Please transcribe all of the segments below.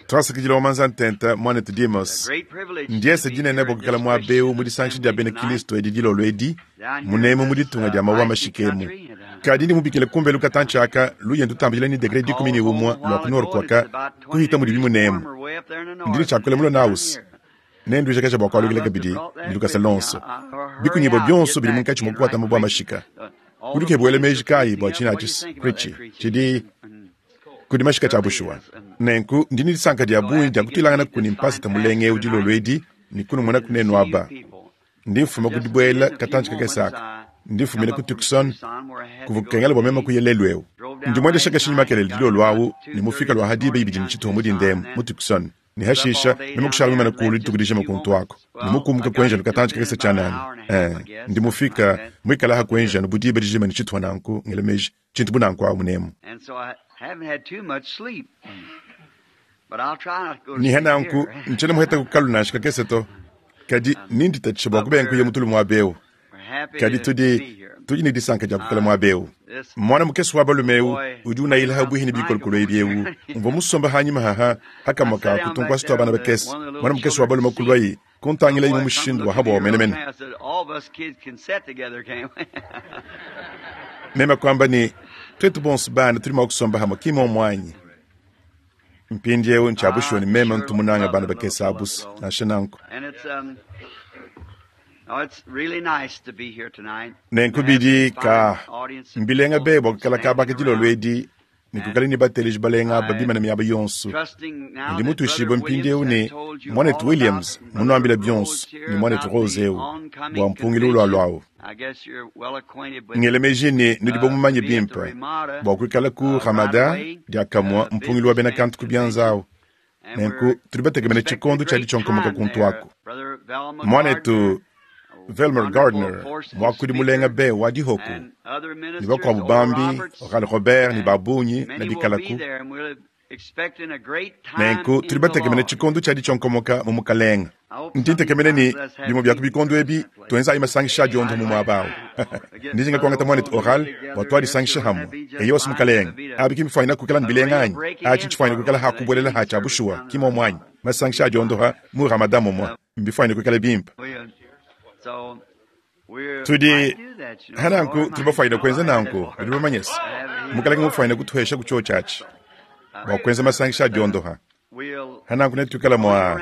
Twasakidila wa manza ntenta muanetu Demos. Ndiese dinene bua kuikala muaba eu mu disangisha dia bena Kristo edi dilolo edi, munemu mu ditunga dia mawa mashikemu. Kadi ndi mubikile kumbelu katantshi aka luye ndutambidila ni degre 11 lua ku nord kuaka kuhita mudibi munemu. Ndi ne tshiakula mulo naus. Nenduijakaja bua kualukila kabidi ne lukasa lonso. Bikunyibua bionso bidi munkatshi mua kukuata mabua mashika. Udi ukebuela meji kayi bua tshina atshi Richie? Tshidi kudi mashika tshia bushuwa. Nenku ndi ne disanka dia bungi dia kutuilangana kuni mpasata mulenga eu dilolo edi ne kunumona kunenu aba. Ndi mfuma ku dibuela katantshi kakese aka. Ndi mfumina ku Tucson kuvua kukengela bua meme kuya lelu eu. Ndi muendesha kashinyi makelele dilolo awu ne mufika lua ha diba ibidi ne tshituha mu dinda emu mu Tucson. Ne hashisha meme kushala mimane kulu dituku dijima kuntu aku ne mukumuka kuenja katantshi kakese tshianana. Ndi mufika muikala ha kuenja anu bu diba dijima ne tshituha nanku ngela meji tshintu bu nanku awu munemu. Niha nanku ntshiena muheta kukalu nansha kakese to, kadi ninditatshisha bua kubenga kuya mutulu muaba eu. Kadi tudi tudi ne disanka dia kuikala muaba eu. Muana mukese wa balume eu udi unayila ha buihi ne bikolokolo ebi eu mvua musomba hanyima haha hakamua ka kutunkuasa tua bana bakese. Muana mukese wa balume kuluayi kuntangilayi mu mushindu wa habuawu menemene. Meme kuamba ne, tuetu bonso bana tudi mua kusomba hamue, ki muomu anyi? Mpindieu ntshia bushuwa ne meme ntu munange bana bakese abusa, nansha nanku. Nenku bidi ka mbilenga be bua kuikala kaba ka dilolo edi ne kuikala ne bateleji balenga aba bimane miaba yonso. Ndi mutuishibue mpindieu ne muanetu Williams munuambila bionso ne muanetu Rose eu bua mpungilu ulualuawu. Ngela meji ne nudi bamumanye bimpe bua kuikala ku Ramada diakamue mpungilu wa bena kantu ku bianza awu. Nenku tudi batekemene tshikondo tshia ditshionkomoka kuntu aku. Muanetu Velmer Gardner, muakudi mulenga be wa dihoku, ne bakuabu bambi, Oral Robert ne ba bungi ne bikalaku. Nenku tudi batekemene tshikondo tshia ditshionkomoka mu Mukalenga. Ndi ntekemena ne bimue bia ku bikondo ebi tuenzayi masangisha a diondoha mu muaba awu. Ndi njinga kuangata muanetu Oral bua tuadisangishe hamue. Eyowa Mukalenga, abi ki mbifuanyina kuikala ne bilenga anyi? Atshi ntshifuanyina kuikala ha kubuelela ha tshia bushuwa, ki muomu anyi? Masangisha a diondoha mu Ramadan mumue mbifuanyine kuikala bimpe. Tudi hananku tudi bafuanyine kuenza nanku, nudi bamanye se Mukalenge mufuanyine kutuhesha ku tshiotshi atshi bua kuenza masangisha a diondoha. Hananku netuikala mua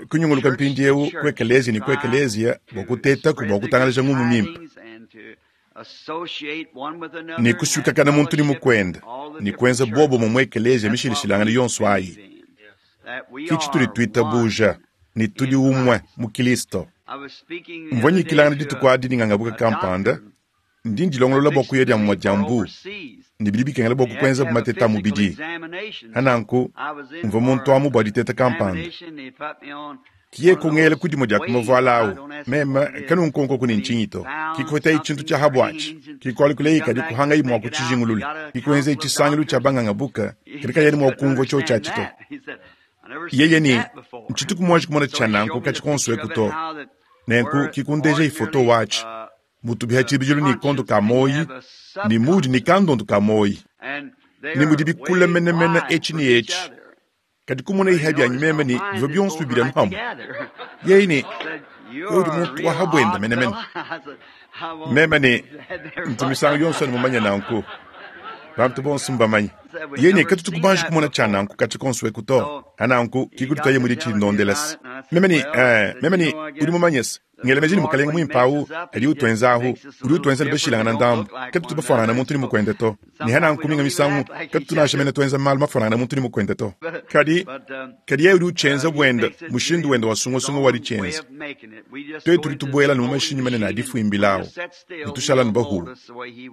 kunyunguluka mpindieu ku ekeleziya ne ku ekeleziya bua kutetaku bua kutangalaja ngumu mimpe ne kusuikakana muntu ne mukuende ne kuenza buobumue mu ekeleziya mishilashilangane yonso ayi. Ke tshitudi tuitabuja ne tudi umue mu Kristo. Mvua nyikilangana dituku adi ne ngangabuka kampanda, ndi ndilongolola bua kuya dia mumue dia mbu, ne bidi bikengela bua kukuenza mateta a mubidi. Hananku mvua muntu amu bua diteta kampanda. Kiye kungela ku dimue dia ku mavuala awu, meme kanunkonkoku ne ntshinyi to. Kikuhetayi tshintu tshia habuatshi, kikualukileyi kadi kuhangayi mua kutshijingulula. Kikuenzeyi tshisangilu tshia bangangabuka, kadi kayena mua kumvua tshiotshi atshi to. Yeye ne, Ntshituku muanji kumona tshia nanku katshi konso eku to. Nenku kikundejayi foto watshi mutubiha tshibidilu ne kondo ka muoyi ne mudi ne kandondu ka muoyi ne mudi bikula menemene etshi ne etshi. Kadi kumona iha bianyi meme ne bivua bionso bibidi anu pamue. Yeye ne, wewe udi muntu wa habuenda menemene. Meme ne, ntu misangu yonso anu mumanye nanku. Bantu bonso mbamanye. Yeye ne, katutu kubanji kumona tshia nanku katshi konso eku to. Hananku kikuditaye mudi tshindondela se. Meme ne, meme ne, udi mumanye se, Ngela meji ne Mukalenge muimpe awu adi utuenza ahu, udi utuenza ne bashilangana ndambu. Katutu bafuanangana muntu ne mukuende to. Ne hananku minga misangu katutu nansha mene tuenza malu mafuanangana muntu ne mukuende to. Kadi, kadi yeye udi utshienza buenda, mushindu wende wa sungasunga wa ditshienza. Tuetu tudi tubuela anu mu mashinyi manene a difuimbila awu, ne tushala anu bahuwe.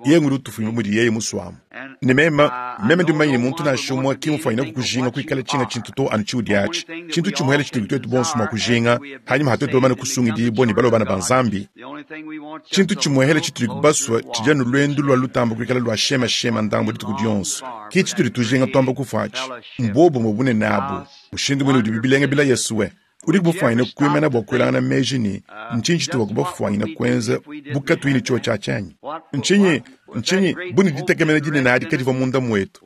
Yeye ngudi utufuimba mudi yeye musuamu. Ne meme, meme ndi mumanye ne muntu nansha umue ki mufuanyine kukujinga kuikala tshinga tshintu to anu tshiudi atshi. Tshintu tshimuele tshitudi tuetu bonso mua kujinga hanyima ha tuetu bamane kusungidibua ne balua bana ba Nzambi. Tshintu tshimuehele tshitudi basue tshidi anu luendu lua lutamba kuikala lua shemashema ndambu dituku dionso. Ki tshitudi tujinga tuamba kufua atshi. Mbuobumue bunene abu, mushindu muine udibi bilenga bila Yesuwe. Udiku mufuanyine kuimana bua kuelangana meji ne, ntshinyi tshituvua bafuanyine kuenza bu katuyi ne tshiotshi atshi anyi? Ntshinyi? Ntshinyi bu ne ditekemena dinene adi kadivua munda muetu?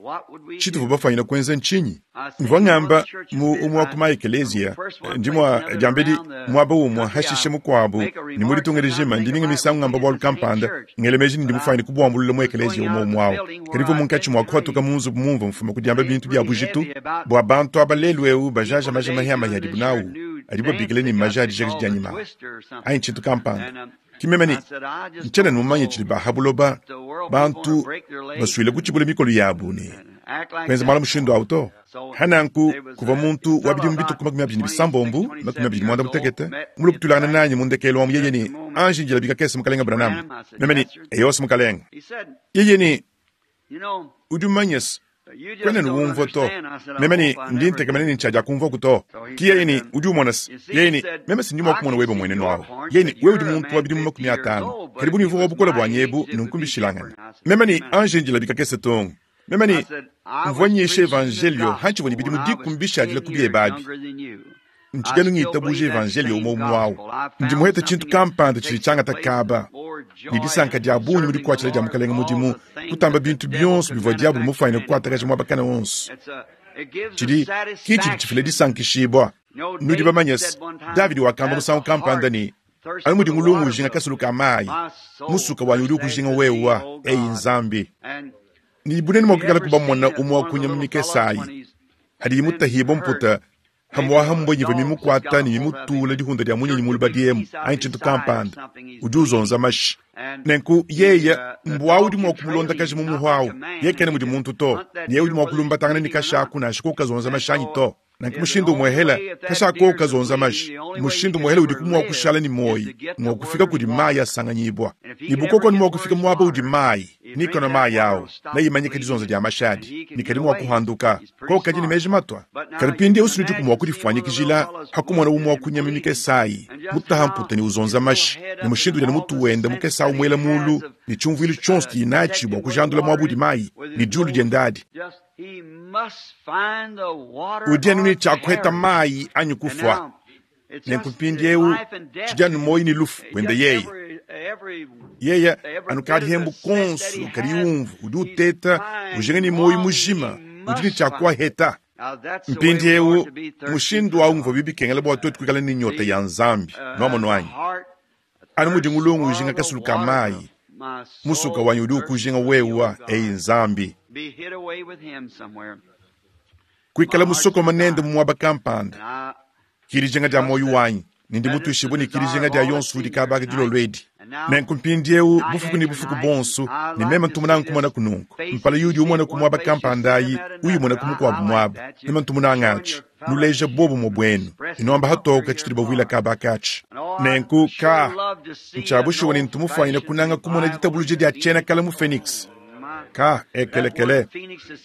Tshituvua bafwanyine kuenza ntshinyi? Mvua ngamba mu umue wa ku ma-ekeleziya, ndi mua, diambedi, muaba umue, hashishe mukuabu, ne mu ditunga dijima, ndi minga misangu ngamba bualu kampanda, ngela meji ne ndi mufwanyine kubuambulula mu ekeleziya umue umue au. Kadi mvua munkatshi mua kuhatuka mu nzubu mumvua mfuma ku diamba bintu bia bujitu bua bantu aba lelu'eu bajaja maja mahiamahi adibu nawu, adibu babikila ne maja a dijakaji dia nyima anyi tshintu kampanda. Ki meme ne, Ntshiena mumanye tshidi ba ha buloba bantu basuile kutshibula mikolo yabu ne kuenza malu mushindu au to. Ha nanku kuvua muntu wa bidimu bitue ku 26, 28 mulue kutuilangana nanyi mu ndekelu amu yeye ne, Anji njila bikakese, Mukalenge Branham. Meme ne, Eyos, Mukalenge. Yeye ne, Udi mumanye se, kuena ne umvua to. Meme ne, Ndi ntekemena ne ntshiadiakumvuaku to. Ki yeye ne, Udi umona se, yeye ne, meme si ndi mua kumona webe muenenu awu. Yeye ne, Wewe udi muntu wa bidimu 50, kadi bu mivua wa bukole buanyi ebu, nunku mbishilangane. Meme ne, Anji ndila bikakese tung. Meme ne, Mvua nyisha Evanjeliyo hantshivua ne bidimu dikumi bishadile ku biebe abi. Ntshidi anu ngitabuja Evanjeliyo umue umue awu. Ndi muhete tshintu kampanda tshidi tshiangata kaba ne disanka dia bungi mu dikuatshila dia Mukalenge mudimu kutamba bintu bionso bivua Diabolo mufuanyine kukuatakaja muaba kana wonso. Tshidi ki tshidi tshifila disankishibua. Nudi bamanye se, Davidi wakamba musangu kampanda ne, Anu mudi ngulungu ujinga kasulu ka mayi, musuka wanyi udi ukujinga wewa, eyi Nzambi. Ne bunene mua kuikala kubamona umue wa ku nyama mikese ayi, hadiyi mutahibue mputa Pamu'apa mbua ivua mimukuata ne mimutula dihunda dia munyinyi mu lubadi emu anyi tshintu kampanda. Udi uzonza mashi. Nenku yeye, mbua udi mua kumulondakaja mu muhu au. Yeye kena mudi muntu to, ne yeye udi mua kulumbatangana ne kashi aku nansha koku kazonza mashi anyi to. Nanku mushindu umuehela, kashi aku koku kazonza mashi, mushindu umuehela udiku mua kushala ne muoyi ngua kufika kudi mayi asanganyibua. Ne bu koko anu mua kufika muaba udi mayi, ne kanua mayi au, neimanyike dizonza dia mashi adi, ne kadi mua kuhanduka. Koko kadi ne meji matua. Kadi mpindieu sinudiku mua kudifuanyikijila ha kumona umue wa ku nyama mikese ayi mutaha mputa ne uzonza mashi, ne mushindu udi anu mutu wende mukese au muela mulu, ne tshiumvuilu tshionso tshidiye natshi bua kujandula muaba udi mayi ne diulu diende adi. Udi anu ne tshia kuheta mayi anyi kufua. Nenku mpindieu tshidi anu muoyo ne lufu buende yeye. Yeye anu kadihembu konso kadi umvu udi uteta ujinga ne muoyo mujima udi ne tshia kuaheta. Mpindieu mushindu au nguvua bikengela bua tuetu kuikala ne nyota ya Nzambi. Nuamonu anyi? Anu mudi ngulungu ujinga kasulu ka mayi, musuka wanyi udi ukujinga wewa, eyi Nzambi. Kuikala musokoma nende mu muaba kampanda ki dijinga dia muoyo wanyi, ne ndi mutuishibue ne ki dijinga dia yonso udi kaba aka dilolo edi. Nenku mpindieu, bufuku ne bufuku buonso, ne meme ntu munange kumonaku nunku, mpala yudi umona ku muaba kampanda ayi, uyimona ku mukuabu muaba. Meme ntu munange atshi. Nuleja buobumue buenu ne nuamba hatoke tshitudi bavuila kaba aka atshi. Nenku, ka, ntshia bushuwa ne ntu mufuanyine kunanga kumona ditabuluja dia tshiena kale mu Phoenix. Ka, ekelekele.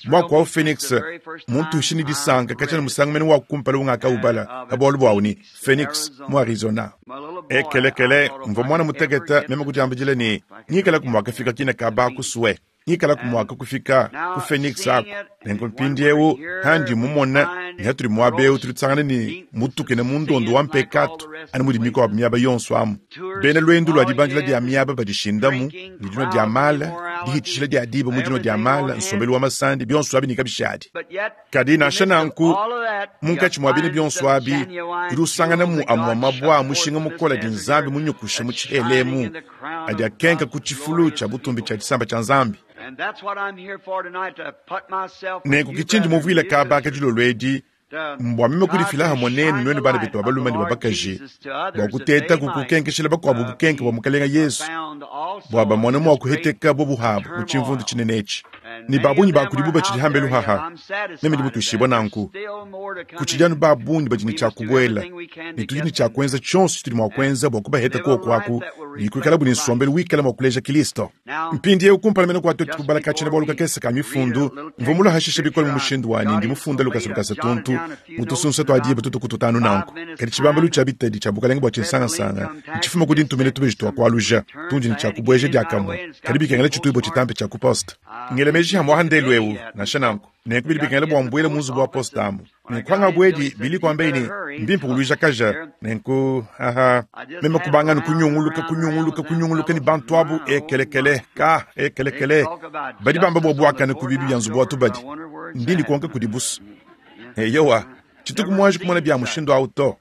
Muaku wa Phoenix muntuishe ne disanka katshia ne musangu mene wa kumpala ungakaubala pa bualu buawu ne, Phoenix, mu Arizona. Ekelekele, mvua muana mutekete meme kudiambidila ne, ngikalaku mua kafika kine kaba aku sue. Ngikalaku mua kufika ku Phoenix aku. Nenku mpindieu handi mumona ne hatudi muaba eu tudi tusangana ne mutukena mu ndondo wa mpekatu anu mudi mikuabu miaba yonso amu. Bena luendu lua dibandila dia miaba badishindamu ne dinua dia mala, dihitshishila dia diba mu dinua dia mala, nsombelu wa masandi, bionso abi ne kabishadi. Kadi nansha nanku, munkatshi mua bine bionso abi, udi usanganamu amue mabue a mushinga mukole adi Nzambi munyukushe mu tshihela emu, adi akenka ku tshifulu tshia butumbi tshia tshisamba tshia Nzambi. Nenku ke tshindi muvuile kaba aka dilolo edi, mbua meme kudifila hamue nenu, nuenu bana betu ba balume ne ba bakaji, bua kuteta kukukenkeshila bakuabu bukenke bua Mukalenge Yesu, bua bamone mua kuheteka bobu habu mu tshimvundu tshinene etshi. Ne ba bungi ba kudibu batshidi hambelu haha, meme ndi mutuishibue nanku. Kutshidi anu ba bungi badi ne tshia kubuela, ne tudi ne tshia kuenza tshionso tshitudi mua kuenza bua kubaheta kuoku aku ne kuikalabu ne nsombelu wikala mua kuleja Kilisto. Mpindieu, kumpala mene kua tuetu kubala ka tshiena-bualu kakese ka Mifundu, mvua mulue hashishe bikole mu mushindu wa ne ndi mufunda lukasa lukasa tuntu mu tusunsa tua diba tutu kututanu nanku. Kadi tshibambalu tshia bitadi tshia bukalenge bua tshinsangansanga ntshifuma ku dintumina tubeji tua kualuja tundi ne tshia kubueja diakamue, kadi bikengela tshituibue tshitampe tshia ku poste. Ngela meji hamua ha ndelu eu, nansha nanku. Nenku bidi bikengela bua mbuele mu nzubu wa poste amu. Nenku hangabuedi, Billy kuambaye ne, Mbimpe kuluijakaja. Nenku, aha, meme kubanga anu kunyunguluka, kunyunguluka, kunyunguluka ne bantu abu, ekelekele, ka, ekelekele. Badi bamba bua buakane ku biibi bia nzubu wa tubadi. Ndi ndikonka kudibu's. Eyowa, tshituku muanji kumona bia mushindu au to.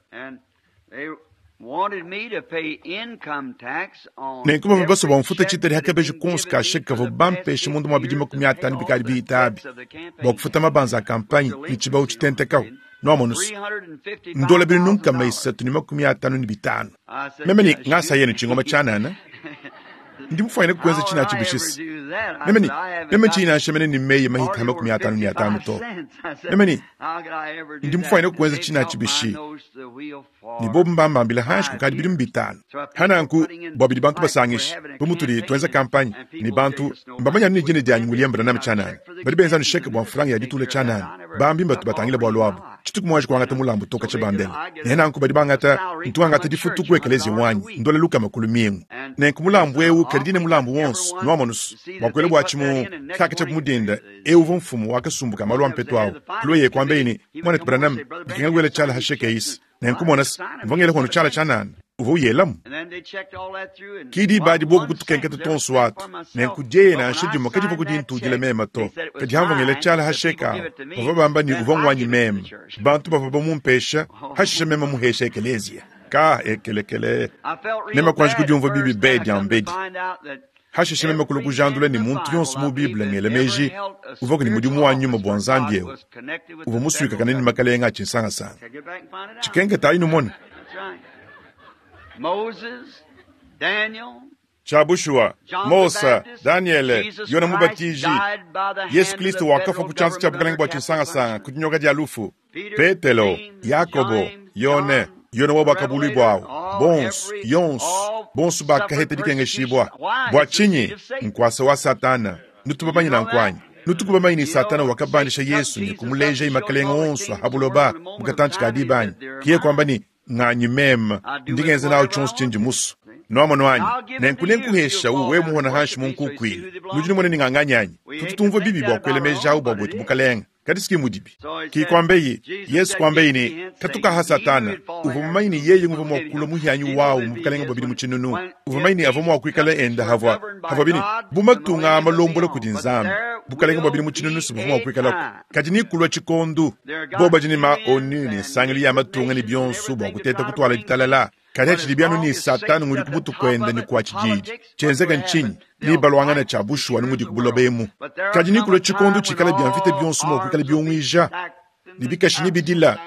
Nenku bavua basue bua mfute tshitadi ha kabeji konso ka sheke kavuabu bampeshe munda mua bidimu 50 bikadi bihita abi bua kufuta mabanza a kampanye ne tshibawu tshitentekawu. Nuamonu's, ndola binunu 355. Meme ne, Ngasa yenu tshingoma tshianana. Ndi mufuanyine kuenza tshina atshi bishisa. Meme ne, Meme tshiyi nansha mene ne meyi mahita ha 55 to. Meme ne, Ndi mufuanyine kuenza tshina atshi bishi? Ne bobu mbambambila hanshi kukadi bidimu bitanu. Ha nanku, bua bidi bantu basangisha, bu mutudi tuenza kampanye, ne bantu mbamanya anu ne dina dianyi William Branham tshianana. Badi benza anu sheke bua mfranga ya ditula tshianana. Bambi mbatu batangila bualu abu. Tshituku muanji kuangata mulambu to katshia bandela. Ne nanku badi bangata, ntu ngangata difutu ku ekeleziya wanyi, ndola lukama ku lumingu. Nenku mulambu eu kadi dine mulambu wonso, nuamonu's, bua kuela buatshi mu kaka tshia ku mudinda. Eu uvua mfumu wa kasumbu ka malu a mpetu au. Kulua kuambaye ne, Muanetu Branham, bikengela kuela tshiala ha sheke eyisi. Nenku mona's, mvua ngela hono tshiala tshianana. Uvua uyelamu. Ki diba adi bobu kutukenketa tuonso atu. Nenku dieye nansha dimue kadivua kudintudila meme to. Kadi hamvua ngela tshiala ha sheke awu, bavua bamba ne uvua nguanyi meme. Bantu bavua bamumpesha, hashishe meme muhesha ekeleziya. Ka ekelekele. Meme kuanji kudiumvua bibi be diambedi. Hashishe meme kulua kujandula ne muntu yonso mu Bible ngela meji uvuaku ne mudimu wa nyuma bua Nzambi eu uvua musuikakane ne makalenge a tshinsangasanga. Tshikenketayi numone. Tshia bushuwa, Mose, Danyele, Yone Mubatiji, Yesu Kristo wakafua ku tshianza tshia bukalenge bua tshinsangasanga ku dinyoka dia lufu. Petelo, Yakobo, Yone, Yone wa Buakabuluibua, bonso, yonso, bonso bakaheta dikengeshibua. Bua tshinyi? Nkuasa wa Satana. Nutu bamanye nanku anyi? Nutuku bamanye ne Satana wakabandisha Yesu ne kumulejaye makalenge onso a ha buloba mu katantshi ka diba anyi? Kiye kuamba ne, Nganyi meme, ndi ngenza nawu tshionso tshindi musue. Nuamonu anyi? Nenku nenkuheshawu wewe muhona hanshi mu nkukuile. Nudi numona ne nganganyi anyi? Tutu tumvua bibi bua kuela meji awu bua buetu bukalenge. Kadi si mudibi. Ki kuambeyi, Yesu kuambeyi ne, Katuka ha Satana. Uvua mumanye ne yeye nguvua mua kulua muhianyi wawu mu bukalenge bua bidimu tshinunu. Uvua mumanye ne avua mua kuikala enda havua, havua bini, bu matunga a malombola kudi Nzambi. Bukalenge bua bidimu tshinunu si buvua mua kuikalaku. Kadi ni kulua tshikondu, bobu badi ne ma ONU ne nsangilu ya matunga ne bionso bua kuteta kutuala ditalala. Kadi hatshidi anu ne Satana ngudi ku mutu kuende ne kua tshididi. Tshienzeka ntshinyi? Nebaluangane tshia bushuwa anu mudi ku buloba emu. Kadi nekulue tshikondo tshikala bia mvita bionso mua kuikala biunguija, ne bikashi ne bidila,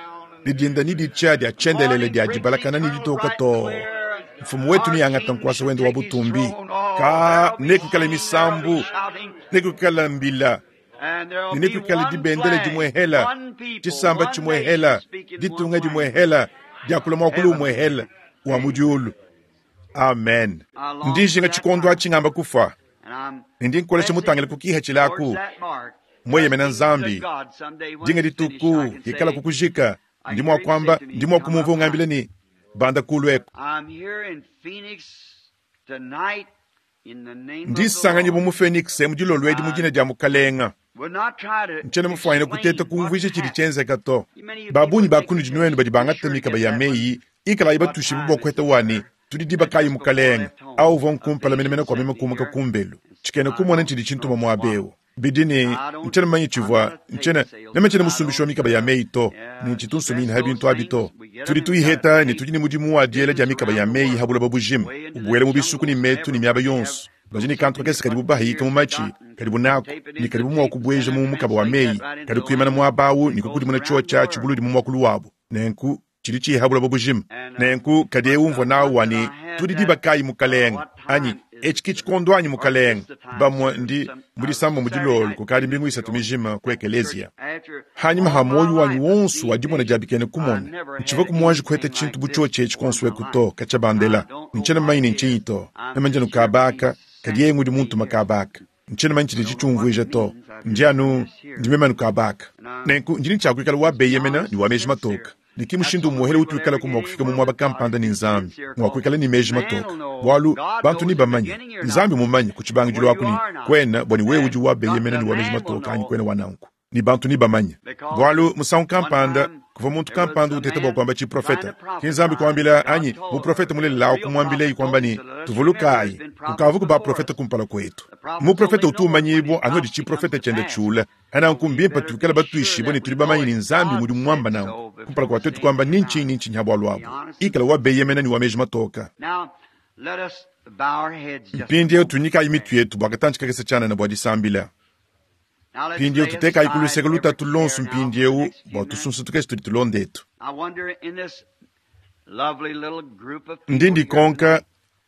ne dinda ne ditshia dia tshiendelele dia dibalakana ne ditoka too. Mfumu wetu neangate nkuasa wende wa butumbi. Ka nekuikale misambu, nekuikale mbila, ne nekuikale dibendele dimuehela, tshisamba tshimuehela, ditunga dimuehela, diakula muakulu umuehela wa mu diulu. Amen. Ndi njinga tshikondo atshi ngamba kufua, ne ndi nkolesha mutangile ku kihatshila aku, mueyemena Nzambi. Dinga dituku hikala kukujika, ndi mua kuamba, ndi mua kumumvua ungambila ne, Banda kulu eku. Ndi sanganyibua mu Phoenix mu dilolo edi mu dina dia Mukalenga. Ntshiena mufuanyine kuteta kumvuija tshidi tshienzeka to. Ba bungi ba kunudi nuenu badi bangata mikaba ya meyi, ikalayi batuishibue bua kuheta wa ne, Tudi diba kayi, Mukalenge? Au uvua nkumpala menemene kua meme kumuka kumbelu. Tshikena kumona ntshidi tshintuma muaba eu. Bidi ne, ntshiena mumanye tshivua, ntshiena, meme ntshiena musumbishi wa mikaba ya meyi to, ne ntshitu nsumina ha bintu abi to. Tudi tuyiheta ne tudi ne mudimu wa diela dia mikaba ya meyi ha buloba bujima, ubuela mu bisuku ne metu ne miaba yonso. Badi ne kantu kakese kadibu bahayika mu matshi kadibu naku ne kadibu mua kubueja mu mukaba wa meyi, kadi kuimana muaba au ne kukudimuna tshiotshia tshibuludi mu muakulu wabu. Nenku tshidi tshiha buloba bujima. Nenku kadi eu mvua nawu wa ne, Tudi diba kayi, Mukalenge? Anyi, etshi ke tshikondo anyi, Mukalenge? Bamue ndi mu disambombo dilolo kukadi mbingu isatu mijima ku ekeleziya. Hanyima ha muoyo wanyi wonso wa dimona dia bikena kumona, ntshivua ku muanji kuheta tshintu bu tshiotshi etshi kuonso eku to, katshia bandela. Ntshiena mumanye ne ntshinyi to. Meme ndi anu kaba aka, kadi yeye ngudi muntuma kaba aka. Ntshiena mumanye tshidi tshiumvuija to. Ndi anu, ndi meme anu kaba aka. Nenku ndi ne tshia kuikala wa beyemena ne wa meji matoke. Ne ki mushindu umuehele utuikalaku mua kufika mu muaba kampanda ne Nzambi, mua kuikala ne meji matoke. Bualu, bantu nebamanye, Nzambi mumanye ku tshibangidilu aku ne, kuena bua ne wewe udi wa beyemena ne wa meji matoke anyi kuena wa nanku. Ne bantu nebamanye. Bualu, musangu kampanda, kuvua muntu kampanda uteta bua kuamba tshiprofete. Ke Nzambi kuambila, anyi muprofete mulelela au kumuambilaye kuamba ne, Tuvulukayi, kukavuaku baprofete kumpala kuetu. Muprofete utu umanyibua anu padi tshiprofete tshiende tshiula. Nanku mbimpe tuikale batuishibue ne tudi bamanye ne, Nzambi ngudi muamba nanku kumpala kua tuetu kuamba ni ntshinyi ni ntshinyi ha bualu abu. Ikala wa beyemena ne wa meji matoka. Mpindieu tunyikayi mitu yetu bua katantshi kakese tshianana bua disambila. Mpindieu tutekayi ku luseke lutatu luonso mpindieu bua tusunsa tukese tudi tulonda etu. Ndi ndikonka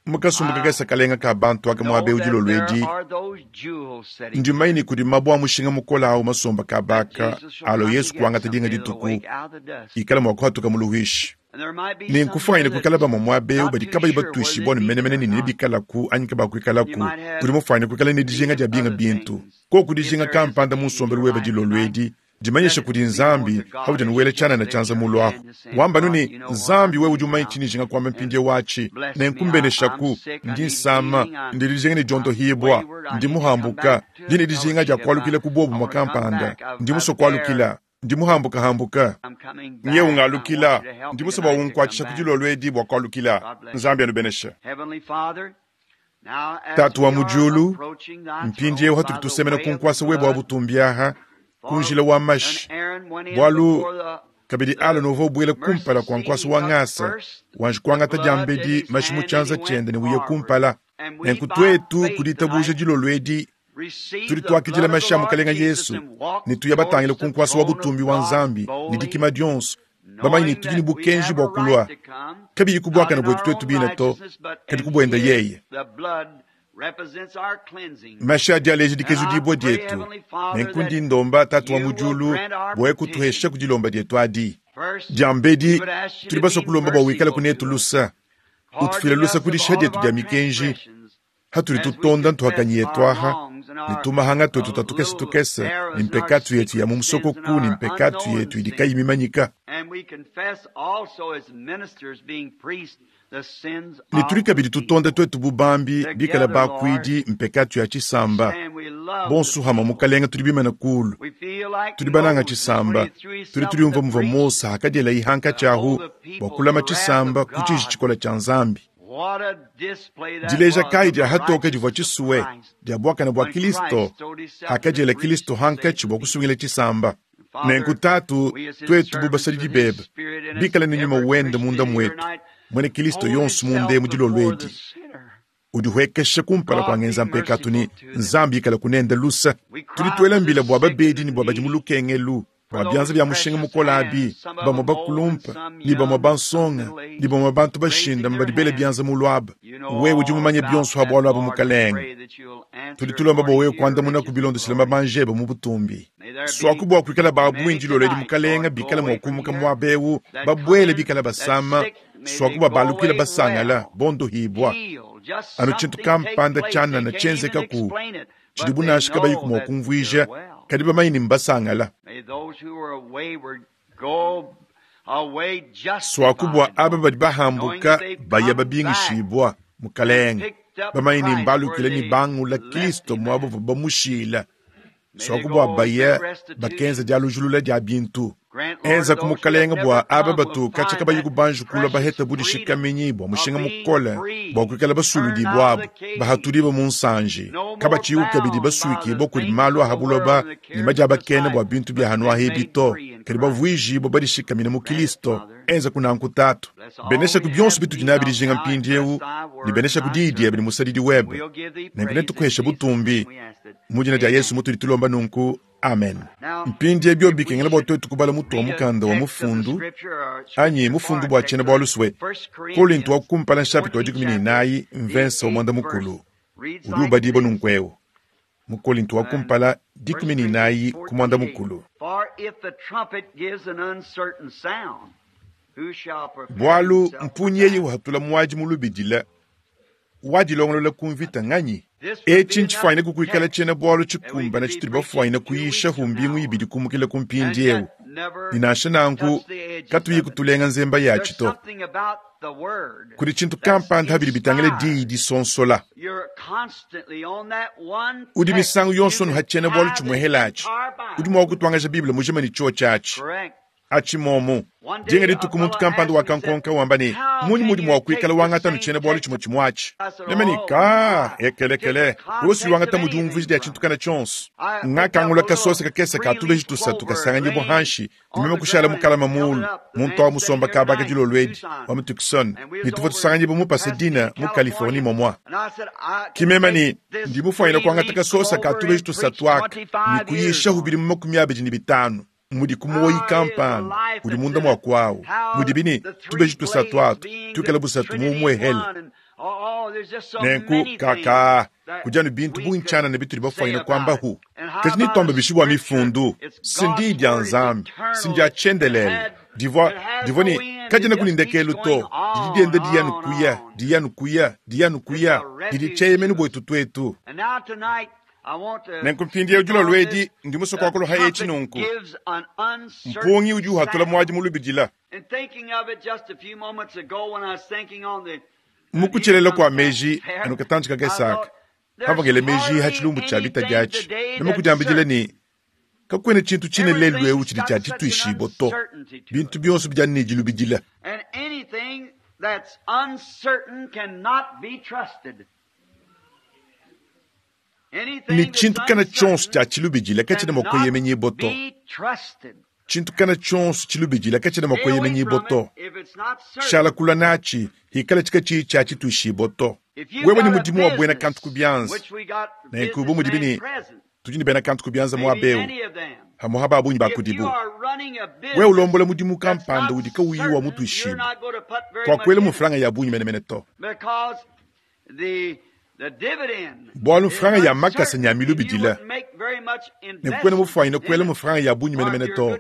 mu kasumbu kakese kalenga ka bantu aka muaba eu dilolo edi, ndi mumanye ne kudi mabue a mushinga mukole au masomba kaba aka alua Yesu kuangata dinga dituku ikala mua kuhatuka mu luhuishi. Ne nkufuanyine kuikala bamue muaba eu badi kabayi batuishibua ne menemene ne nebikalaku anyi kabakuikalaku. Udi mufuanyine kuikala ne dijinga dia binga bintu. Koku dijinga kampanda mu nsombelu webe dilolo edi, dimanyisha kudi Nzambi paudi anu wela tshianana tshianza mulu apu. Wamba anu ne, Nzambi, wewe udi mumanye tshindi njinga kuamba mpindieu atshi, nenku mbeneshaku. Ndi nsama, ndi dijinga ne diondohibua, ndi muhambuka, ndi ne dijinga dia kualukila ku buobumue kampanda, ndi musue kualukila. Ndi muhambukahambuka. Nyewu ngalukila. Ndi musue bua unkuatshisha ku dilolo edi bua kualukila. Nzambi anubeneshe. Tatu wa mu diulu, mpindieu hatudi tusemena ku nkuasa webe wa butumbi aha, ku njila wa mashi, bualu kabidi Alona uvua ubuela kumpala kua nkuasa wa ngasa, wanji kuangata diambedi mashi mu tshianza tshiende ne uya kumpala. Nenku tuetu ku ditabuja dilolo edi tudi tuakidila mashi a Mukalenge Yesu ne tuya batangile ku nkuasa wa butumbi wa Nzambi ne dikima dionso, bamanye ne tudi ne bukenji bua kulua, kabiyi ku buakane buetu tuetu bine to, kadi ku buende yeye. Mashi adi aleja dikezudibua dietu. Nenku ndi ndomba Tatu wa mu diulu bua kutuhesha ku dilomba dietu adi. Diambedi, tudi basue kulomba bua wikale kunetu lusa, utufuile lusa ku dishiha dietu dia mikenji, hatudi tutonda ntuhakanyi yetu aha ne tumahanga tuetu tua tukese tukese ne mpekatu yetu ya mu musokoku ne mpekatu yetu idi kayi mimanyika. Ne tudi kabidi tutonda tuetu bu bambi bikale bakuidi mpekatu ya tshisamba. Bonso hamue Mukalenge tudi bimane kulu, tudi bananga tshisamba, tudi tudiumvua muvua Mose hakadielayi hankatshi ahu bua kulama tshisamba ku tshiji tshikole tshia Nzambi. Dileja kayi dia hatoke divua tshisue dia buakane bua Kilisto hakadiela Kilisto hankatshi bua kusungila tshisamba? Nenku Tatu, tuetu bu basadidi bebe, bikale ne Nyuma wende munda muetu, muena Kilisto yonso munda emu dilolo edi, udihuekesha kumpala kua ngenza mpekatu ne Nzambi ikale kunende lusa. Tudi tuela mbila bua babedi ne bua badi mu lukengelu, bua bianza bia mushinga mukole abi, bamue bakulumpa ne bamue bansonga ne bamue bantu bashindame badi bela bianza mulu aba. Wewe udi mumanye bionso ha bualu abu, Mukalenge. Tudi tulomba bua wewe kuandamunaku bilondeshile mabanji ebe mu butumbi. Suaku bua kuikala ba bungi dilolo edi, Mukalenge, bikale mua kumuka muaba eu, babuele bikale basama, suaku bua balukile basangala, bondohibua. Anu tshintu kampanda tshianana tshienzekaku tshidibu nansha kabayiku mua kumvuija, kadi bamanye ne mbasangala. Suaku bua aba badi bahambuka baya babingishibua, Mukalenge, bamanye ne mbalukile ne bangula Kristo muaba uvua bamushila. Suaku bua baya bakenza dialujulula dia bintu. Enzaku Mukalenge bua aba batu katshia kabayi kubanji kulua baheta budishikaminyi bua mushinga mukole bua kuikala basuludibua abu, bahatudibue mu nsanji, kabatshiyiku kabidi basuikibua kudi malu a ha buloba ne madiabakena bua bintu bia hanuaha ebi to, kadi bavuijibue badishikamine mu Kilisto. Enzaku nanku, Tatu. Beneshaku bionso bitudi nabi dijinga mpindieu, ne beneshaku diyi diebe ne musadidi webe. Nenku netukuheshe butumbi. Mu dina dia Yesu mutudi tulomba nunku. Amen. Mpindie bio bikengela bua tuetu kubala mutu wa mukanda wa mufundu anyi mufundu bua tshiena bualu sue Kolinto wa kumpala nshapita wa 14 mvensa wa muanda mukulu udi ubadibua nunku eu mu Kolinto wa kumpala 14 ku muanda mukulu. Bualu mpunyi eyi uhatula muadi mu lubidila wadilongolola ku mvita nganyi? Etshi ntshifuanyine kukuikala tshiena-bualu tshikumbane tshitudi bafuanyine kuyisha ku mbingu ibidi kumukila ku mpindieu. Ne nansha nanku, Katuyiku tulenga nzemba yatshi to. Kudi tshintu kampanda pa bidi bitangila Diyi disonsola. Udi misangu yonso anu ha tshiena-bualu tshimuehela atshi. Udi mua kutuangaja Bible mujima ne tshiotshi atshi. Atshi momu. Dinga dituku muntu kampanda wakankonka wamba ne, Mmunyi muudi mua kuikala wangata anu tshiena-bualu tshimue tshimue atshi? Meme ne, Kaa, ekelekele, wewe si wangata mu diumvuija dia tshintu kana tshionso. Ngakangula kasosa kakese ka tubeji tusatu kasanganyibua hanshi ne meme kushala mukalama muulu. Muntu au musomba kaba aka dilolo edi, wa mu Tucson, ne tuvua tusanganyibua mu Pasadena, mu Californie momua. Ki meme ne, Ndi mufuanyine kuangata kasosa ka tubeji tusatu aka ne kuyishahu bidimu 25. Mudi ku muoyi kampanda udi munda mua kuawu, mudibi ne tubeji tusatu atu tuikale busatu mu umuehele. Nenku, kakaa, kudi anu bintu bungi tshianana bitudi bafuanyine kuambahu. Kadi netuambe bishi bua Mifundu? Si n'Diyi dia Nzambi, si ndia tshiendelele. Divua, divua ne, kadienaku ne ndekelu to. Didi dienda diya anu kuya, diya anu kuya, diya anu kuya. Didi tshieyemenu buetu tuetu. Nenku mpindieu dilolo edi ndi musue kuakula ha etshi nunku, mpungi udi uhatula muadi mu lubidila. Mu kutshelela kua meji anu katantshi kakese aka, pamvua ngela meji ha tshilumbu tshia bitadi atshi, meme kudiambidila ne, Kakuena tshintu tshine lelu eu tshidi tshia dituishibua to. Bintu bionso bidi anu ne dilubidila. Ne tshintu kana tshionso tshia tshilubidila katshiena mua kueyemenyibua to. Tshintu kana tshionso tshilubidila katshiena mua kueyemenyibua to. Shala kula natshi hikala tshikatshiyi tshia tshituishibua to. Wewe ne mudimu wa buena kantu ku bianza, nenku bu mudibi ne tudi ne bena kantu ku bianza muaba eu, pamu'apa ba bungi ba kudibu, wewe ulombola mudimu kampanda udi kawuyi wa mutuishibue, kuakuela mu mfranga ya bungi menemene to. Bualu mfranga ya makasa nya milubidila, ne kuena mufuanyine kuela mu mfranga ya bungi menemene to.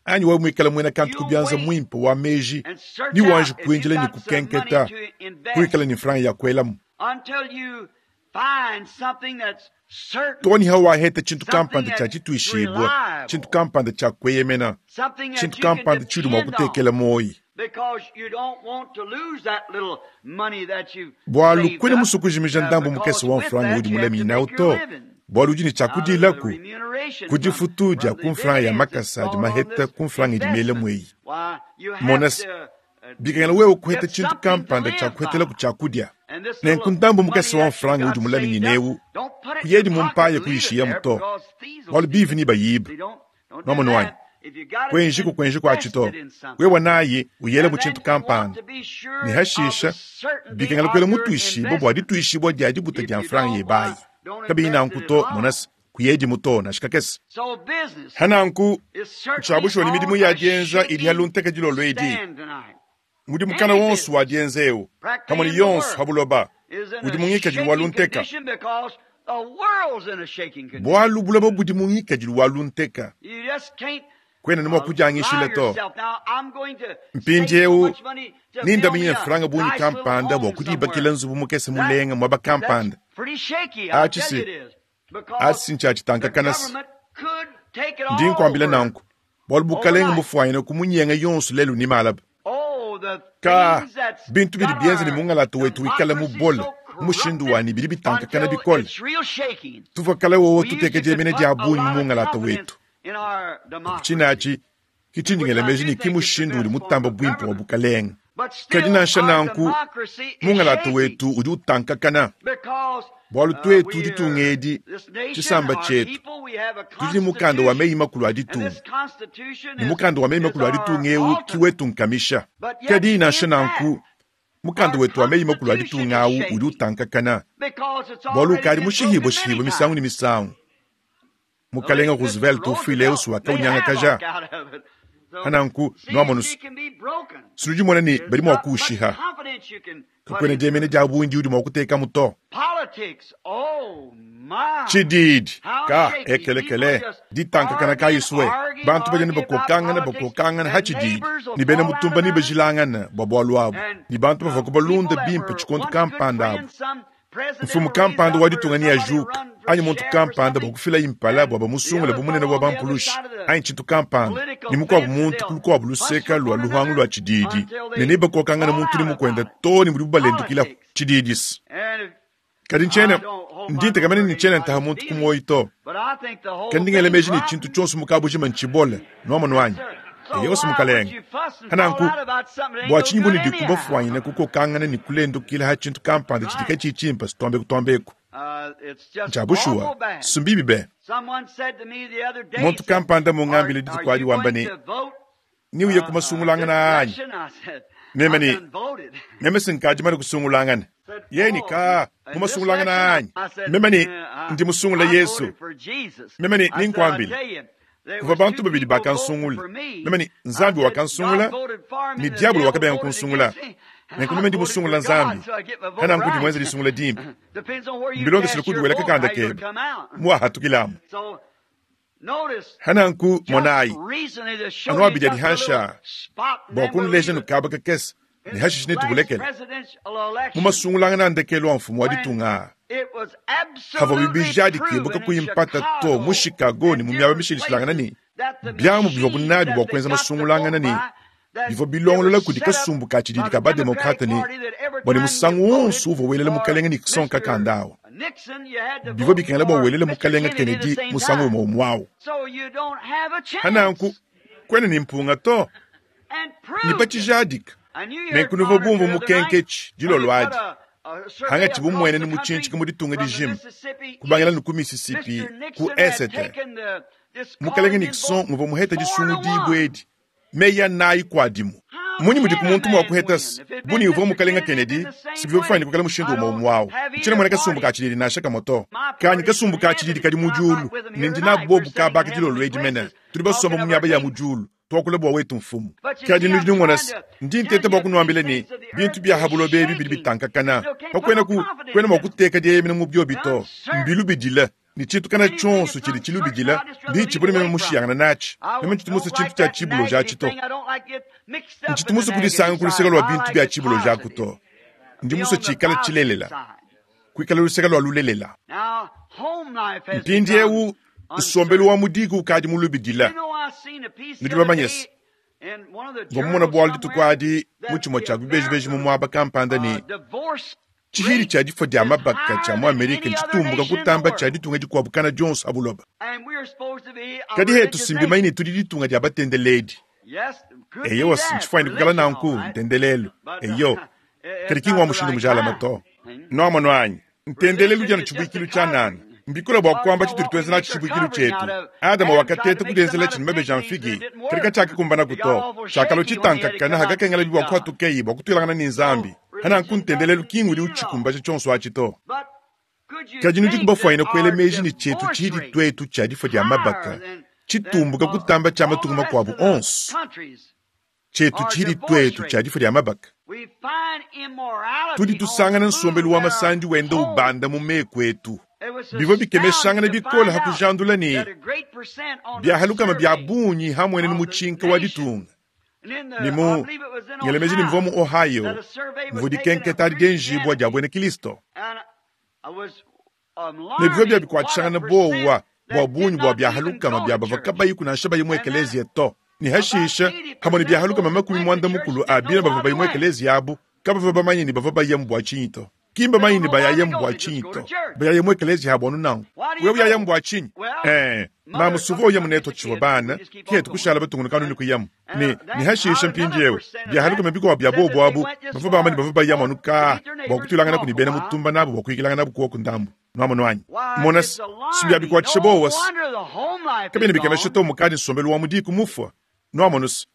Anyi wewe muikale muena kantu ku bianza muimpe wa meji, ne wanji kuindila ne kukenketa kuikala ne mfranga ya kuelamu. Too ne hawaheta tshintu kampanda tshia tshituishibua, tshintu kampanda tshia kueyemena, tshintu kampanda tshiudi mua kutekela muoyi. Bualu kuena musue kujimija ndambu mukese wa mfranga udi mulaminyinawu to, bualu udi ne tshia kudilaku ku difutu dia ku mfranga ya makasa adi maheta ku mfranga idi miela mueyi. Mona se, bikengela wewe kuheta tshintu kampanda tshia kuhetelaku tshiakudia. Nenku ndambu mukese wa mfranga udi mulaminyina eu, kuyedi mu mpaya kuyishiyamu to, bualu bivi nebayibe. Nwamonu anyi? Kuenjiku kuenjiku atshi to. Wewe nayi uyela mu tshintu kampanda, ne hashisha bikengela kuela mutuishibue bua dituishibua dia dibuta dia mfranga yebe ayi. Kabiyi nanku to, mona se, kuyedimu to, nansha kakese. Ha nanku, ntshia bushuwa ne midimu ya dienza idi ha lunteke dilolo edi. Mudimu kana wonso wa dienza eu, pamue ne yonso ha buloba, udi mu ngikadilu wa lunteka. Bualu buloba budi mu ngikadilu wa lunteka. Kuena ne mua kudiangishila to. Mpindieu nindaminyine mfranga bungi kampanda bua kudibakila nzubu mukese mulenga muaba kampanda. Atshi si, atshi si ntshia tshitankakana se. Ndi nkuambila nanku bualu bukalenge mbufuanyine kumunyenga yonso lelu ne malaba. Ka, bintu bidi bienza ne mungalata wetu wikale mubole mu mushindu wa ne bidi bitankakana bikole. Tuvua kale wowo tuteka dieyemena dia bungi mu mungalata wetu. Tshine atshi ke tshindi ngela meji ne ke mushindu udi mutambe buimpe wa bukalenge. Kadi nansha nanku, mungalata wetu udi utankakana, bualu tuetu ditunga edi, tshisamba tshietu, tudi ne mukanda wa meyi-makulu a ditunga, ne mukanda wa meyi-makulu a ditunga eu ke wetu nkamisha. Kadi nansha nanku, mukanda wetu wa meyi-makulu a ditunga au udi utankakana, bualu ukadi mushihibue-shihibue misangu ne misangu. Mukalenga Roosevelt ufuile eu wakaunyangakaja. Pananku, nuamonu sinudi mona ne badi mua kuushiha. Kakuena diemena dia bungi diudi mua kutekamu to. Tshididi ka ekelekele ditankakana kayisue bantu badi ne bakokangana bakokangana ha tshididi ne bena mutumba ne bajilangana bua bualu abu ne bantu bavua kubalunda bimpe tshikondo kampanda abu. Mfumu kampanda wa ditunga neajuka anyi muntu kampanda bua kufila impala bua bamusungule bu munene wa bampulushi anyi tshintu kampanda. ne mukuabu muntu ku lukuabu luseka lua luhangu lua tshididi, ne nebakokangane muntu ne mukuende too ne mudibu balendukilaku tshididisi. Kadi ntshiena ndi ntekemena ne tshiena ntaha muntu ku muoyo to. Kadi ndi ngela meji ne tshintu tshionso mu kabujima ntshibole, nuamonu anyi? Eyowa mukalenge. Pananku, bua tshinyi bunudi kubafuanyina kukokangana ne kulendukila ha tshintu kampanda tshidi katshiyi tshimpe tuambe kutuambeku? Ntshia bushuwa, sumbibi be. Muntu kampanda mungambile dituku adi wamba ne, Neuye ku masungulangana anyi? Meme ne, meme sinkadi mane kusungulangana. Yeye ne, Ka, mu masungulangana anyi? Meme ne, ndi musungula Yesu. Meme ne, ninkuambile, kuvua bantu babidi bakansungula. Meme ne, Nzambi wakansungula ne diabolo wakabenga kunsungula. Nenku meme ndi musungula Nzambi. Kananku ndi muenze disungula dimpe. Mbilondeshile kudi wela kakanda kebe muwahatukilamu. Hananku, monayi, anu abidi adi hanshi aa bua kunuleja nu kaba kakese ne hashishe netubulekele. Mu masungulangana a ndekelu a mfumu wa ditunga aa, havua bijadikibue kakuyi mpata to mu Chicago ne mu miaba mishilashilangane ne biamu bivuabu nabi bua kuenza masungulangana ne bivua bilongolola kudi kasumbu ka tshididi ka ba-demokrate ne bua ne musangu wonso uvua welela mukalenge Nixon kakanda awu, bivua bikengela bua welele mukalenge Kennedy musangu umue umue awu. Pananku, kuena ne mpunga to, ne pa tshijadika. Nenku nuvua bumvue mukenketshi dilolo adi, hangatshibu mmuenenu mutshintshika mu ditunga dijima, kubangila ne ku Mississippi ku esete. Mukalenge Nixon nguvua muhete disungudibua edi meyi anayi kuadimu. Mmunyi mudiku muntu mua kuheta se bu ne uvua mukalenge Kennedy, si bivua bifuanyine kuikala mushindu umue umue awu? Ntshiena muena kasumbu ka tshididi nansha kamue to. Kanyi kasumbu ka tshididi kadi mu diulu, ne ndi nabu bobu kaba aka dilolo edi mene. Tudi basomba mu miaba ya mu diulu, tuakula bua wetu Mfumu. Kadi nudi numona se, ndi nteta bua kunuambila ne, bintu bia ha buloba ebi bidi bitankakana. Kakuenaku, kuena mua kuteka dieyemena mu biobi to. Mbilubidile. Ne tshintu kana tshionso tshidi tshilubidila ndi tshibone meme mushiyangana natshi. Meme ntshitu musue tshintu tshia tshibuloji atshi to. Ntshitu musue kudisanga ku luseke lua bintu bia tshibuloji aku to. Ndi musue tshikale tshilelela, kuikala luseke lua lulelela. Mpindieu nsombelu wa mu diku ukadi mulubidila. Nudi bamanye se, mvua mumone bualu dituku adi mu tshimue tshia bibejibeji mu muaba kampanda ne, Tshihidi tshia difua dia mabaka tshia mu Amerika ntshitumbuka kutamba tshia ditunga dikuabu kana dionso ha buloba. Kadi hetu si mbimanye ne tudi ditunga dia batendeledi. Eyowa, ntshifuanyine kuikala nanku, ntendelelu. Eyo, kadi ki ngua mushindu mujalame to. Nuamonu anyi? Ntendelelu udi anu tshibuikilu tshianana. Mbikole bua kuamba tshitudi tuenza natshi tshibuikilu tshietu. Adama wakateta kudienzelatshi ne mabeji a mfigi, kadi katshiakakumbanaku to. Tshiakalua tshitankakana hakakengelabi bua kuhatukeyi bua kutuilangana ne Nzambi. Pananku ntendelelu ki ngudi utshikumbaja tshionso atshi to. Kadi nudiku bafuanyine kuela meji ne tshietu tshidi tuetu tshia difua dia mabaka tshitumbuka kutamba tshia matunga makuabu onso? Tshietu tshidi tuetu tshia difua dia mabaka. Tudi tusangana nsombelu wa masandi wenda ubanda mu meku etu. Bivua bikemeshangana bikole ha kujandula ne biahalukama bia bungi ha muenenu mutshinka wa ditunga ne mu ngela meji ne mvua mu Ohio muvua dikenketa adi dienjibua dia buena Kilisto ne bivua bia bikuatshishangana buowa bua bungi bua biahalukama bia bavua kabayiku nansha bayi mu ekeleziya to, ne hashishe hamue ne biahalukama 80 a bina bavua bayi mu ekeleziya abu kabavua bamanye ne bavua bayamu bua tshinyi to. Ki mbamanye ne bayayamu bua tshinyi to. Bayayamu mu ekeleziya abu anu nanku. Wewe uyayamu bua tshinyi? Ee, mamu suvua uyamu netu tshivua bana, ke kushala batungunuka anu ne kuyamu. Ne, ne hashishe mpindieu, biahalukama bikuabu bia bobu abu, bavua bamba ne bavua bayamu anu kaa bua kutuilanganaku ne bena mutumba nabu bua kuyikilanganabu kuoku ndambu. Nuamonu anyi? Mona se, si bia bikuatshisha buowa se, kabiena bikemesha to mukadi nsombelu wa mu diku mufua. Nuamonu se,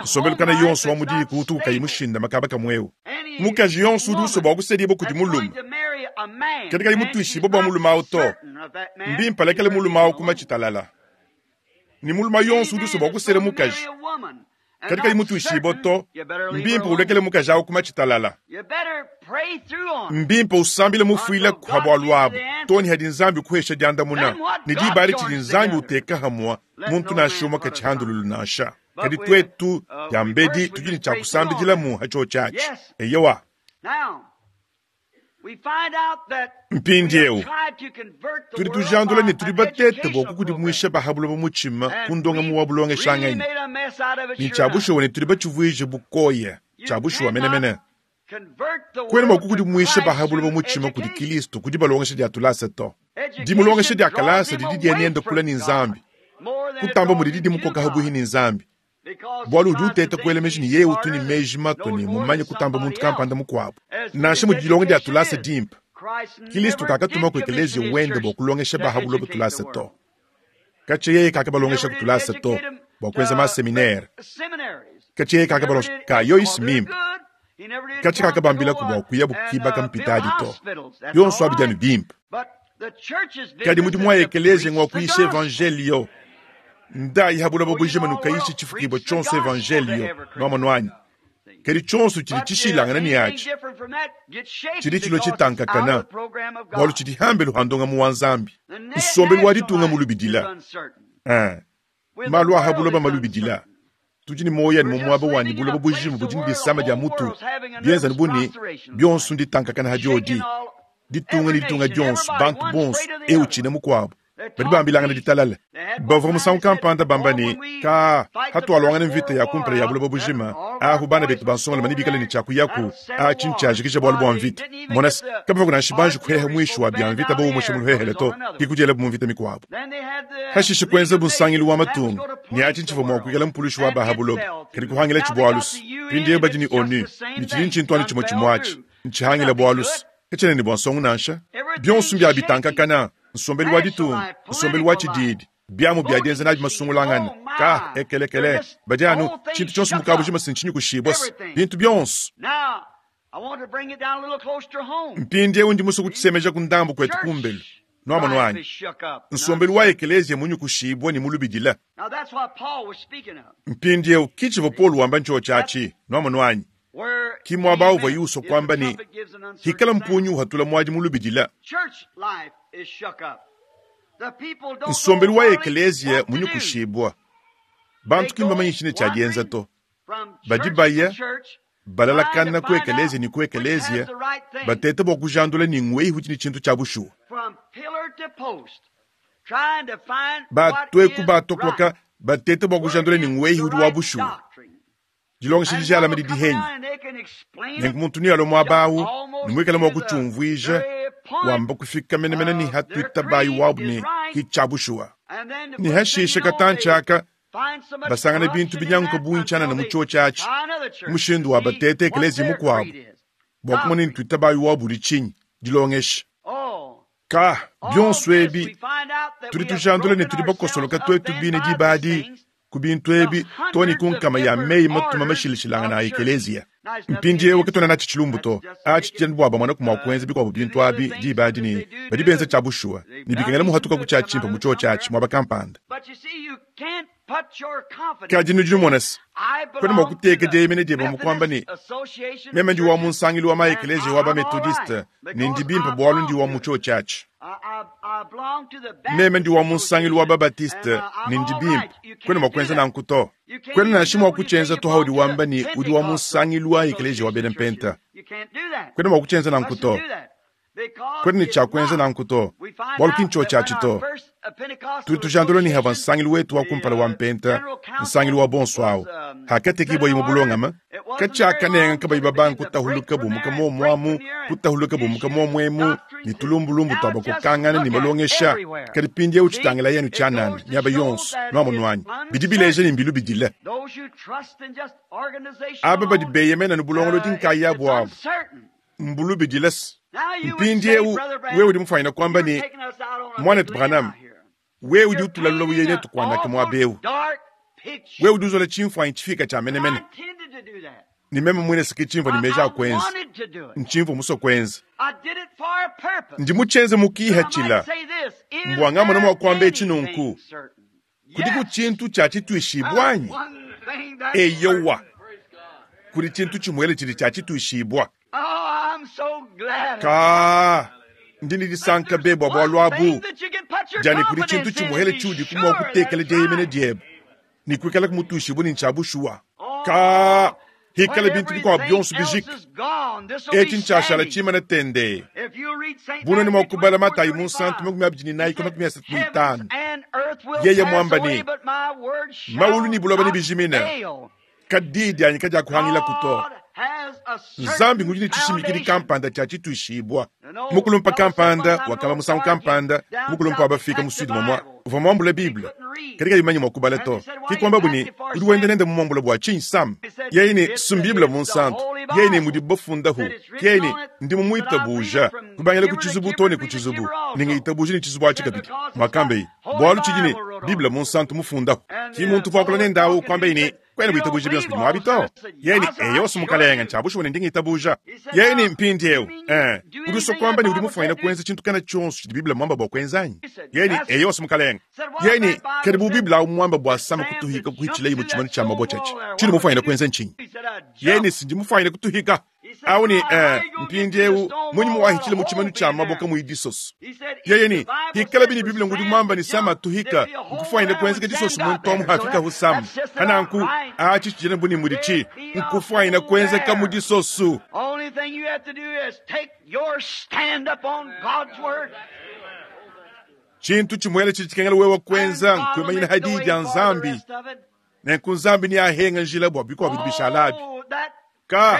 nsombelu kana yonso wa mu diku utu kayi mushindame kaba kamue eu. Mukaji yonso udi usua bua kusedibua kudi mulume, kadi kayi mutuishibue bua mulume au to, mbimpe alekele mulume au ku matshi talala. Ne mulume yonso udi usua bua kusela mukaji, kadi kayi mutuishibue to, mbimpe ulekele mukaji au ku matshi talala. Mbimpe usambile mufuile pa bualu abu too ne hadi Nzambi ukuhesha diandamuna, ne diba adi tshidi Nzambi uteka hamua muntu nansha umue katshihandululu nansha. Kadi tuetu diambedi tudi ne tshia kusambidilamu ha tshiotshi atshi. Eyowa. Mpindieu tudi tujandula ne tudi batete bua kukudimuisha ba ha buloba mutshima ku ndongamu wa bulongeshanganyi, ne tshia bushuwa ne tudi batshivuije bukoya tshia bushuwa menemene. Kuena mua kukudimuisha ba ha buloba mutshima kudi Kilisto ku dibalongesha dia tulasa to. Dimulongesha dia kalasa didi dienenda kule ne Nzambi kutamba mudidi dimukoka habuhi ne Nzambi, bualu udi uteta kuela meji ne yeye utu ne meji matue ne mumanye kutamba muntu kampanda mukuabu. Nansha mudi dilonga dia tulasa dimpe, Kilisto kakatuma ku ekeleziya wende bua kulongesha ba ha buloba tulasa to. Katshia yeye kakabalongesha ku tulasa to bua kuenza maseminere. Katshia yeye kakabalongesha ka yoyisi mimpe. Katshia kakabambilaku bua kuyabu kibaka mpitadi to. Bionso abi dianu bimpe. Kadi mudimu wa ekeleziya ngua kuyisha evanjelio. Ndayi ha buloba bujima nukayishe tshifukibua tshionso evanjelio. Nuamonu anyi? Kadi tshionso tshidi tshishilangana ne atshi tshidi tshilua tshitankakana, bualu tshidi hambelu ha ndongamu wa Nzambi. Nsombelu wa ditunga mulubidila. Malu a ha buloba malubidila. Tudi ne muoyo anu mu muaba wa ne buloba bujima budi ne disama dia mutu, bienza anu bu ne, bionso nditankakana ha diodi. Ditunga ne ditunga dionso, bantu bonso, eu utshina mukuabu, badi bambilangana ditalala. Bavua musangu kampanda bamba ne, Kaa, hatualuangana mvita ya kumpala ya buloba bujima, ahu bana betu ba nsongalume nebikale ne tshia kuyaku, atshi ntshiajikija bualu bua mvita. Mona se, kabavua nansha banji kuheha muishi wa bia mvita baumushe mu luhehele to, ke kudielabu mu mvita mikuabu. Hashishe kuenzabu nsangilu wa matunga, ne atshi ntshivua mua kuikala mpulushi wa ba ha buloba, kadi kuhangilatshi bualu se, mpindieu badi ne ONU, ne tshidi ntshintu anu tshimue tshimue atshi, ntshihangila bualu se, katshiena ne bua nsongo nansha. Bionso mbia bitankakana, nsombelu wa ditunga, nsombelu wa tshididi, biamu bia dienza nabi masungulangana, ka ekelekele, badi anu tshintu tshionso mu kabujima se ntshinyikushibua se bintu bionso. Mpindieu ndi musue kutshisemeja ku ndambu kuetu kumbelu. Nuamonu anyi? Nsombelu wa ekeleziya munyukushibua ne mulubidila. Mpindieu ki tshivua Paulo wamba ntshiotshi atshi. Nuamonu anyi? Ki muaba uvua usua kuamba ne, hikala mpungi uhatula muadi mulubidila. Nsombelu wa ekeleziya munyukushibua. Bantu ki mbamanye tshine tshia dienza to. Badi baya balalakana ku ekeleziya ne ku ekeleziya, bateta bua kujandula ne ngweyi udi ne tshintu tshia bushuwa. Batue ku batokoloka bateta bua kujandula ne ngweyi udi wa bushuwa. Dilongesha dijalame didi henyi. Nenku muntu nealue muaba awu ne muikale mua kutshiumvuija, wamba kufika menemene ne hatuitabayi wabu ne ki tshia bushuwa. Ne hashishe katantshi aka basangana bintu binyanguka bungi tshianana mu tshiotshi atshi, mushindu wa batete ekeleziya mukuabu bua kumona ne tuitabayi wabu udi tshinyi, dilongesha. Ka bionso ebi tudi tujandula ne tudi bakosoloka tuetu bine diba adi ku bintu ebi too ne ku nkama ya meyi matuma mashilashilangane a ekeleziya. Mpindieu katuena natshi tshilumbu to, atshi tshiena bua bamone mua kuenza bikuabu bintu abi diba adi ne badi benza tshia bushuwa ne bikengela muhatuka ku tshia tshimpe mu tshiotshi atshi muaba kampanda. Kadi nudi numona se, kuena mua kuteka dieyemena diebe mu kuamba ne, Meme ndi wa mu nsangilu wa ma-ekeleziya wa ba-Metodiste ne ndi bimpe bualu ndi wa mu tshiotshi atshi. Meme ndi wa mu nsangilu wa ba-Batiste ne ndi bimpe. Kuena mua kuenza nanku to. Kuena nansha mua kutshienza to haudi wamba ne udi wa mu nsangilu wa ekeleziya wa bena Mpenta. Kuena mua kutshienza nanku to. Kuena ne tshia kuenza nanku to, bualu ki ntshiotshi atshi to. Tudi tujandula ne havua nsangilu wetu wa kumpala wa Mpenta, nsangilu wa bonso awu, hakatekibua mu bulongame, katshiakanenga kabayi babanga kutahuluka bumuka muomu amu, kutahuluka bumuka muomu emu, ne tulumbulumbu tua bakokangana ne malongesha. Kadi mpindieu tshitangilayi anu tshianana miaba yonso, nuamonu anyi? Bidi bileja ne mbilubidile. Aba badi beyemena anu bulongolodi nkayabu abu mbulubidile. Mpindieu wewe udi mufuanyine kuamba ne, Muanetu Branham, wewe udi utulalula uye netu kuanaka muaba eu. Wewe udi uzola tshimfuanyi tshifika tshia menemene. Ne meme muine se ke tshimvua ne meji a kuenza, ntshimvua musue kuenza. Ndi mutshienze mu kihatshila mbua ngamona mua kuamba etshi nunku. Kudiku tshintu tshia tshituishibua anyi? Eyowa, kudi tshintu tshimuele tshidi tshia tshituishibua. Ka ndi ne disanka be bua bualu abu, dia ne kudi tshintu tshimuele tshiudi mua kutekela dieyemena diebe ne kuikala mutuishibue ne ntshia bushuwa. Ka! Hikala bintu bikuabu bionso bijika, etshi ntshiashala tshimane tendee. Bunene mua kubala Matayi Munsantu 24:35, yeye muamba ne, Maulu ne buloba nebijimine, kadi diyi dianyi kadiakuhangilaku to. Nzambi ngudi ne tshishimikidi kampanda tshia tshituishibua. Mukulumpa kampanda wakamba musangu kampanda, mukulumpa wa bafika mu Sud momua, uvua muambule Bible, kadi kayi mumanye mua kubala to. Ke kuambabu ne, Udi wenda nende mumuambule bua tshinyi, Sam? Yeye ne, Si m'Bible Munsantu. Yeye ne, Mudibu bafundahu. Yeye ne, Ndi mumuitabuja, kubangila ku tshizubu too ne ku tshizubu, ne ngitabuja ne tshizubu atshi kabidi. Muakambeye, Bualu tshidi ne Bible Munsantu mufundahu. Ki muntu uvua wakula nende awu kuambaye ne, Kuena witabuja bionso bidi muabi to. Yeye ne, Eyo, si Mukalenge, ntshia bushuwa ne ndi ngitabuja. Yeye ne, Mpindiewu, ee, udi usua kuamba ne udi mufuanyine kuenza tshintu kana tshionso tshidi Bible muamba bua kuenza anyi? Yeye ne, Eyo, si Mukalenge. Yeye ne, Kadi bu Bible awu muamba bua Sama kutuhika kuhitshilaye mu tshimanu tshia mabue tshiatshi, tshiudi mufuanyine kuenza ntshinyi? Yeye ne, Si ndi mufuanyine kutuhika. Awu ne, Ee, mpindiewu, munyi muwahitshila mu tshimanu tshia mabue kamuyi disoso? Yeye ne, Hikalabi ne Bible ngudi muamba ne Sama atuhika, nkufuanyine kuenzeka disoso muntu amu hafikahu Sama. Pananku, atshi tshidiena bu ne muditshi, nkufuanyine kuenzeka mu disoso. Tshintu tshimuele tshidi tshikengela wewe kuenza nkuimanyina ha Diyi dia Nzambi, nenku Nzambi neahenga njila bua bikuabu bidi bishala abi. Ka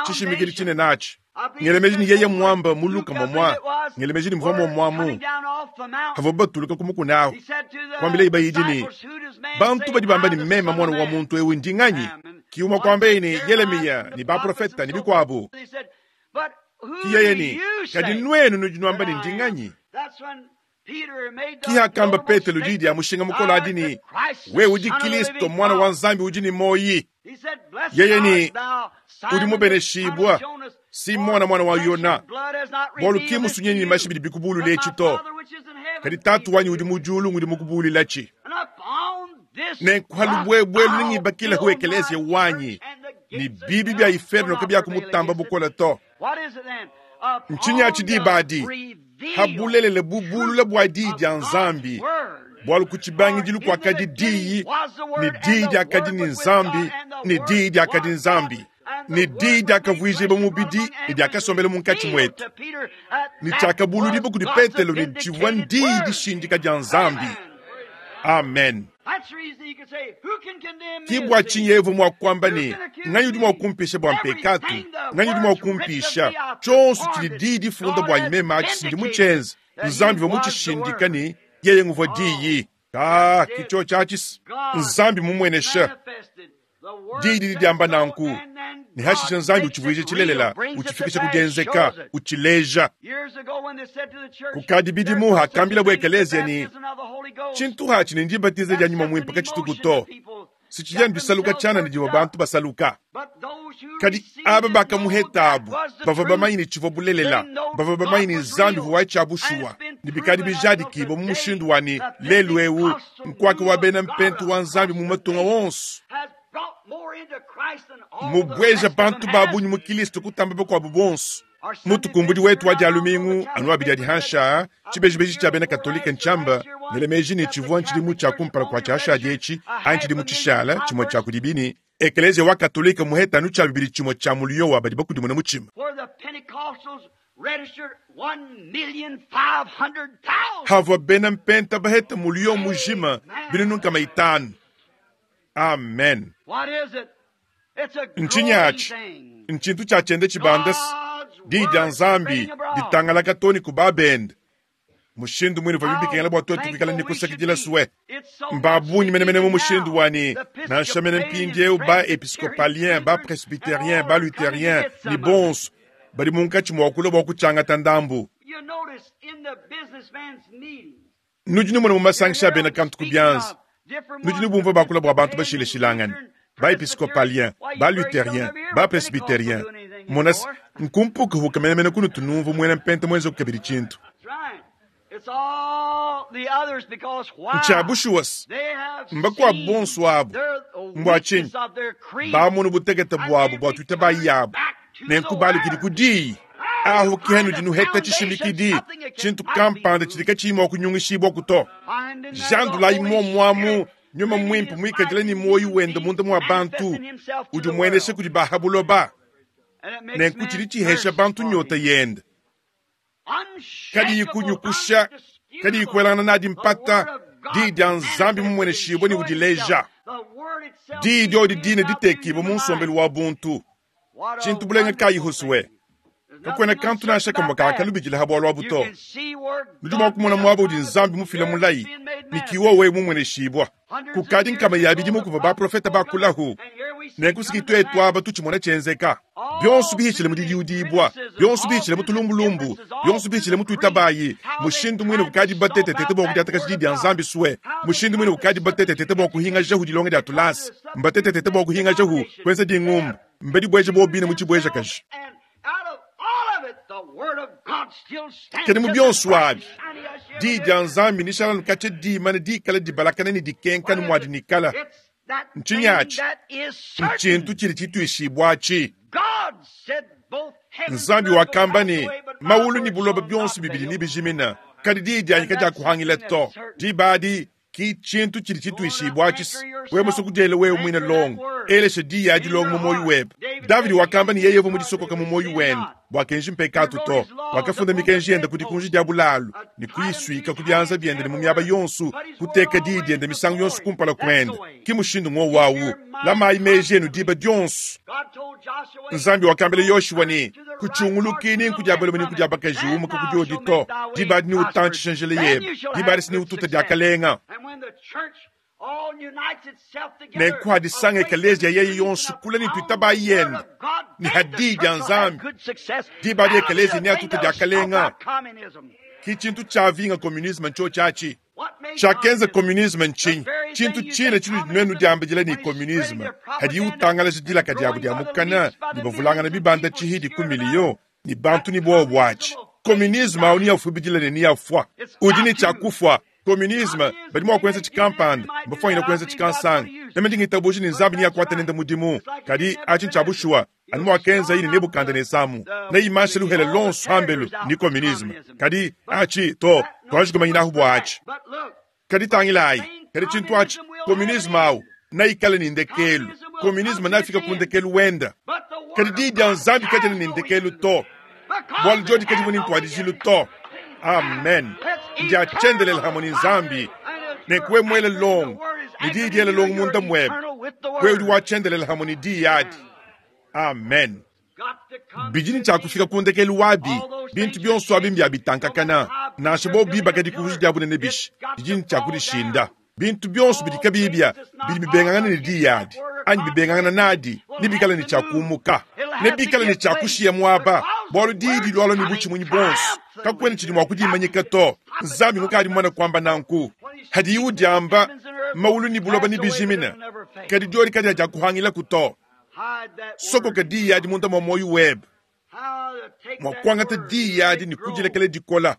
tshishimikidi tshinene atshi. Ngela meji ne yeye muamba mu Luka momua, ngela meji ne muvua muomuamu havua batuluka ku mukuna ahu, kuambilaye bayidi ne, Bantu badi bamba ne meme Muana wa muntu eu ndi nganyi? Ki umue kuambaye ne, Yelemiya ne baprofete ne bikuabu. Ki yeye ne, Kadi nuenu nudi nuamba ne ndi nganyi? Ki hakamba Petelo diyi dia mushinga mukole adi ne, Wewe udi Kilisto, Muana wa Nzambi udi ne muoyi. Yeye ne, Udi mubeneshibua, Simona muana wa Yona, bualu ki musunyi ne mashi bidi bikubulula etshi to, kadi Tatu wanyi udi mu diulu ngudi mukubululatshi. Nenku ha lubuebue nengibakilehu ekeleziya wanyi, ne bibi bia iferno kabiakumutamba bukole to. Ntshinyi atshi diba adi? Ha bulelela bubulula bua Diyi dia Nzambi, bualu ku tshibangidilu kuakadi Diyi, ne Diyi diakadi ne Nzambi, ne Diyi diakadi Nzambi, ne Diyi diakavuijibua mubidi ne diakasombela munkatshi muetu, ne tshiakabuludibua kudi Petelo ne tshivua n'Diyi dishindika dia Nzambi. Amen. Ke bua tshinyi Eva mua kuamba ne, Nganyi udi mua kumpisha bua mpekatu? Nganyi udi mua kumpisha? Tshionso tshidi Diyi difunda buanyi meme atshi si ndi mutshienze. Nzambi uvua mutshishindika ne, yeye nguvua Diyi. Kaa, ke tshiotshi atshi. Nzambi mumuenesha. Diyi didi diamba nanku, ne hashishe Nzambi utshivuija tshilelela, utshifikisha ku dienzeka, utshileja. Kukadi bidimu hakambilabo ekeleziya ne, Tshintu hatshi ne ndibatiza dia Nyuma Muimpe katshituku to, si tshidi anu disaluka tshianana divua bantu basaluka. Kadi aba bakamuhetabu bavua bamanye ne tshivua bulelela, bavua bamanye ne Nzambi uvua wa tshia bushuwa, ne bikadi bijadikibua mu mushindu wa ne lelu eu nkuaka wa bena mpentu wa Nzambi mu matunga wonso mubueja bantu ba bungi mu Kilisto kutamba bakuabu bonso. Mutukumbudi wetu wa Dia lumingu anu abidi adi hanshi aa, tshibejibeji tshia bena Katolike ntshiamba ngele meji ne tshivua ntshidimu tshia kumpala kua tshiashadi etshi anyi tshidimu tshishala tshimue tshia kudibi ne Ekeleziya wa Katolike muheta anu tshia bibidi tshimue tshia muliyo wa badi bakudimuna mutshima. Havua bena mpenta baheta muliyo mujima binunu nkama itanu. Amen. Ntshinyi atshi? Ntshintu tshia tshienda tshibanda, Diyi dia Nzambi ditangalaka too ne ku babende. Mushindu muine uvuabi bikengela bua tuetu kuikala ne kusakidila sue. Mba bungi menemene mu mushindu wa ne, nansha mene mpindieu ba-episcopalien, ba-presbyterien, ba-lutherien ne bonso badi munkatshi mua kulua bua kutshiangata ndambu. Nudi numona mu masangisha a bena kantu ku bianza, nudi nubumvua bakula bua bantu bashilashilangane, ba-episcopalien, ba-lutherien, ba-presbyterien. Mona se, nkumpukapuka menemene kunutu numvua muena mpenta muenzeku kabidi tshintu. Ntshia bushuwa se, mbakuabu bonso abu. Mbua tshinyi? Bamonu butekete buabu bua tuitabayi yabu, nenku balukidi ku diyi. Ahu ke hanudi nuheta tshishimikidi, tshintu kampanda tshidi katshiyi mua kunyungishibua to. Jandulayi muomuamu. Nyuma Mwimpe mwikadile ne muoyo wende munda mwa bantu, udi umuenesha kudi ba ha buloba, nenku tshidi tshihesha bantu nyota yende. Kadiyi kunyukusha, kadiyi kuelangana nadi mpata, Diyi dia Nzambi mumueneshibue ne udileja. Diyi diodi dine ditekibue mu nsombelu wa buntu. Tshintu bulenga kayi husue? Kakuena kantu nansha kamue kakalubidila ha bualu abu to. Nudi mua kumona muaba udi Nzambi mufila mulayi ne ki wowe mumueneshibua. Kukadi nkama ya bidimu kuvua baprofete bakulahu, nenku siki tuetu aba tutshimona tshienzeka. Bionso bihitshile mu didiudibua, bionso bihitshile mu tulumbulumbu, bionso bihitshile mu tuitabayi, mushindu muine ukadi batetetete bua kudiatakaja di dia Nzambi sue, mushindu muine ukadi batetetete bua kuhingajahu dilonga dia tulasa, mbatetetete bua kuhingajahu kuenza dingumba, mbadibueje bobine mu tshibuejakaji. Kadi mu bionso abi, Diyi dia Nzambi nishala nukatshia dimane dikala dibalakana ne dikenka ne muadi nikala. Ntshinyi atshi? Ntshintu tshidi tshituishibua atshi. Nzambi wakamba ne, Mawulu ne buloba bionso bibidi nebijimina, kadi diyi dianyi kadiakuhangila to. Diba adi ki tshintu tshidi tshituishibua atshi. Wewe musue kudiela wewe muine longo, elesha diyi adi longo mu muoyo webe. Davidi wakamba ne, yeye uvua mudisokoka mu muoyo wende bua kenji mpekatu to. Wakafunda mikenji yende ku dikunji dia bulalu ne kuyisuika ku bianza biende ne mu miaba yonso, kuteka diyi diende misangu yonso kumpala kuende. Ki mushindu ngowu awu. Lamayi meji enu diba dionso. Nzambi wakambila Yoshua ne, Kutshiunguluki ni nku dia balume ni nku dia bakaji, umuka ku diodi to. Diba adi neutantshishe njila yebe, diba adi neututa diakalenga. Nenku hadisanga ekeleziya yeye yonso kule ne tuitabayi yende ne ha diyi dia Nzambi, diba adi ekeleziya neatute diakalenga. Ki tshintu tshiavinga communisme ntshiotshi atshi. Tshiakenza communisme ntshinyi? Tshintu tshine tshinudi nuenu diambidila ne communisme, hadiyi utangalaja dilaka diabu dia mukana ne bavulangana bibanda tshihidi ku miliyo ne bantu ne buowa buatshi. Communisme au neafuibidile ne neafua. Udi ne tshia kufua. Communisme badi mua kuenza tshikampanda, mbafuanyine kuenza tshikansanga. Meme ndi ngitabuja ne Nzambi neakuate nende mudimu, kadi atshi ntshia bushuwa anu muakenzaye ne Nebukadenesa mu neimanshe luhele luonso hambelu ni communisme. Kadi atshi to, tuanji kumanyinahu bua atshi. Kadi tangilayi, kadi tshintu atshi communisme au neikale ne ndekelu. Communisme neafike ku ndekelu wenda. Kadi diyi dia Nzambi kadiena ne ndekelu to, bualu diodi kadivua ne ntuadijilu to. Amen. Ndia tshiendelele hamue ne Nzambi. Nenku wewe muele longo ne diyi diele longo munda muebe, wewe udi wa tshiendelele hamue ne diyi adi. Amen. Bidi ne tshia kufika ku ndekelu wabi. Bintu bionso abi mbia bitankakana. Nansha bobu bibaka dikunji dia bunene bishi, didi ne tshia kudishinda. Bintu bionso bidi kabiyi bia bidi bibengangana ne diyi adi anyi bibengangana nadi nebikale ne tshia kumuka, nebikale ne tshia kushiya muaba, bualu diyi dilualua ne butshimunyi buonso, kakuena tshidi mua kudimanyika to. Nzambi mukadi mumane kuamba nanku. Hadiye udiamba, mawulu ne buloba nebijimine, kadi diodi kadiakuhangilaku to. Sokoka diyi adi munda mua muoyo webe. Mua kuangata diyi adi ne kudilekela dikola.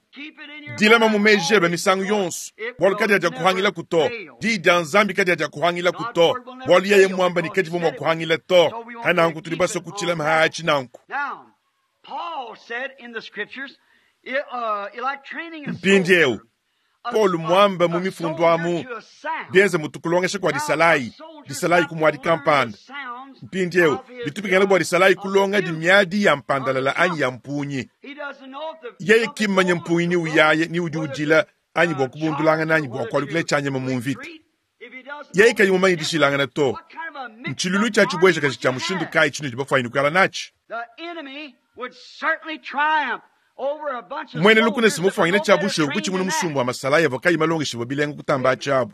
Dilama mu meji ebe misangu yonso, bualu kadiakuhangilaku to. Diyi dia Nzambi kadiakuhangilaku to, bualu yeye muamba ne kadivua mua kuhangila to. Hananku tudi basue kutshilama hatshi nanku. Mpindieu Paulo muamba mu mifundu amu, bienze mutu kulongesha kua disalayi, disalayi ku muadi kampanda. Mpindieu bitu bikengela bua disalayi kulonga di miadi ya mpandalala anyi ya mpungi. Yeye ki mmanye mpungi ni uyaye ni udi udila anyi bua kubundulangana anyi bua kualukila tshianyima mu mvita. Yeye kayi mumanye dishilangana to. Ntshiluilu tshia tshibuejakaji tshia mushindu kayi tshinudi bafuanyine kuikala natshi? Muena lukuna si mufuanyine tshia bushuwa kutshimuna musumba wa masalayi avua kayi malongeshibue bilenga kutamba atshiabu.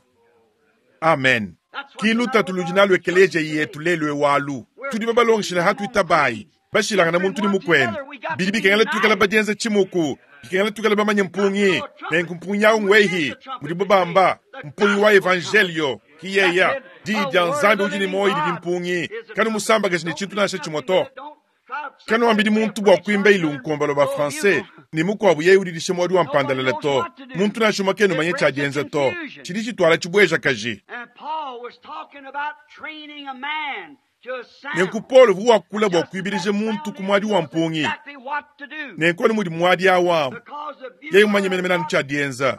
Amen. Ki lutatu ludi nalu ekeleziya yetu lelu eu alu. Tudi babalongeshile hatuitabayi, bashilangana muntu ne mukuende. Bidi bikengela tuikale badienza tshimuku, bikengela tuikale bamanye mpungi. Nenku mpungi au ngwehi, mudibo bamba, mpungi wa evanjelio, ki yeya. Diyi dia Nzambi udi ne muoyo didi mpungi. Kanumusambakaji ne tshintu nansha tshimue to. Kanuambidi muntu bua kuimba ilunkomba lua ba-Français ne mukuabu yeye udidisha muadi wa mpandalala to. Muntu nansha umue kena umanya tshia dienza to. Tshidi tshituala tshibuejakaji. Nenku Paulo uvua wakula bua kuibidija muntu ku muadi wa mpungi. Nenku anu mudi muadi au amu, yeye mumanye menemene anu tshia dienza.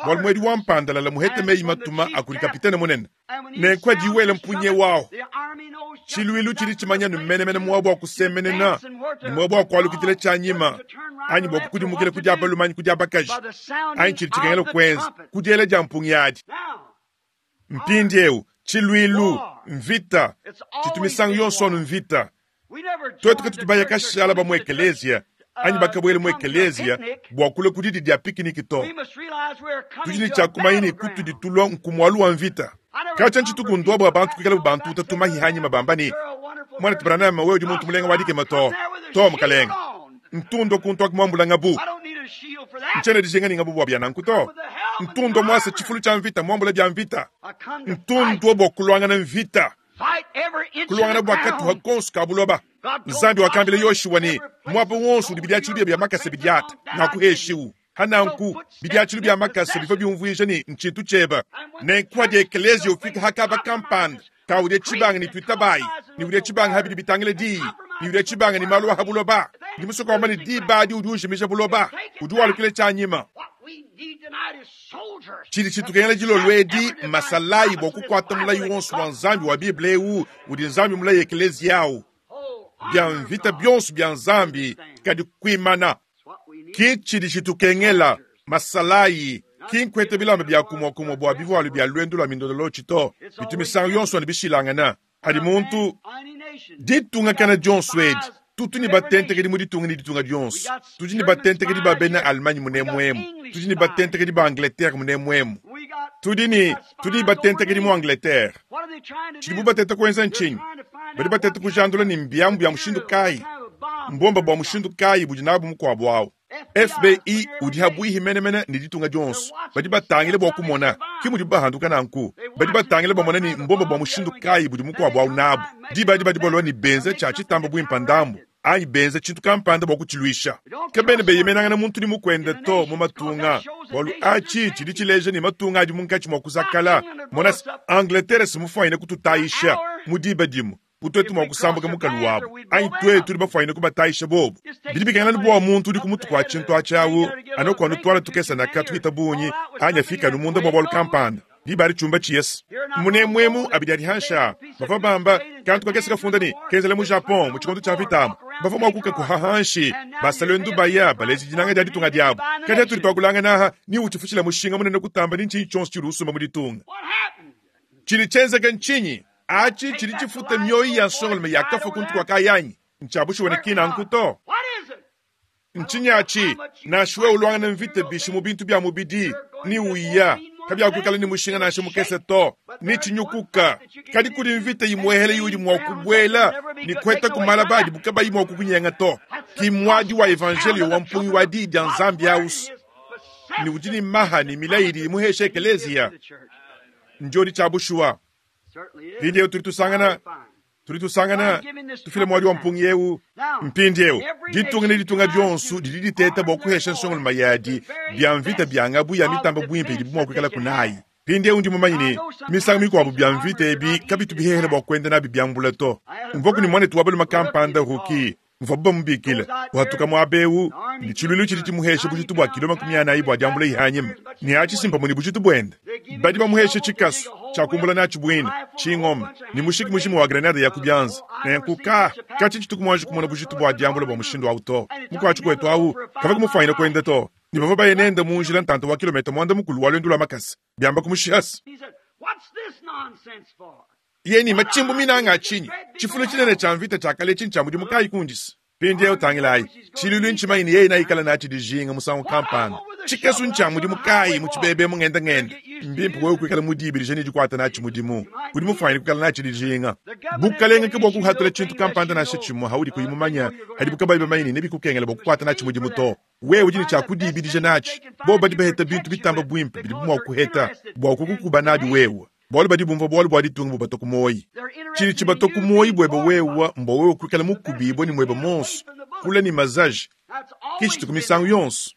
Bwalu mwedi wa mpandalala muhete meyi matuma a kudi kapitene munene. Nenku adi wela mpunye wawu. Tshiluilu tshidi tshimanya ne menemene muaba wa kusemenena ne muaba wa kualukidila tshianyima, anyi bua kukudimukila ku dia balume anyi ku dia bakaji, anyi tshidi tshikengela kuenza ku diela dia mpungi adi. Mpindieu, tshiluilu, mvita, tshitu misangu yonso anu mvita. Tuetu katutu baya kashala ba mu ekeleziya anyi bakabuela mu ekeleziya bua kulua ku didi dia pikiniki to. Tudi ne tshia kumanya ne kutudi tulua nkumualu wa mvita. Katshia ntshituku ndua bua bantu kuikalabu bantuta tumahi anyima bamba ne, Muanetu Branham, wewe udi muntu mulenga wa dikema to. To, mukalenge. Ntundo kuntu aku muambula ngabu. Ntshiena dijinga ne ngabu bua bia nanku to. Ntundo muasa tshifulu tshia mvita muambula bia mvita. Ntundo bua kuluangana mvita. Kuluangana bua katuha konso ka buloba. Nzambi wakambila Yoshua ne, muaba wonso udi bidiatshilu bia bia makasa bidiata, ngakuheshiwu. Hananku, bidiatshilu bia makasa bivua biumvuija ne ntshintu tshieba. Nenku hadi ekeleziya ufika ha kaba kampanda, kaudia tshibanga ne tuitabayi, ne udia tshibanga ha bidi bitangila diyi, ne udia tshibanga ne malu a ha buloba, ndi musue kuamba ne diba adi udi ujimija buloba, udi walukila tshianyima. Tshidi tshitukengela dilolo edi mmasalayi bua kukuata mulayi wonso wa Nzambi wa Bible eu udi Nzambi mulaye ekeleziya au. Bia mvita bionso bia Nzambi kadi kuimana. Ki tshidi tshitukengela masalayi, ki nkuete bilamba bia kumua kumua bua bivualu bia luendu lua mindololotshi to, bitu misangu yonso anu bishilangana. Padi muntu ditunga kana dionso edi, tutu ne batentekedi mu ditunga ne ditunga dionso. Tudi ne batentekedi ba bena Allemagne munemuemu, tudi ne batentekedi ba Angleterre munemuemu, tudi ne tudi ne batentekedi mu Angleterre. Tshidibu bateta kuenza ntshinyi? Badi bateta kujandula ne mbiamu bia mushindu kayi, mbomba bua mushindu kayi budi nabu mukuabu au. FBI udi habuihi menemene ne ditunga dionso. Badi batangile bua kumona, ke mudibu bahanduka nanku. Badi batangile bamona ne mbomba bua mushindu kayi budi mukuabu au nabu. Diba adi badi balua ne benza tshia tshitamba buimpe ndambu, anyi benza tshintu kampanda bua kutshiluisha. Kabena beyemenangana muntu ne mukuende to mu matunga, bualu atshi tshidi tshileja ne matunga adi munkatshi mua kuzakala. Mona se, Angleterre si mufuanyine kututayisha mu diba dimue bu tuetu mua kusambuka mukalu wabu, anyi tuetu tudi bafuanyine kubatayisha bobu. Bidi bikengela anu bua muntu udi ku mutu kua tshintu atshi au anu kua nutuala tukese naka tupita bungi, anyi afike anu munda bua bualu kampanda. Diba adi tshiumba tshiese munemuemu abidi adi hanshi a bavua bamba kantu kakese kafunda ne kenzela mu Japon mu tshikondo tshia mvita amu bavua mua kukakuha hanshi basaluendu baya baleja dinanga dia ditunga diabu. Kadi atudi tuakulangana aha ni utshifutshila mushinga munene kutamba ni ntshinyi tshionso tshiudi usumba mu ditunga. Tshidi tshienzeke ntshinyi? Atshi tshidi tshifuta mioyo ya nsongalume yakafua kuntu kua kayanyi. Ntshia bushuwa ne ki nanku to. Ntshinyi atshi? Nansha wewe uluangana mvita bishi mu bintu bia mubidi ni uya, kabiakuikala ne mushinga nansha mukese to, ni tshinyukuka. Kadi kudi mvita imuehele iudi mua kubuela ne kuheta ku malaba adibu kabayi mua kukunyenga to. Ki muadi wa evanjelio wa mpungi wa diyi dia Nzambi aus, ne udi ne maha ne milayi idi imuhesha ekeleziya. Ndiodi tshia bushuwa. Mpindieu tudi tusangana tudi tusangana tufila muadi wa mpungi eu mpindieu. Ditunga ne ditunga dionso didi diteta bua kuhesha nsongolume yadi bia mvita bia ngabu ya mitamba buimpe idibu mua kuikala kunayi. Mpindieu ndi mumanye ne misangu mikuabu bia mvita ebi kabitu bihehele bua kuenda nabi biambula to. Mvuaku ne muanetu wa balume kampanda Ruki mvuabu bamubikile uhatuka muaba eu ne tshiluilu tshidi tshimuhesha bujitu bua kilo 40 bua diambula ihanyima ne atshi simpamue ne bujitu buende. Badi bamuhesha tshikasu tshia kumbula natshi buina, tshingoma ne mushiki mujima wa grenade ya ku bianza. Nenku ka katshi tshituku muanji kumona bujitu bua diambula bua mushindu au to. Mukuatshi kuetu au kavua kumufuanyina kuenda to, ne bavua baye nende mu njila ntanta wa kilometa 30 wa luendu lua makasa biamba kumushihasa. Ye ne matshimbu minanga a tshinyi? Tshifulu tshinene tshia mvita tshia kale etshi ntshia mudimu kayi kundisa? Mpindieu tangilayi, tshiluilu ntshimanye ne yeye naikala natshi dijinga musangu kampanda. Tshikesu ntshia mudimu kayi mu tshibebe mu ngenda-ngenda? Mbimpe wewe kuikala mudibidije ne dikuata natshi mudimu. Udi mufuanyine kuikala natshi dijinga. Bukalenge ke bua kuhatula tshintu kampanda nansha tshimue haudi kuyi mumanye, hadibu kabayi bamanye ne nebikukengele bua kukuata natshi mudimu to. Wewe udi ne tshia kudibidija natshi. Bobu badi baheta bintu bitamba buimpe bidibu mua kuheta bua kukukuba nabi wewe. Bualu badi bumvua bualu bua ditunga bubatua ku muoyi. Tshidi tshibatua ku muoyi buebe wewe mbua wewe kuikala mukubibue ne muebe muonso, kule ne mazaji. Ke tshituku misangu yonso.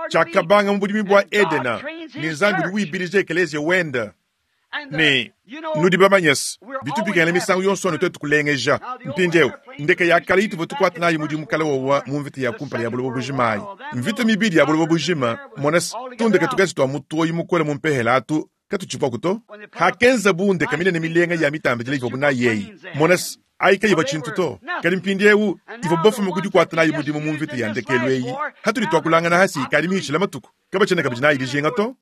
Tshiakabanga mu budimi bua Edena, ne Nzambi udi wibidija ekeleziya wende. Ne nudi bamanye's, bitu bikengela misangu yonso anu tuetu kulengeja. Mpindieu, ndeke ya kale ituvua tukuata nayi mudimu kale wowa mu mvita ya kumpala ya buloba bujima ayi, mvita mibidi ya buloba bujima, mona's, tundeke tukese tua mutoyi mukole mu mpehela atu katutshivuaku to. Hakenzabu ndeke minene milenga ya mitambidila ivuabu nayi eyi, mona's, ayi kayivua tshintu to. Kadi mpindieu ivuabu bafume ku dikuata nayi mudimu mu mvita ya ndekelu eyi, hatudi tuakulangana hasi ikadi mihitshile matuku, kabatshiena kabidi nayi dijinga to.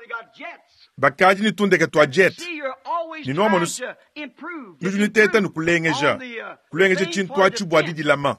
Bakadi ne tundeke tua jet, ne nuamonu nudi nuteta ne kulengeja, kulengeja tshintu atshi bua didilama.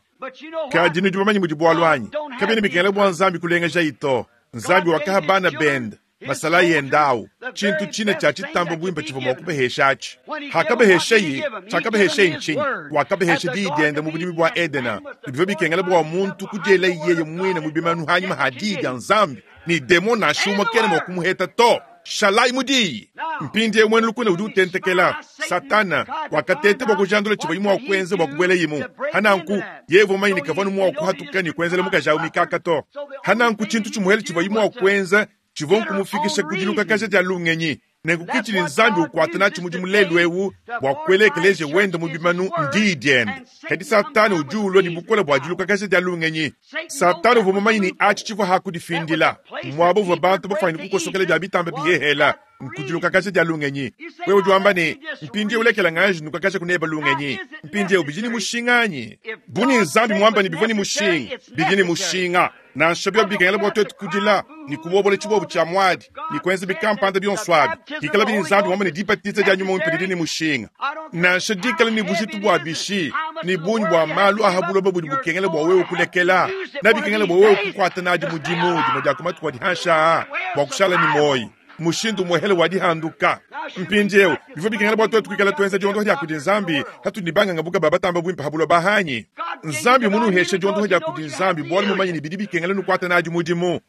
Kadi nudi bamanye mudi bualu anyi? Kabiena bikengela bua Nzambi kulengejayi to. Nzambi wakaha bana bende, masalayi ende au, tshintu tshine tshia tshitamba buimpe tshivua mua kubahesha atshi. Hakabaheshayi, tshiakabaheshayi ntshinyi? Wakabahesha diyi diende mu budimi bua Edena. Ne bivua bikengela bua muntu kudielaye yeye muine mu bimanu hanyima ha diyi dia Nzambi, ne demon nansha umue kena mua kumuheta to. Shalayi mu diyi. Mpindieu muena lukuna udi utentekela. Satana wakateta bua kujandula tshivuaye mua kuenza bua kubuelayimu. Hananku, yeye uvua mumanye ne kavua anu mua kuhatuka ne kuenzela mukaji au mikaka to. Hananku tshintu tshimuhele tshivuaye mua kuenza tshivua nkumufikisha ku dilukakaja dia lungenyi. Nenku ke tshidi Nzambi ukuata natshi mudimu lelu eu bua kuela ekeleziya wende mu bimanu ndiyi diende. Kadi Satana udi ulua ne bukole bua dilukakaja dia lungenyi. Satana uvua mumanye ne, atshi tshivua ha kudifindila, muaba uvua bantu bafuanyine kukosokela bia bitamba bihehela, nku dilukakaja dia lungenyi. Wewe udi wamba ne, Mpindieu lekela nganji nukakaja kuneba lungenyi. Mpindieu bidi ne mushinga anyi? Bu ne Nzambi muamba ne bivua ne mushinga, bidi ne mushinga. Nansha biobi bikengela bua tuetu kudila ne kubobola tshibobo tshia muadi ne kuenza bikampanda bionso abi, pikalabi ne Nzambi muamba ne dibatiza dia nyuma muimpe didi ne mushinga, nansha dikala ne bujitu bua bishi ne bungi bua malu a ha buloba budi bukengela bua wewe kulekela, nabikengela bua wewe kukuata nadi mudimu dimue dia ku matuku adi hanshi aa bua kushala ne muoyo. Mushindu umuehele wa dihanduka. Mpindieu, bivua bikengela bua tuetu kuikala tuenza diondoha dia kudi Nzambi hatudi ne bangangabuka ba batamba buimpe ha buloba hanyi? Nzambi munuheshe diondoha dia kudi Nzambi bualu mumanye ne bidi bikengela nukuata nadi mudimu.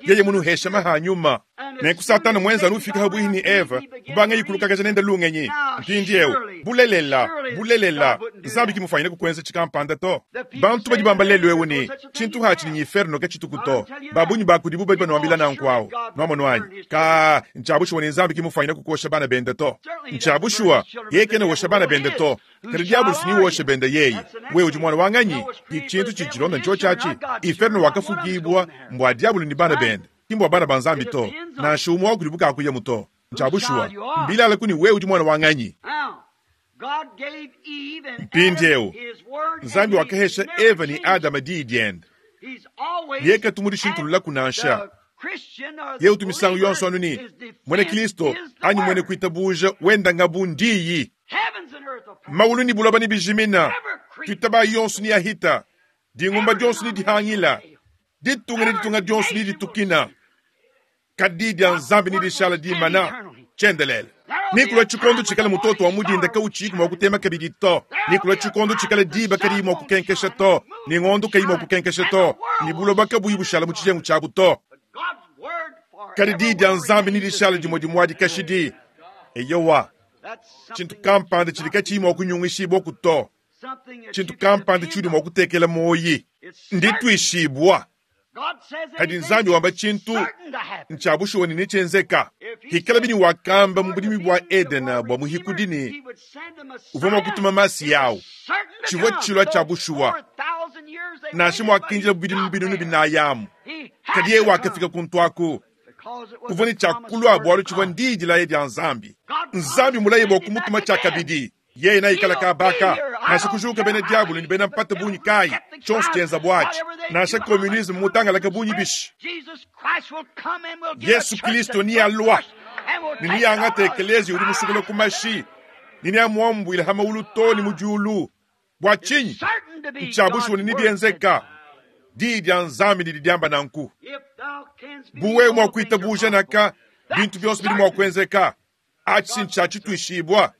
Yeye munuheshe maha a nyuma. Nenku Satana muenza anu ufika habuihi ne Eva, kubangaye kulukakaja nende lungenyi. Mpindieu, bulelela, bulelela, Nzambi ki mufuanyine kukuenza tshikampanda to. Bantu badi bamba lelu eu ne, tshintu atshi ne inferno katshituku to. Ba bungi ba kudibu badi banuambila nanku au. Nuamonu anyi? Kaa, ntshia bushuwa ne Nzambi ki mufuanyine kukuosha bana bende to. Ntshia bushuwa, yeye kena wosha bana bende to. Kadi diabolo si wosha bende yeye. Wewe udi muana wa nganyi? Ki tshintu tshidi tshilonda ntshiotshi atshi. Inferno wakafukibua mbua diabolo ne bana bende, ki mbua bana ba Nzambi to. Nansha umue wa kudibu kakuyamu to. Ntshia bushuwa, mbilala ku ne wewe udi muana wa nganyi? Mpindieu, Nzambi wakahesha Eva ne Adama diyi diende. Yeye katu mudishintululaku nansha. Yeye utu misangu yonso anu ne muena Kristo anyi muena kuitabuja wenda ngabu ndiyi. Maulu ne buloba nebijimina, tuitabayi yonso neyahita, dingumba dionso nedihangila, ditunga ne ditunga dionso neditukina. Kadi dia Nzambi nedishale dimana tshiendelele. Nekulua tshikondo tshikala mutoto wa mudinda kawutshiyiku mua kutema kabidi to. Nekulua tshikondo tshikala diba kadiyi mua kukenkesha to, ne ngondo kayi mua kukenkesha to, ne buloba kabuyi bushala mu tshijengu tshiabu to. Kadi diyi dia Nzambi nedishale dimue dimue adi kashidi. Eyowa, tshintu kampanda tshidi katshiyi mua kunyungishibua to, tshintu kampanda tshiudi mua kutekela muoyi, ndituishibua. Kadi Nzambi wamba tshintu ntshia bushuwa ne netshienzeka. Hikalabi ne wakamba mu budimi bua Edena bua muhikudi ne uvua mua kutuma Masiya au, tshivua tshilua tshia bushuwa, nansha muakindila bidimu binunu binayi amu. Kadi yeye wakafika kuntu aku, uvua ne tshia kulua bualu tshivua ndiyi dilaya dia Nzambi. Nzambi mulaye bua kumutuma tshiakabidi. Yeye naikala kabaka, nansha kujuka bena diabolo ne bena mpata bungi kayi, tshionso tshienza buatshi, nansha communisme mutangalake bungi bishi. Yesu Kristo nealua ne neangate ekeleziya udi musukula ku mashi ne neamuambuile ha maulu too ne mu diulu. Bua tshinyi? Ntshia bushuwa ne nebienzeka. Diyi dia Nzambi didi diamba nanku. Bu wewe mua kuitabuja naka, bintu bionso bidi mua kuenzeka. Atshi ntshia tshituishibua.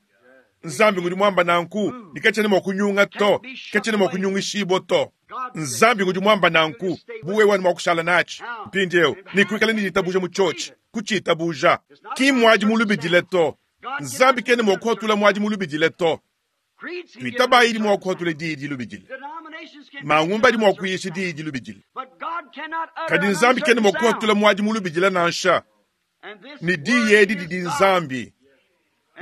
Nzambi ngudi muamba nanku, ne katshiena mua kunyunga to, katshiena mua kunyungishibua to. Nzambi ngudi muamba nanku, bu wewe mua kushala natshi mpindieu ne kuikala ne ditabuja mu tshiotshi, kutshitabuja. Ki muadi mulubidile to. Nzambi kena mua kuhatula muadi mulubidile to. Tuitabayi idi mua kuhatula diyi dilubidile. Mangumba adi mua kuyisha diyi dilubidile. Kadi Nzambi kena mua kuhatula muadi mulubidile nansha. Ne diyi edi didi Nzambi.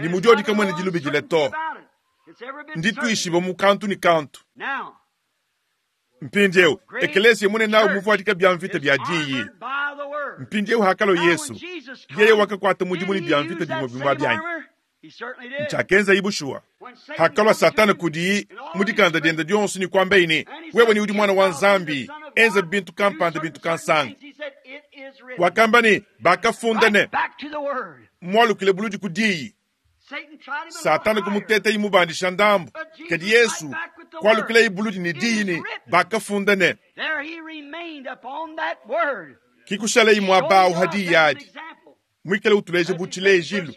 Ne mu dyodi kamwena dilubidila to. Nditwishibwe mu kantu ne kantu. Mpindyewu, ekeleesiya munene awu muvwadika bya mvita bya Diyi. Mpindyewu hakalwa Yesu, yeye wakakwata mudimu ne bya mvita bimwe bimwe abi anyi? Ncyakenzayi bushuwa. Hakalwa Satana kudiyi mu dikanda dyende dyonso ne kwambaye ne, Wewe ni udi Mwana wa Nzambi, enza bintu kampanda bintu kansanga. Wakamba ne, Bakafunda ne, Mwalukile buludi ku Diyi. Satana kumutetayi mubandisha ndambu, kadi Yesu kwalukilayi buludi ne diyi ne, Bakafunda ne. Ki kushalayi mwaba awu ha diyi adi, mwikale utuleja bu tshilejilu,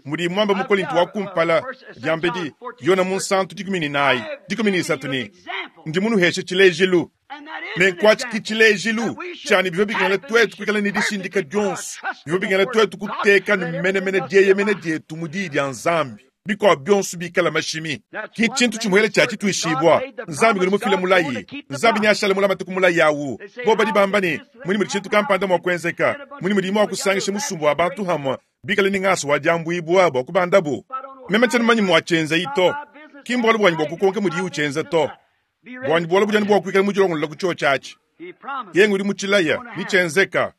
mudiyi mwamba mu Kolinto wa kumpala, diambedi, Yona Munsantu 14, 13 ne, Ndi munuheshe tshilejilu. Nenku atshi ki tshilejilu tshia ne bivua bikengela tuetu kuikala ne dishindika dionso, bivua bikengela tuetu kuteka ne menemene dieyemena dietu mu Diyi dia Nzambi, bikuabu bionso bikale mashimi. Ki tshintu tshimuele tshia tshituishibua. Nzambi ngudi mufile mulayi. Nzambi neashale mulamate ku mulayi au. Bobu badi bamba ne, Munyi mudi tshintu kampanda mua kuenzeka? Munyi mudiyi mua kusangisha musumba wa bantu hamue bikale ne ngasa wa diambuibua bua kubandabu? Meme tshiena mumanye muatshienzayi to. Ki mbualu buanyi bua kukonka mudiyi utshienza to. Buanyi bualu budi anu bua kuikala mudilongolola ku tshiotshi atshi. Yeye ngudi mutshilaya, netshienzeka.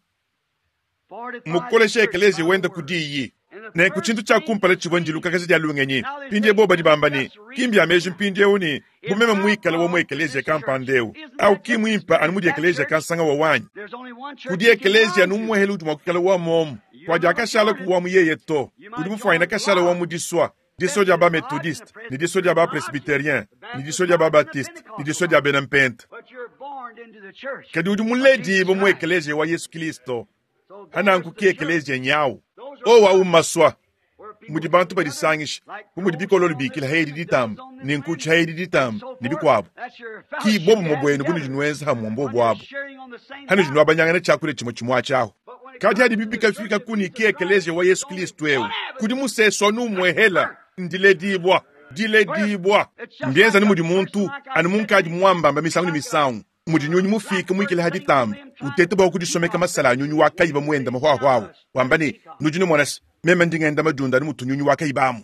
Mmukoleshe ekeleziya wende ku diyi. Nenku tshintu tshia kumpala tshivua ndilukakaja dia lungenyi. Mpindieu bobu badi bamba ne, Ki mbia meji mpindieu ne, bu meme muikale wa mu ekeleziya kampanda eu, au ki muimpe anu mudi ekeleziya kansanga wa wanyi. Kudi ekeleziya anu umuehele udi mua kuikala wa muomu, kua diakashalaku wa mu yeye to. Udi mufuanyine kashala wa mu disua. Disua dia ba-Methodiste, ne disua dia ba-Presbyterien, ne disua dia ba-Baptiste, ne disua dia bena Mpenta. Kadi udi muledibue mu Ekeleziya wa Yesu Kilisto, pa nanku ki Ekeleziya nyawu. Owu awu mmasua mudi bantu badisangisha, bu mudi bikololo bikila ha edi ditamba, ne nkutshu ha edi ditamba, ne bikuabu. Ki bobumue buenu bunudi nuenza hamue mbobu abu, hanudi nuabanyangana tshiakudia tshimue tshimue atshi ahu. Kadi hadibi bikafika ku ne ki Ekeleziya wa Yesu Kilisto eu, kudi musesu anu umuehela, ndiledibua, diledibua. Mbienza anu mudi muntu, anu munkadi muambamba misangu ne misangu, mudi nyunyi mufiike muikile ha ditamba, uteta bua kudisomeka masala a nyunyi wa kayiba muenda mahuahuahu, wamba ne, Nudi numona se, meme ndi ngenda madiunda anu mutu nyunyi wa kayiba amu.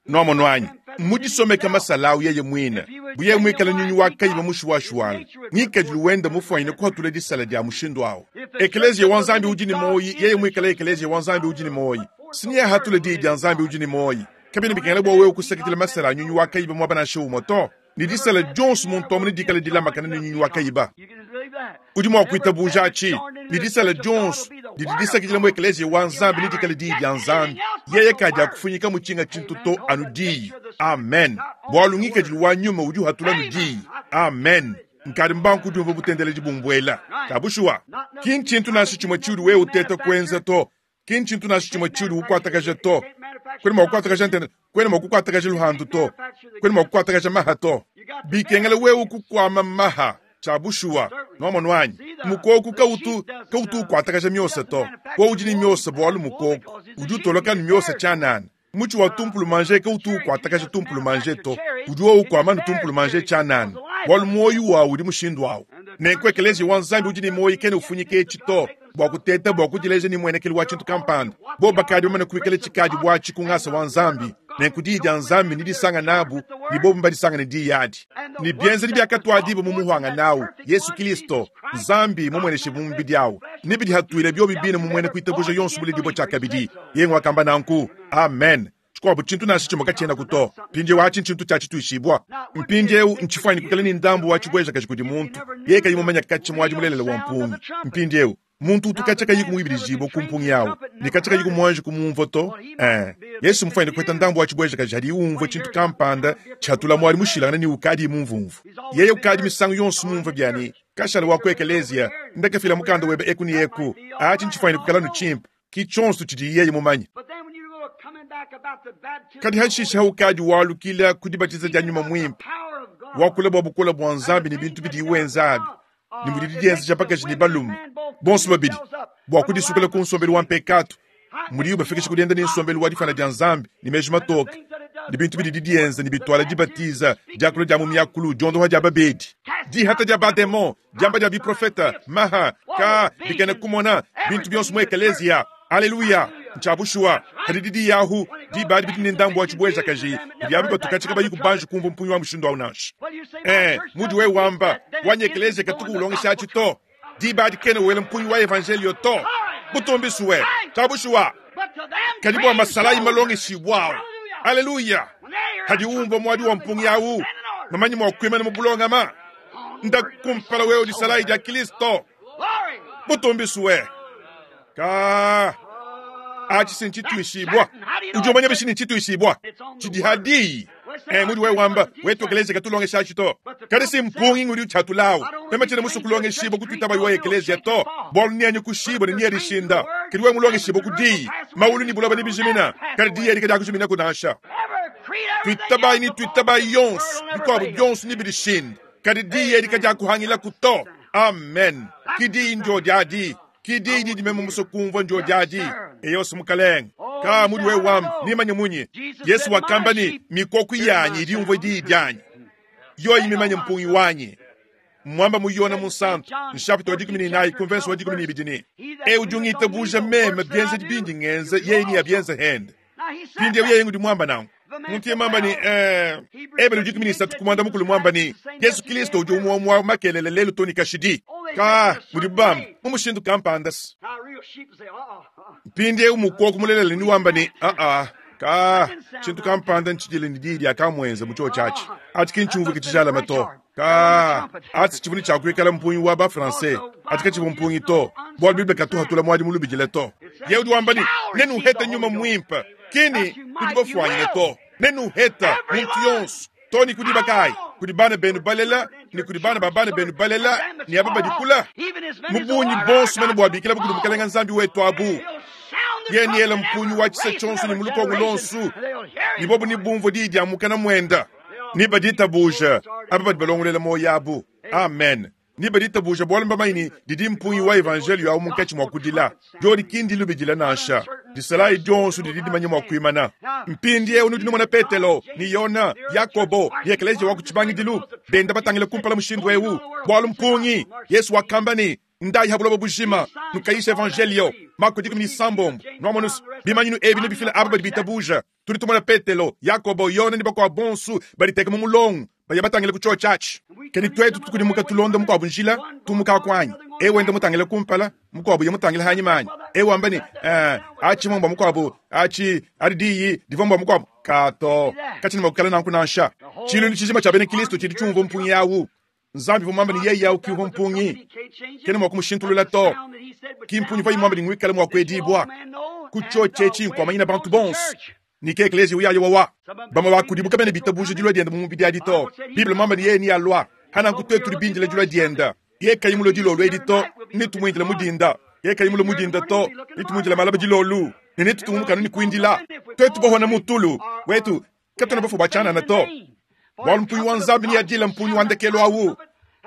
Nwamonu anyi? Mmudisomeke masala awu yeye mwine. Bu yeye mwikale nyunyi wa kayiba mushuwashuwanga, ngiikadilu wende mufwanyine kuhatula disala dya mushindu awu. Ekeleeziya wa Nzambi udi ne mwoyi, yeye mwikale Ekeleeziya wa Nzambi udi ne mwoyi, s'neahatule Diyi dya Nzambi udi ne mwoyi. Kabyena bikengela bwa wewe kusakidila masala a nyunyi wa kayiba mwaba nansha umwe to. Ne disala dyonso muntu amu nedikale dilamakane ne nyunyi wa kayiba. Udi mwa kwitabuuja aci, ne disala dyonso didi disakidila mu Ekeleeziya wa Nzambi nedikale Diyi dya Nzambi. Yeye kadyakufunyikamu cinga cintu to anu Diyi. Amen. Bwalu ngiikadilu wa nyuma udi uhatula anu Diyi. Amen. Nkadi mbangu kudyumvwa butendeledi bumbwela. Cya bushuwa. Ki ncintu nansha cimwe ciudi wewe uteeta kwenza to. Ki ntshintu nansha tshimue tshiudi ukuatakaja to. Kuena mua kukuatakaja ntende, kuena mua kukuatakaja luhandu to, kuena mua kukuatakaja maha to. Bikengela wewe kukuama maha tshia bushuwa. Nwamonu anyi? Mukoku kautu, kautu ukuatakaja miosa to. Wowu udi ne miosa bualu mukoku udi utoloka ne miosa tshianana. Mutshi wa tumpulumanje kautu ukuatakaja tumpulumanje to, udi wowu ukuama anu tumpulumanje tshianana, bualu muoyo wawu udi mushindu awu. Nenku Ekeleziya wa Nzambi udi ne muoyo kena ufunyika etshi to, bua kuteta bua kudileja ne muenekelu wa tshintu kampanda. Bobu bakadi bamane kuikala tshikadi buatshi ku ngasa wa Nzambi, nenku Diyi dia Nzambi nedisanga nabu, ne bobu mbadisanga ne Diyi adi. Ne bienzedi biakatuadibua mu muhuangane awu, Yesu Kilisto, Nzambi mumueneshibue mu mubidi awu, nebidihatuile biobi bine mu muena kuitabuja yonso muledibue tshiakabidi. Yeye nguakamba nanku. Amen. Tshikuabu tshintu nansha tshimue katshienaku to. Mpindieu atshi ntshintu tshia tshituishibua. Mpindieu ntshifuanyine kuikala ne ndambu wa tshibuejakaji kudi muntu yeye kayi mumanye katshia muadi mulelela wa mpungi. Mpindieu muntu utu katshia kayiku muibidijibue ku mpungi au ne katshia kayiku muanji kumumvua to. Ee, Yesu mmufuanyine kupeta ndambu wa tshibuejakaji hadiye umvua tshintu kampanda tshiatula muadi mushilangane ne ukadiye mumvumvue. Yeye ukadi misangu yonso mumvue bia ne, Kashala wa ku ekeleziya, ndakafila mukanda webe eku ne eku. Atshi ntshifuanyine kuikala anu tshimpe. Ki tshionso tshidiye yeye mumanye. Kadi hashishe haukadi walukila ku dibatiza dia Nyuma Muimpe, wakula bua bukole bua Nzambi ne bintu bidiye wenza abi, ne mudidi dienzeja bakaji ne balume bonso babidi bua kudisukula ku nsombelu wa mpekatu, mudiye ubafikisha ku dienda ne nsombelu wa difana dia Nzambi ne meji matoke, ne bintu bididi dienza ne bituala dibatiza, diakula dia mu miakulu, diondoha dia babedi, dihata dia bademon, diamba dia biprofeta, maha, ka, bikena kumona, bintu bionso mu ekeleziya. Aleluya! Ntshia bushuwa. Kadi didi yahu, Diba adi bidi ne ndambu wa tshibuejakaji kudi aba batu katshia kabayi kubanji kumvua mpungi wa mushindu au nansha. Ee, mudi wewe wamba, wanyi ekeleziya katuku ulongesha atshi to. Diba adi kena wela mpungi wa evanjeliyo to. Butumbi sue. Tshia bushuwa. Kadi bua masalayi malongeshibua au. Aleluya! Hadi umvua muadi wa mpungi au, mamanye mua kuimana mu bulongama. Nda kumpala wewe disalayi dia Kristo. Butumbi sue. Ka atshi si ntshituishibua. Udi umanya bishi ne ntshituishibua? Tshidi ha diyi. Eh, mudi wewe wamba, wetu ekelezia katulongesha atshi to. Kadi si mpungi ngudi utshiatulawu. Meme tshiena musue kulongeshibua kutuitaba iwa ekelezia to. Bualu nianyi kushibua ne niadishinda. Kadi wewe mulongeshibua ku diyi. Maulu ne buloba nebijimina. Kadi diyi edi kadiakujiminaku nansha. Tuitabayi ne tuitabayi yonso, bikuabu bionso nebidishinde. Kadi diyi edi kadiakuhangilaku to. Amen. Ki diyi ndio diadi. Ki diyi didi meme musue kumvua ndio diadi. Eyosi Mukalenge. Ka mudi wewe wamba, nimanye munyi? Yesu wakamba ne, Mikoku yanyi idi yumvua diyi dianyi. Yoyi mimanye mpungi wanyi. Mwamba mu Yona Munsantu, nshapita wa 14 ku mvenso wa 12 ne, Eu udi ungitabuja meme, bienzedi bindi ngenza, yeye neabienze hende. Mpindieu yeye ngudi muamba nanku. Muntu yeye muamba ne, eh, Ebele 13 ku muanda mukulu muamba ne, Yesu Kristo udi umue wa makelele lelu too ne kashidi. Ka, mudibu bamba, mu mushindu kampanda se. Mpindieu mukoko mulelela ni wamba ne, Aa, ka, tshintu kampanda ntshidile ne diyi diakamuenza mu tshiotshi atshi. Atshi ki ntshiumvuike tshijalame to. Ka, atshi tshivua ne tshia kuikala mpungi wa ba-Français. Atshi katshivua mpungi to, bualu Bible katu hatula muadi mulubidile to. Yeye udi wamba ne, Nenuhete nyuma muimpe. Ki ne, nudi bafuanyine to. Nenuhete, muntu yonso. To ne ku diba kayi? Kudi bana benu balela, ne kudi bana ba bana benu balela, ne aba badi kula. Mu bungi bonso mene buabikilabu kudi Mukelenge Nzambi wetu abu. Yeye neele mpungi wa tshisa tshionso ne mu lukongo luonso, ne bobu nebumvue diyi dia mukana muenda. Ne baditabuja aba badi balongolola muoyo abu. Amen. Ne baditabuja bualu mbamanye ne didi mpungi wa evanjeliyo awu munkatshi mua kudila. Diodi ki ndilubidila nansha. Disalayi dionso didi dimanye mua kuimana. Mpindieu nudi numona Petelo, ne Yona, Yakobo, ne ekeleziya wa ku tshibangidilu benda batangila kumpala mushindu eu, bualu mpungi. Yesu wakamba ne, Ndayi ha buloba bujima, nukayisha evanjeliyo. Mako 16. Nuamonu se, bimanyinu ebi nebifile aba badi bitabuja. Tudi tumona Petelo, Yakobo, Yone ne bakuabu bonso baditeka mu mulongo, baya batangile ku tshiotshi atshi. Kadi tuetu tukudimuka tulonda mukuabu njila, tumukaku anyi? Eu wenda mutangile kumpala, mukuabu ye mutangile hanyima anyi? Eu wamba ne, eh, atshi mbua mukuabu, atshi adi diyi divua mbua mukuabu. Kato, katshiena mua kuikala nanku nansha. Tshiluilu tshijima tshia bena Kristo tshidi tshiumvua mpungi au. Nzambi uvua muambe ne yeye au ki uvua mpungi, kena mua kumushintulula to. Ki mpungi uvuaye muambe ne nguikale mua kuedibua ku tshiotshi etshi nkuamanyina bantu bonso ne ke ekleziya uyaye wawa. Bamue ba kudibu kabena bitabuja dilua diende mu mubidi adi to. Bible muambe ne yeye nealua. Hananku tuetu tudi bindile dilua diende. Yeye kayi mulue dilolo edi to, netumuindile mu dinda. Yeye kayi mulue mu dinda to, netumuindile malaba dilolo. Ne netutungunuke anu ne kuindila. Tuetu bahona mu tulu wetu, katuena bafue bua tshianana to. Bualu mpungi wa Nzambi neadile mpungi wa ndekelu awu,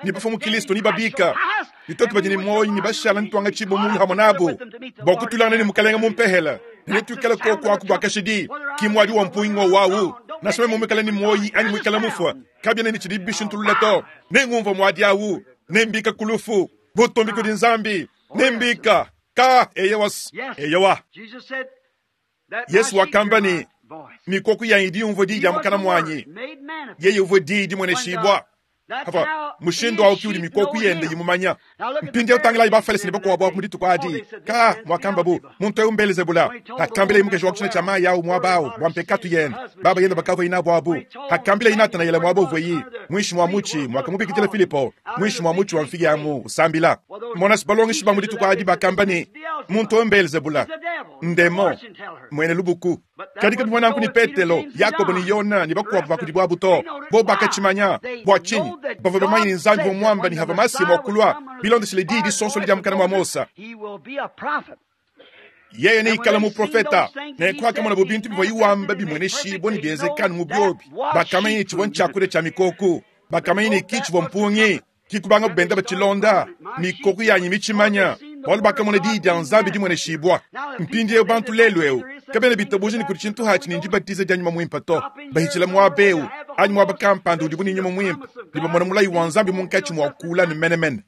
ne bafua mu Kilisto nebabika, ne tuetu badi ne muoyo nebashala netuangatshibue mulu hamue nabu bua kutulangana ne Mukalenge mu mpehela, ne netuikale koku aku bua kashidi. Ki muadi wa mpungi ngowu awu, nansha meme muikale ne muoyo anyi muikale mufue, kabiena ne tshidi bishintulula to. Nengumvue muadi awu, nembika ku lufu. Butumbi kudi Nzambi! Nembika. Ka, eyowa, eyowa. Yesu wakamba ne, Mikoko yanyi idi yumvua diyi dia mukana muanyi. Yeye uvua diyi dimueneshibua. Apa, mushindu au ki udi mikoko yende imumanya. Mpindieu tangilayi Bafalese ne bakuabu abu mu dituku adi. Ka, muakambabu, muntu eu m'Belezebula. Hakambilaye mukaji wa ku tshina tshia mayi au muaba au bua mpekatu yende, baba yende bakavuaye nabu abu. Hakambilaye Natanayele muaba uvuaye, muinshi mua mutshi, muakamubikidila Filipo, muinshi mua mutshi wa mfigi amu, usambila. Mona se, balongeshi ba mu dituku adi bakamba ne, Muntu eu m'Belezebula, ndemon, muena lubuku. Kadi kabivua nanku ne Petelo, Yakobo ne Yona ne bakuabu ba kudibu abu to. Bobu bakatshimanya. Bua tshinyi? Bavua bamanye ne, Nzambi uvua muambe ne, havua Masiya mua kulua, bilondeshile diyi disonsola dia mukana mua Mose. Yeye neikale muprofeta. Nenku pakamonabu bintu bivuaye wamba bimueneshibua ne bienzeka anu mu biobi, bakamanya ne, tshivua ntshiakudia tshia mikoko. Bakamanya ne, ki tshivua mpungi. Ki kubangabu benda batshilonda, mikoko yanyi mitshimanya, bualu bakamona diyi dia Nzambi dimueneshibua. Mpindieu bantu lelu eu kabena bitabuja ne kudi tshintu atshi ne ndibatiza dia nyuma muimpe to. Bahitshila muaba eu anyi muaba kampanda udibu ne nyuma muimpe ne bamona mulayi wa Nzambi munkatshi mua kula ne menemene.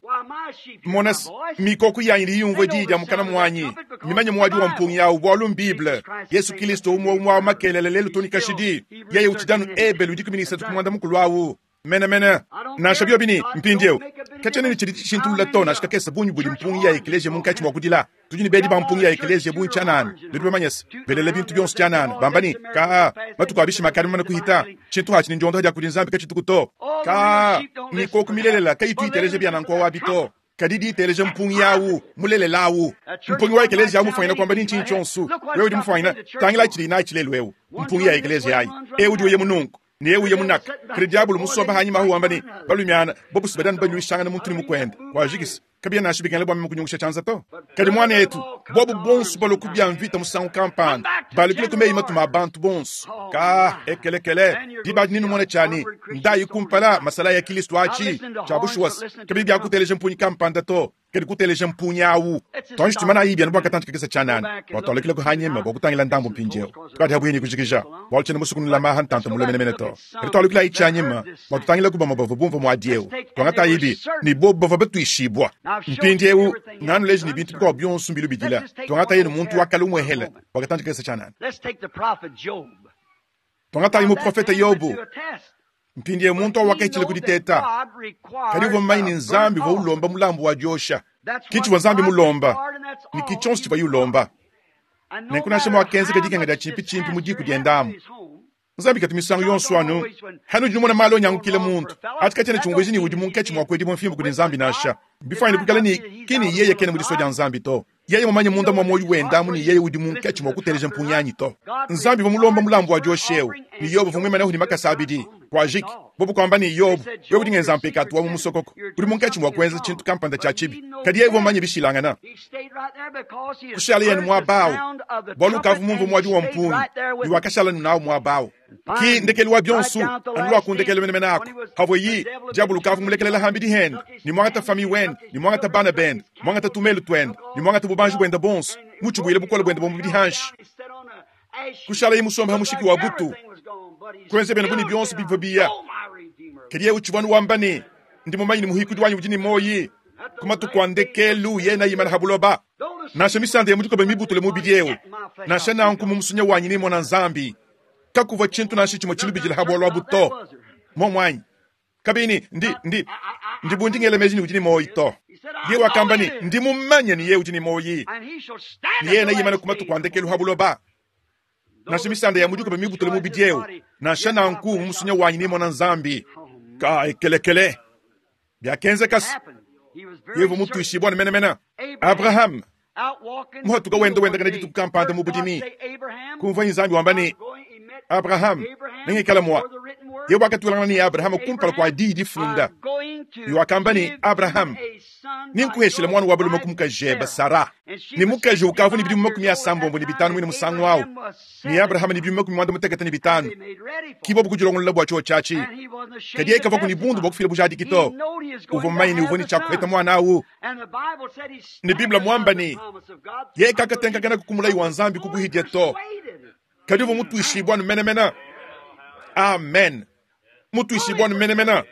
Mona se, mikoko yanyi idi yumvua diyi dia mukana muanyi. Mimanye muadi wa mpungi awu bualu m'Bible. Yesu Kilisto umue umue awu makelela lelu too ne kashidi. Yeye utshidi anu Ebelu 13 ku muanda mukulu awu. Menemene. Nansha biobi ne, mpindieu, katshiena ne tshidi tshishintulula to nansha kakese bungi budi mpungi ya ekeleziya munkatshi mua kudila. Tudi ne bedi ba mpungi ya ekeleziya bungi tshianana. Nudi bamanye se, belela bintu bionso tshianana, bamba ne, Kaa, matuku a bishima akadi mamane kuhita. Tshintu atshi ne ndiondoha dia kudi Nzambi katshituku to. Kaa, mikoko milelela kayitu iteleja bia nanku awu to. Kadi diteleja mpungi awu, mulelela awu. Mpungi wa ekeleziya awu mufwanyine kwamba ni ntshinyi tshionso. Wewe udi mufwanyine, tangila tshidi natshi lelu ewu, mpungi ya ekeleziya ayi. Ewu udi uya mununku, ne ewu uya munaka. Kadi diabolo musomba hanyima ahu wamba ne, Balumiana, bobusu badi anu baluishangana muntu ne mukuende. Wajikisa. Kabiena nansha bikengela bua meme kunyungusha tshianza to. Kadi muanetu, bobu bonso balue ku bia mvita musangu kampanda, balukile ku meyi matuma a bantu bonso. Kaa, ekelekele, diba adi nenumone tshia ne, ndayi kumpala, masalayi a Kilisto atshi, tshia bushuwa se, kabiyi bia kuteleja mpunyi kampanda to, kadi kuteleja mpunyi awu. Tuanji tuimanayi bianu bua katantshi kakese tshianana, bua tualukileku hanyima bua kutangila ndambu mpindieu. Tukadi habuihi ne kujikija, bualu tshiena musue kunulama aha ntanta mule menemene to. Kadi tualukilayi tshianyima bua tutangilaku bamue bavua bumvua muadi eu. Tuangatayibi ne bobu bavua batuishibua. Mpindieu nganuleji ne bintu bikuabu bionso mbilubidila. Tuangatayi ne muntu wa kale umuehele bua katantshi kakese tshianana. Tuangatayi muprofete Yobo. Mpindieu muntu au wakahitshila ku diteta, kadi uvua mumanye ne Nzambi uvua ulomba mulambu wa diosha. Ke tshivua Nzambi mulomba, ne ke tshionso tshivuaye ulomba. Nenku nansha muakenzeka dikenga dia tshimpitshimpi mu diku diende amu, Nzambi katu misangu yonso anu hanudi numona malu anyangukile muntu. Atshi katshiena tshiumvuija ne udi munkatshi mua kuedibua mfimbu kudi Nzambi nansha. Mbifuanyine kuikala ne ki ne yeye kena mu disua dia Nzambi to. Yeye mumanye munda mua muoyo wende amu ne yeye udi munkatshi mua kuteleja mpungi anyi to. Nzambi uvua mulomba mulambu wa diosha eu, ne Yobo uvua muimanehu ne makasa abidi. Kuajiki, bobu kuamba ne, Yobo, wewe udi ngenza mpekatu wa mu musokoko. Udi munkatshi mua kuenza tshintu kampanda tshia tshibi. Kadi yeye uvua mumanye bishilangana. Kushalaye anu muaba au, bualu ukavua mumvue muadi wa mpungi, ne wakashala anu nawu muaba au. Ki ndekelu wa bionso, anu lua ku ndekelu menemene aku, havuayi, diabolo ukavua mulekelela hambidi hende, ne muangata famiye wende, ne muangata bana bende, muangata tumelu tuende, ne muangata bubanji buende buonso, mutshibuile bukole buende bua mubidi hanshi. Kushalaye musombe ha mushiki wa butu, kuenza biende bu ne bionso bivua biya. Kadi yeye utshivua anu wamba ne, Ndi mumanye ne muhikudi wanyi udi ne muoyi, ku matuku a ndekelu yeye neimane ha buloba. Nansha misanda ya mu dikoba mibutule mubidi eu, nansha nanku mu musunya wanyi nemona Nzambi. Kakuvua tshintu nansha tshimue tshilubidila ha bualu abu to. Muomu anyi? Kabiyi ne, ndi, ndi, ndi bu ndi ngela meji ne udi ne muoyi to. Yeye wakamba ne, Ndi mumanye ne yeye udi ne muoyi, ne yeye neimane ku matuku a ndekelu ha buloba. Nansha misanda ya mu dikoba mibutule mubidi eu, nansha nanku mu musunya wanyi nemona Nzambi. Ka ekelekele. Biakenzeka se, yeye uvua mutuishibue menemene. Abrahame muhatuka wenda wendakana dituku kampanda mu budimi, kumvuaye Nzambi wamba ne, Abrahame, nengikale mua. Yeye wakatuilangana ne Abrahame kumpala kua diyi difunda, ne wakamba ne, Abrahame, nenkuheshile muana wa balume ku mukajebe Sara. Ne mukaji ukavua ne bidimu 65 muine musangu au, ne Abrahame ne bidimu 95. Ki bobu kudilongolola bua tshiotshi atshi. Kadi yeye kavuaku ne bundu bua kufila bujadiki to. Uvua mumanye ne uvua ne tshia kuheta muana au. Ne Bible muamba ne, yeye kakatenkakanaku ku mulayi wa Nzambi ku buhidia to, kadi uvua mutuishibue anu menemene. Amen. Mutuishibue anu menemene.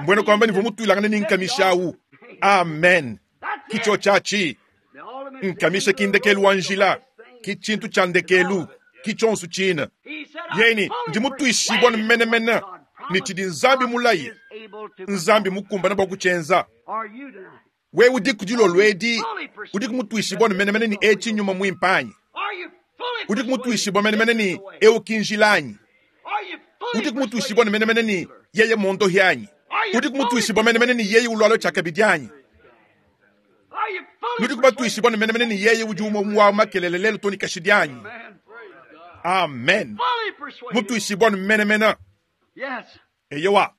Mbuena kuamba ne uvua mutuilangane ne nkamisha au. Amen. Ki tshiotshi atshi. Nkamisha ki ndekelu wa njila, ki tshintu tshia ndekelu, ki tshionso tshine. Yeye ne, ndi mutuishibue anu menemene ne tshidi Nzambi mulaye, Nzambi mukumbane bua kutshienza. Wewe udiku dilolo edi, udiku mutuishibue anu menemene ne etshi nnyuma muimpe anyi? Udiku mutuishibue menemene ne eu ki njila anyi? Udiku mutuishibue anu menemene ne yeye mmuondohi anyi? Udiku mutuishibue menemene ne yeye ulualua tshiakabidi anyi? Nudiku batuishibue anu menemene ne yeye udi umue wa makelele lelu too ne kashidi anyi? Amen. Mutuishibue anu menemene. Eyowa.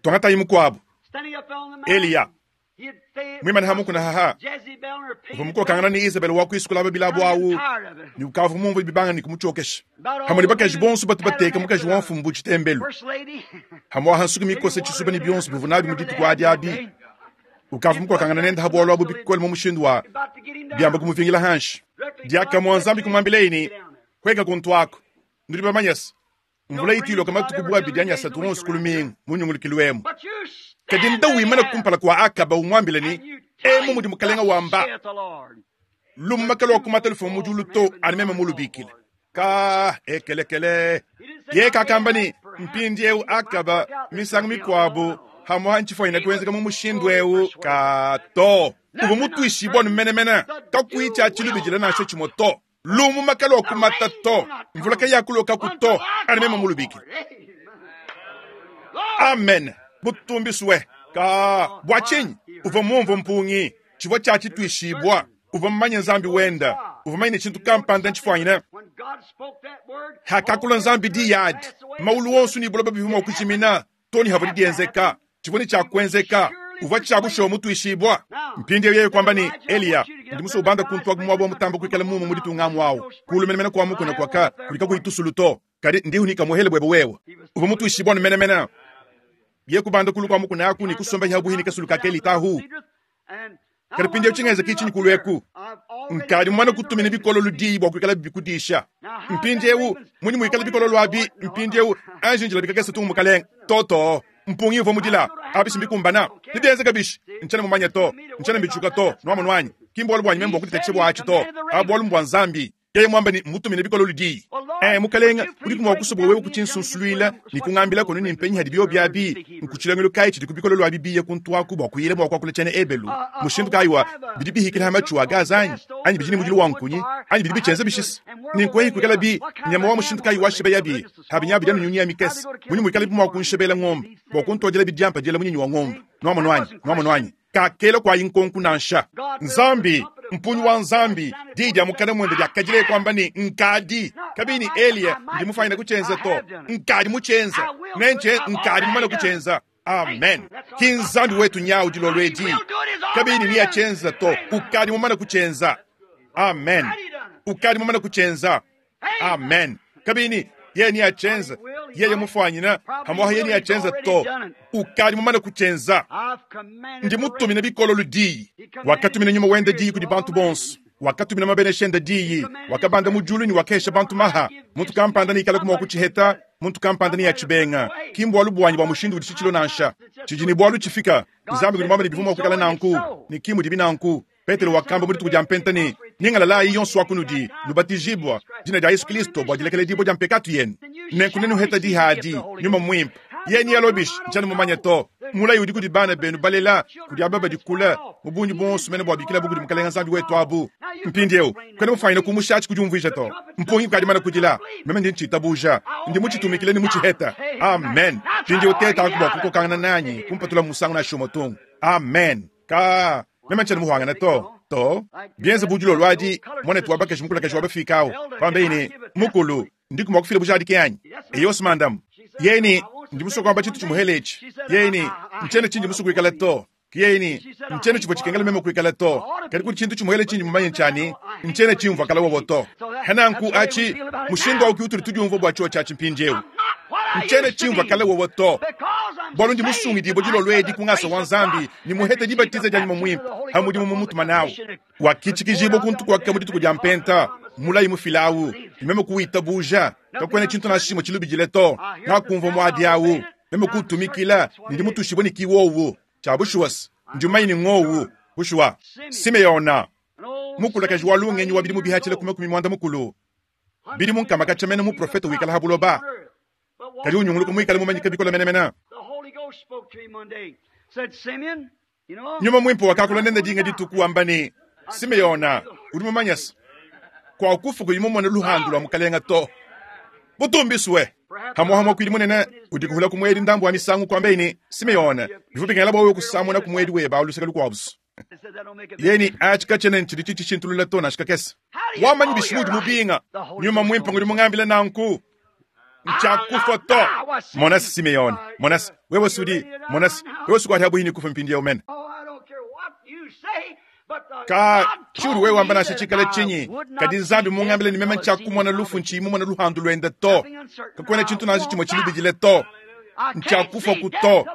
Tuangatayi mukuabu, Eliya, muimane ha mukuna haha, uvua mukokangana ne Izebele wa kuisukula babilabu awu, ne ukavua mumvue bibanga ne kumutshiokesha hamue ne bakaji bonso batu bateka mukaji wa mfumu bu tshitembelu, hamue aha nsuki mikosa tshisuba ne bionso bivua nabi mu dituku adi abi. Ukavua mukokangana nende ha bualu abu bikole mu mushindu wa biamba kumuvingila hanshi. Diakamue Nzambi kumuambilaye ne, Hueka kuntu aku. Nudi bamanye se, mvula itu iloka matuku bu abidi anyi asatu onso ku lumingu mu nyungulukilu emu. Kadi nda wimana kumpala kua Akaba umuambila ne, Emu mudi Mukalenga wamba, Lumuma kaluakumata lufuma mu diulu to, anu meme mulubikile. Ka ekelekele. Yeye kakamba ne, Mpindieu Akaba, misangu mikuabu, hamuha ntshifonyine kuenzeka mu mushindu eu ka to. Uvua mutuishibue anu menemene, kakuyi tshia tshilubidila nansha tshimue to. Lumuma kaluakumata to, mvula kayakulokaku to, anu meme mulubikile. Amen. Butumbisue. Ka bua tshinyi? Uvua mumvue mpungi, tshivua tshia tshituishibua. Uvua mumanye Nzambi wenda. Uvua mumanye ne tshintu kampanda ntshifuanyine. Hakakula Nzambi diyi adi, maulu onso ne buloba bivua mua kujimina, too ne havua dienzeka. Tshivua ne tshia kuenzeka. Uvua tshia bushuwa mutuishibua. Mpindieu yeye kuamba ne, Eliya, ndi musue ubanda kuntu aku muaba wa mutamba kuikala mume mu ditunga amu au, kulu menemene kua mukuna kuaka kudi kakuyi tusulu to, kadi ndihu ne kamuhele buebe wewe. Uvua mutuishibua anu menemene. Yeye kubanda kulu kua mukuna aku ne kusomba habuhi ne kasulu ka Kelitahu. Kadi mpindieu tshingenzeka tshinyi kulu eku? Nkadi mumane kutumina bikololo diyi bua kuikala bikudisha. Mpindieu munyi muikala bikololo abi? Mpindieu anji njila bikakese tungu mukalenge. Toto, mpungi uvua mudila. Abi si mbikumbana. Nebienzeka bishi? Ntshiena mumanye to. Ntshiena mbitshuka to. Nuamonu anyi? Ki mbualu buanyi meme bua kuditatshisha bua atshi to. Abu bualu mbua Nzambi. Yeye muambe ne, mmutumine bikololo diyi. Ee, mukalenge, udiku mua kusua bua wewe kutshinsunsuluila ne kungambila kono ne mpenyi hadi biobi abi? Nku tshilongelu kayi tshidi ku bikololo abi biye kuntu aku bua kuyila mua kuakula tshiena Ebelu? Mushindu kayi wa bidi bihikila ha matshu a gaza anyi? Anyi bidi ne mudilu wa nkunyi? Anyi bidi bitshienza bishisa? Nenku eyi kuikala bi nyama wa mushindu kayi wa shebeyabi? Habi nya bidia nyunyi ya mikese. Munyi muikalabi mua kunshebela ngombe bua kuntuadila bidiampa diela munyinyi wa ngombe? Nuamonu anyi? Nuamonu anyi? Kakela kuayi nkonku nansha. Nzambi, mpunyi wa Nzambi, diyi dia mukana muende diakadileye kuamba ne, Nkadi. Kabiyi ne Eliya, ndi mufanyine kutshienza to. Nkadi mutshienze. Nentshe, nkadi mumane kutshienza. Amen. Ki Nzambi wetu nyawu dilolo edi. Kabiyi ne neatshienza to. Ukadi mumane kutshienza. Amen. Ukadi mumane kutshienza. Amen. Kabiyi ne yeye neatshienza. Yeye mufuanyina, pamuapa yeye neatshienza to. Ukadi mumane kutshienza. Ndi mutumine bikololo diyi. Wakatumina nyuma wende diyi kudi bantu bonso. Wakatumina mabenesha ende diyi. Wakabanda mu diulu ne wakahesha bantu maha. Muntu kampanda neikalaku mua kutshiheta, muntu kampanda neatshibenga. Ki mbualu buanyi bua mushindu udi tshitshilo nansha. Tshidi ne bualu tshifika. Nzambi udi muambe ne bivua mua kuikala nanku, ne ki mudibi nanku. Petelo wakamba mu dituku dia Mpenta ne, Nyingalalayi yonso wa kunudi, nubatijibua dina dia Yesu Kristo bua dilekeledibua dia mpekatu yenu, nenku nenuheta diha adi, Nyuma Muimpe. Yeye nealobishi, ntshiena mumanye to. Mulayi udi kudi bana benu balela, kudi aba badi kule, mu bungi buonso mene buabikilabu kudi Mukalenge Nzambi wetu abu. Mpindieu, kuena mufanyine kumusha atshi ku diumvuija to. Mpungi ukadi mane kudila. Meme ndi ntshitabuja. Ndi mutshitumikile ne mutshiheta. Amen. Mpindieu tetaku bua kukokangana nanyi, kumpatula musangu nansha umue tung. Amen. Ka meme ntshiena muhuangane to. To. Bienze bu dilolo adi, muanetu wa bakaji mukulakaji wa bafika au, pambeye ne, Mukulu, ndiku mua kufila bujadiki anyi? Eyo simandamu. Yeye ne, ndi musue kuamba tshintu tshimuhele etshi. Yeye ne, ntshiena tshindi musue kuikala to. Yeye ne, ntshiena tshivua tshikengela meme kuikala to. Kadi kudi tshintu tshimuhele tshindi mumanye ntshia ne, ntshiena tshimvua kala wowo to. Hananku atshi, mushindu au ke utudi tudiumvua bua tshiotshi atshi mpindieu. Ntshiena tshimvua kale wowo to, bualu ndi musungidibue dilolo edi ku ngasa wa Nzambi ne muhete dibatiza dia Nyuma Muimpe ha mudimu mumutuma nawu. Wakitshikijibua kuntu kuaka mu dituku dia Mpenta, mulayi mufila awu, ne meme kuwitabuja. Kakuena tshintu nansha tshimue tshilubidile to. Ngakumvua muadi awu, meme kuutumikila, ne ndi mutuishibue ne ki wowu. Tshia bushuwa se, ndi mumanye ne ngowu. Bushuwa, Simeona, mukulakaji wa lungenyi wa bidimu bihatshila ku makumi muanda mukulu, bidimu nkama katshia mene muprofete wikala ha buloba, kadi unyunguluka muikale mumanyike bikole menemene. Nyuma Muimpe wakakula nende dinga dituku wamba ne, Simeona, udi mumanye se, kuakufu kuyi mumone luhandu lua Mukalenga to. Butumbisue! Hamuaha muakuidi munene udi kuhula ku muedi ndambu wa misangu kuambaye ne, Simeona, bivua bikengela bua wewe kusamuna ku muedi webe awu luseke lukuabu. Yeye ne, atshi katshiena tshidi tshitshishintulula to nansha kakese. Wamanyi bishi muudi mubinga? Nyuma Muimpe ngudi mungambile nanku. Ntshiakufua to. Mona Simeone, mona wewe sudi, mona wewe sukuadi habuhi ne kufa mpindieu mene. Ka tshiudi wewe wamba nansha tshikale tshinyi, kadi Nzambi mungambile ne meme ntshiakumona lufu ntshiyi mumone luhandu luende to. Kakuena tshintu nansha tshimue tshilubidile to. Ntshiakufua ku to.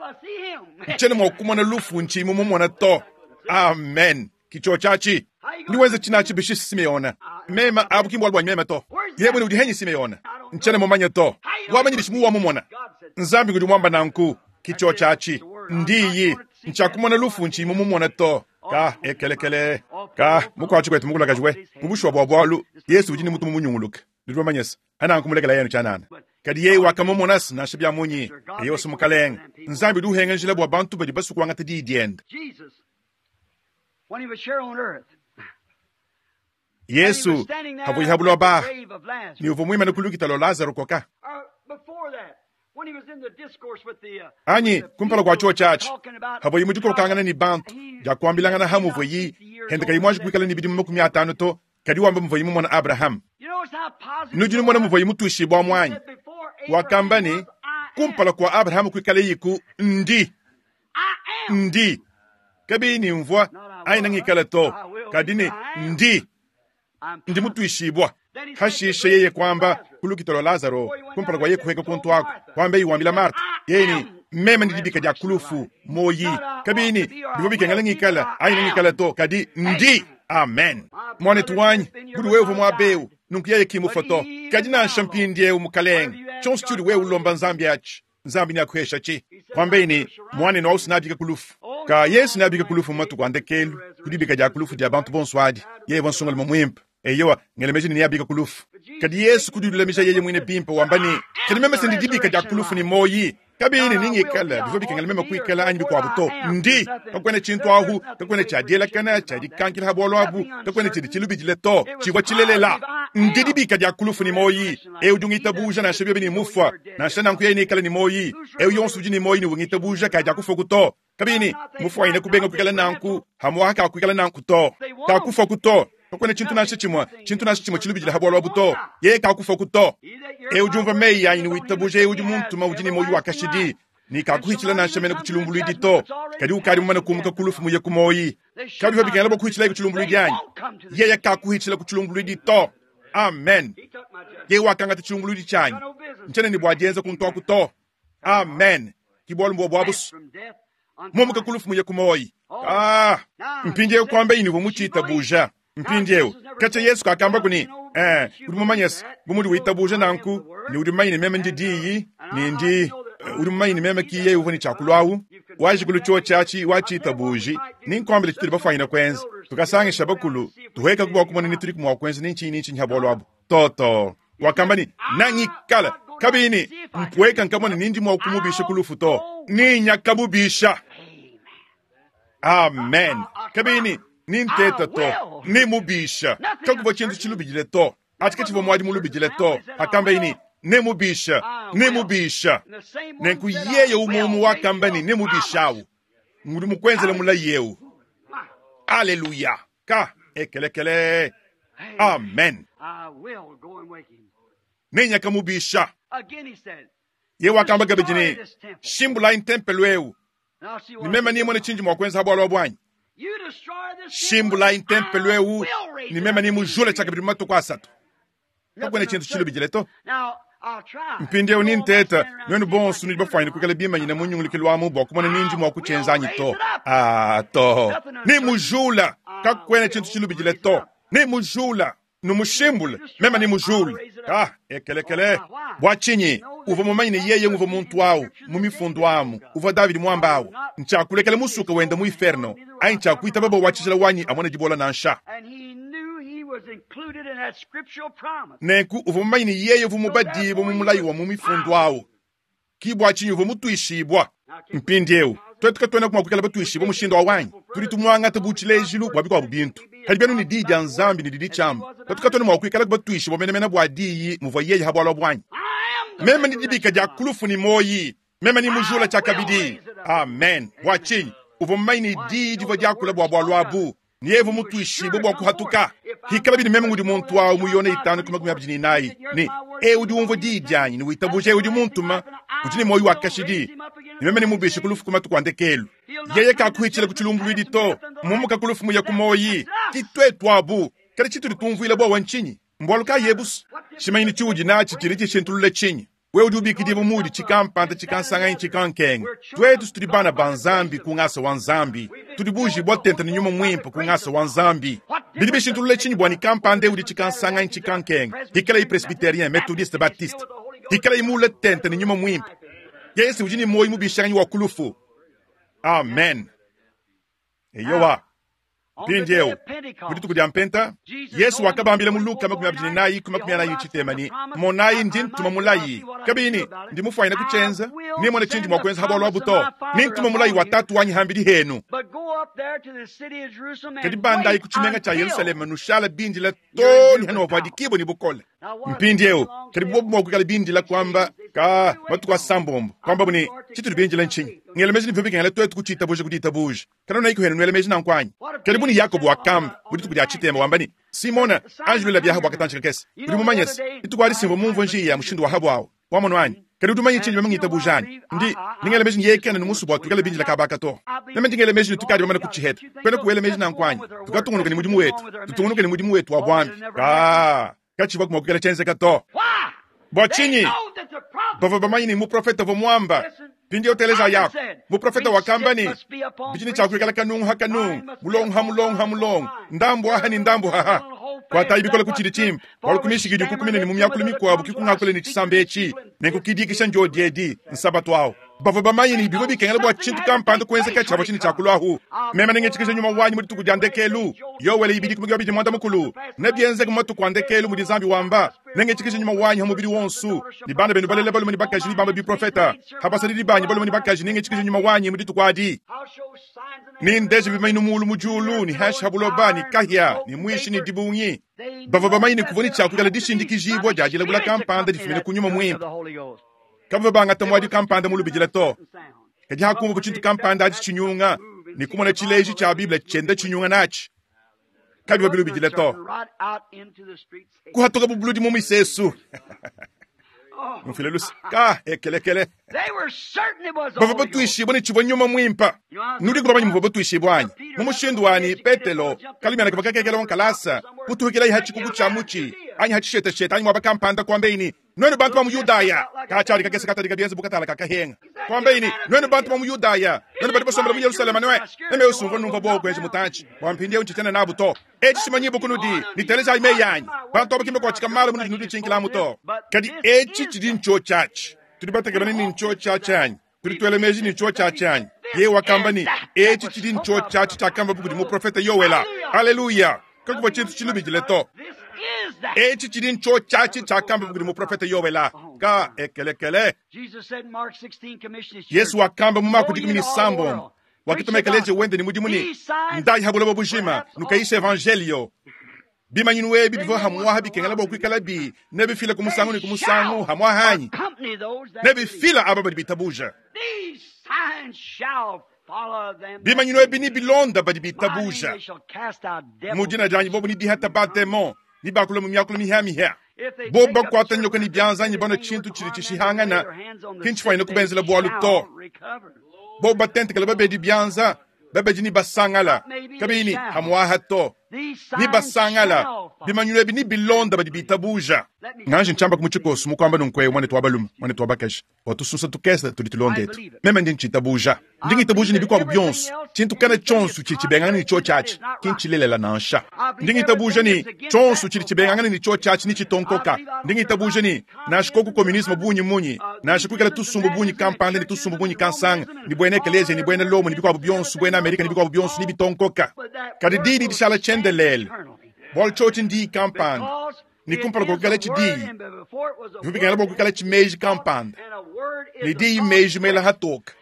Ntshiena mua kumona lufu ntshiyi mumumona to. Amen. Ki tshiotshi atshi. Ndi wenza tshinatshi bishi Simeona? Mema abu ki mbualu buanyi meme to. Yeye muine udi henyi Simeona? Ntshiena mumanye to. Wamanyi bishi muwamumona? Nzambi ngudi muamba nanku. Ki tshiotshi atshi. Ndiyi. Ntshiakumona lufu ntshiyi mumumona to. Ka, ekelekele. Ka, mukuatshi kwetu mukulakaji we. Mu bushuwa bua bualu, Yesu udi ne mutu mumunyunguluke. Nudi bamanye se, ananku mulekela yenu tshianana. Kadi yeye wakamumona-se nansha bia munyi. Eyo se Mukalenge. Nzambi udi uhenga njila bua bantu badi basue kuangata Diyi diende. Yesu pavuaye ha buloba aha, ne uvua muimane ku lukita lua Lazaro koka. Anyi kumpala kua tshiotshi atshi, pavuaye mu dikokangana ne bantu dia kuambilangana ha muvuaye hende kayi muanji kuikala ne bidimu 50 to, kadi wamba muvuaye mumona Abrahama. Nudi numona muvuaye mutuishibua amu anyi? Wakamba ne, kumpala kua Abrahama kuikalayiku, ndi. Ndi. Kabiyi ne mvua anyi nangikala to, kadi ne ndi. Ndi mutuishibua. Hashishe yeye kuamba ku lukita lua Lazaro kumpala kua yeye kuheka kuntu aku, kuambeyi wambila Marta, yeye ne, Meme ndi dibika dia ku lufu, muoyi. Kabiyi ne bivua bikengela ngikala anyi nangikala to, kadi ndi. Amen. Muanetu wanyi, budi wewe uvua muaba eu, nunku yeye ki mufue to. Kadi nansha mpindieu, Mukalenge, tshionso tshiudi wewe ulomba Nzambi atshi, Nzambi neakuheshatshi. Kuambeyi ne, Muanenu au neabike ku lufu. Ka Yesu neabike ku lufu mu matuku a ndekelu, ku dibika dia ku lufu dia bantu bonso adi. Yeye uvua nsongalume muimpe. Eyowa, ngela meji ne neabike ku lufu. Kadi Yesu kudilulamija yeye muine bimpe wamba ne, Kadi meme se ndi dibika dia ku lufu ne muoyi. Kabiyi ne ningikala, bivua bikengela meme kuikala anyi bikuabu to. Ndi. Kakuena tshintu ahu, kakuena tshia dielakana, tshia dikankila ha bualu abu, kakuena tshidi tshilubidile to. Tshivua tshilelela. Ndi dibika dia ku lufu ne muoyi. Eu udi ungitabuja nansha biobi ne mufua, nansha nanku yeye neikale ne muoyi. Eu yonso udi ne muoyi ne ungitabuja kadiakufuaku to. Kabiyi ne mufuanyine kubenga kuikala nanku, hamuaha kakuikala nanku to. Kakufuaku to. Kakuena tshintu nansha tshimue, tshintu nansha tshimue tshilubidila ha bualu abu to. Yeye kakufuaku to. Eu udi umvua meyi anyi ne witabuja eu udi muntuma udi ne muoyo wa kashidi, ne kakuhitshila nansha mene ku tshilumbuluidi to, kadi ukadi mumane kumuka ku lufu muye ku muoyi. Kabivua bikengela bua kuhitshilaye ku tshilumbuluidi anyi? Yeye kakuhitshila ku tshilumbuluidi to. Amen. Yeye wakangata tshilumbuluidi tshianyi. Ntshiena ne bua dienza kuntu aku to. Amen. Ki bualu mbua buabusu. Mumuka ku lufu muye ku muoyi. Ah, mpindieu kuamba ini uvua mutshiitabuja. Mpindieu, katshia Yesu kakambaku ne, eh, udi mumanye se, bu mudi witabuja nanku, ne udi mumanye ne meme ndi Diyi, ne ndi, udi mumanye ne meme ki yeye uvua ne tshia kulua awu. Wajikulu tshiotshi atshi, watshiitabuji, ne nkuambile tshitudi bafuanyine kuenza. Tukasangisha bakulu, tuhuekaku bua kumona ne tudiku mua kuenza ne ntshinyi ne ntshinyi ha bualu abu. To, to. Wakamba ne, Nangikala, kabiyi ne, mpueka nkamona ne ndi mua kumubisha ku lufu to. Ne nyakamubisha. Amen. Kabiyi ne, ni nteta to, ne mubisha. Kakuvua tshintu tshilubidile to. Atshi katshivua muadi mulubidile to. Akambaye ne, ne mubisha, ne mubisha. Nenku yeye umue umue wakamba ne, ne mubishawu. Ngudi mukuenzela mulayi eu. Aleluya. Ka ekelekele. Amen. Ne nyakamubisha. Yeye wakamba kabidi ne, Shimbulayi ntempelo eu, ne meme nimone tshindi mua kuenza ha bualu abu anyi? Shimbulayi ntempelo eu, ne meme nimujule tshiakabidi mu matuku asatu. Kakuena tshintu tshilubidile to. Mpindieu ni nteta, nuenu bonso nudi bafuanyine kuikala bimanyine mu nyungulukilu amu bua kumona nindi mua kutshienza anyi to. Ah, to. Nimujula, kakuena tshintu tshilubidile to. Nimujula. Numushimbule, meme nimujule. Ah, ekelekele. Bua tshinyi? Uvua mumanye ne yeye nguvua muntu awu, mu mifundu amu, uvua Davidi muamba awu. Ntshiakulekela musuka wenda mu inferno, anyi ntshiakuitaba bua wa tshijila wanyi amone dibola nansha. Nenku uvua mumanye ne yeye uvua mubadibue mu mulayi wa mu mifundu awu. Ki bua tshinyi uvua mutuishibua. Mpindieu, tuetu katuenaku mua kuikala batuishibue mushindu au anyi? Tudi tumuangata bu tshilejilu bua bikuabu bintu. Kadi bianu ne Diyi dia Nzambi ne didi tshiamba, tuetu katuena mua kuikala batuishibue menemene bua Diyi muvua yeye ha bualu abu anyi? Meme ndi dibika dia ku lufu ne muoyi, meme ndi mujula tshiakabidi. Amen. Bua tshinyi? Uvua mumanye ne Diyi divua diakula bua bualu abu. Ne yeye uvua mutuishibue bua kuhatuka. Hikalabi ne meme ngudi muntu au mu Yone itanu ku 24 ne, Eu udi umvua diyi dianyi ne witabuja eu udi muntuma udi ne muoyo wa kashidi, ne meme nemubishe ku lufu ku matuku a ndekelu. Yeye kakuhitshila ku tshilumbuluidi to, mumuka ku lufu muye ku muoyi. Ki tuetu abu. Kadi tshitudi tumvuila buowa ntshinyi? Mbualu kayi ebusu? Tshimanyinu tshiudi natshi tshidi tshishintulula tshinyi? Wewe udi ubikidibua muudi tshikampanda, tshikansanga anyi tshikankenga. Tuetu tudi bana ba Nzambi ku ngasa wa Nzambi. Tudi buujibua tente ne Nyuma Muimpe ku ngasa wa Nzambi. Bidi bishintulula tshinyi bua ne kampanda udi tshikansanga anyi tshikankenga, hikalayi presbyterien, methodiste, baptiste, hikalayi muule tente ne Nyuma Muimpe? Yesu udi ne muoyo mubishanganyi wa ku lufu. Amen. Eyowa. Mpindieu, mu dituku dia Mpenta, Yesu wakabambila mu Luka 24 ku 40 ne, Monayi, ndi ntuma mulayi, kabiyi ne, ndi mufwanyine kutshienza, nemone tshindi mua kuenza ha bualu abu to. Nentuma mulayi wa Tatu wanyi hambidi henu. Kadi bandayi ku tshimenga tshia Yerusaleme, nushala bindila too ne hanuavuadikibua ne bukole. Mpindieu, kadi bobu mua kuikala bindila kuamba ka matuku asambombo, kuambabu ne, tshitudi bindila ntshinyi? Ngela meji ne bivua bikengela tuetu kutshiitabuja ku ditabuja. Kanuena henu nuela meji nanku anyi? Kadi bu ne Yakobo wakamba mu dituku dia tshitema wamba ne, Simona, anjulula biaha bua katantshi kakese. Udi mumanye se, dituku adi simvua mumvue njiya ya mushindu wa habu awu. Wamonu anyi? Kadi udi mumanye tshindi meme ngitabuja anyi? Ndi, ndi ngela meji ne yeye kena ne musue bua tuikale bindila kaba aka to. Meme ndi ngela meji ne tukadi bamane kutshiheta. Kuena kuela meji nanku anyi? Tukatungunuka ne mudimu wetu. Tutungunuke ne mudimu wetu wa buambi. Kaa, katshivua mua kuikala tshienzeka to. Bua tshinyi? Bavua bamanye ne muprofete uvua muamba. Mpindieu teleja yaku. Muprofete wakamba ne, bidi ne tshia kuikala kanungu ha kanungu, mulongo ha mulongo ha mulongo, ndambu aha ne ndambu haha. Kuatayi bikole ku tshidi tshimpe, bualu ku mishiki kukumina ne mu miakulu mikuabu ki kungakula ne tshisamba etshi, nenku kidikisha ndiodi edi, nsabatu awu. Bavua bamanye ne bivua bikengela bua tshintu kampanda kuenzeka tshiavua tshine tshia kuluahu. Meme nengitshikije nyuma wanyi mu dituku dia ndekelu. Yoele 2:20. Nebienzeke mu matuku a ndekelu mudi Nzambi wamba, nengitshikije nyuma wanyi ha mubidi wonso, ne bana benu balela balume ne bakaji nebambe biprofeta, ha basadidi banyi balume ne bakaji nengitshikije nyuma wanyi mu dituku adi. Nendeje bimanyinu mulu mu diulu ne hanshi ha buloba, ne kahia ne muishi ne dibungi. Bavua bamanye ne kuvua ne tshia kuikala dishindikijibua dia dilabula kampanda difumine ku nyuma muimpe. Kabavua bangata muadi kampanda mulubidila to. Kadi hakumvua tshintu kampanda atshi tshinyunga ne kumona tshileji tshia Bible tshienda tshinyunga natshi, kabivua bilubidila to. Kuhatuka bu buludi mu misesu. Mufile luse ka ekelekele. Bavua batuishibue ne tshivua nyuma muimpe. Nudiku bamanye muvua batuishibue anyi? Mu mushindu wanyi Petelo kalumiana kavua kakekela wa nkalasa kutuhukilayi ha tshikuku tshia mutshi anyi ha tshisheteshete anyi muaba kampanda kuambeyi ne, Nuenu bantu ba mu Yudaya, katshiadi kakese katadika bienze bu katala ka kahenga. Kuambeyi ne, Nuenu bantu ba mu Yudaya, nuenu badi basombela mu Yerusaleme nue, meme usumvua numvua buowa kuenza mutantshi bua mpindieu ntshitshiena nabu to. Etshi tshimanyibue kunudi, ne telejayi meyi anyi. Bantu aba ki mbakuatshika malu munudi nuditshinkilamu to. Kadi etshi tshidi ntshiotshi atshi. Tudi batekemene ne ntshiotshi atshi anyi? Tudi tuela meji ne ntshiotshi atshi anyi? Yeye wakamba ne, Etshi tshidi ntshiotshi atshi tshiakambabu kudi muprofete Yoela. Aleluya! Kakuvua tshintu tshilubidile to. Etshi tshidi ntshiotshi atshi tshiakambabu kudi muprofete Yoela. Ka ekelekele. Yesu wakamba mu Mako 16 wakituma ekeleziya wende ne mudimu ne, Ndayi ha buloba bujima, nukayishe evanjelio. Bimanyinu ebi bivua hamuaha bikengela bua kuikalabi nebifila ku musangu ne ku musangu hamuaha anyi? Nebifila aba badi bitabuja. Bimanyinu ebi nebilonda badi bitabuja. Mu dina dianyi bobu nebihata bademon, nebakula mu miakulu mihia-mihia. Bobu bakuata nyoka ne bianza anyi banua tshintu tshidi tshishihangana, ki ntshifuanyine kubenzela bualu to. Bobu batentekela babedi bianza, babedi nebasangala, kabiyi ne hamuaha to. Nebasangala. Bimanyinu ebi nebilonda badi bitabuja. Nganji ntshiamba ku mu tshikoso mu kuamba nunku eu, muanetu wa balume, muanetu wa bakaji, bua tusunsa tukese tudi tulonda etu. Meme ndi ntshitabuja. Ndi ngitabuja ne bikuabu bionso, tshintu kana tshionso tshidi tshibengangana ne tshiotshi atshi ki ntshilelela nansha. Ndi ngitabuja ne tshionso tshidi tshibengangana ne tshiotshi atshi netshitonkoka. Ndi ngitabuja ne nansha koku communisme bungi munyi, nansha kuikala tusumbu bungi kampanda ne tusumbu bungi kansanga, ne buena ekeleziya ne buena Lomo ne bikuabu bionso, buena Amerika ne bikuabu bionso nebitonkoka. Kadi diyi didi dishala tshiendelele, bualu tshiotshi ndiyi kampanda. Ne kumpala kua kuikalatshi diyi, bivua bikengela bua kuikalatshi meji kampanda, ne diyi meji mela hatoka.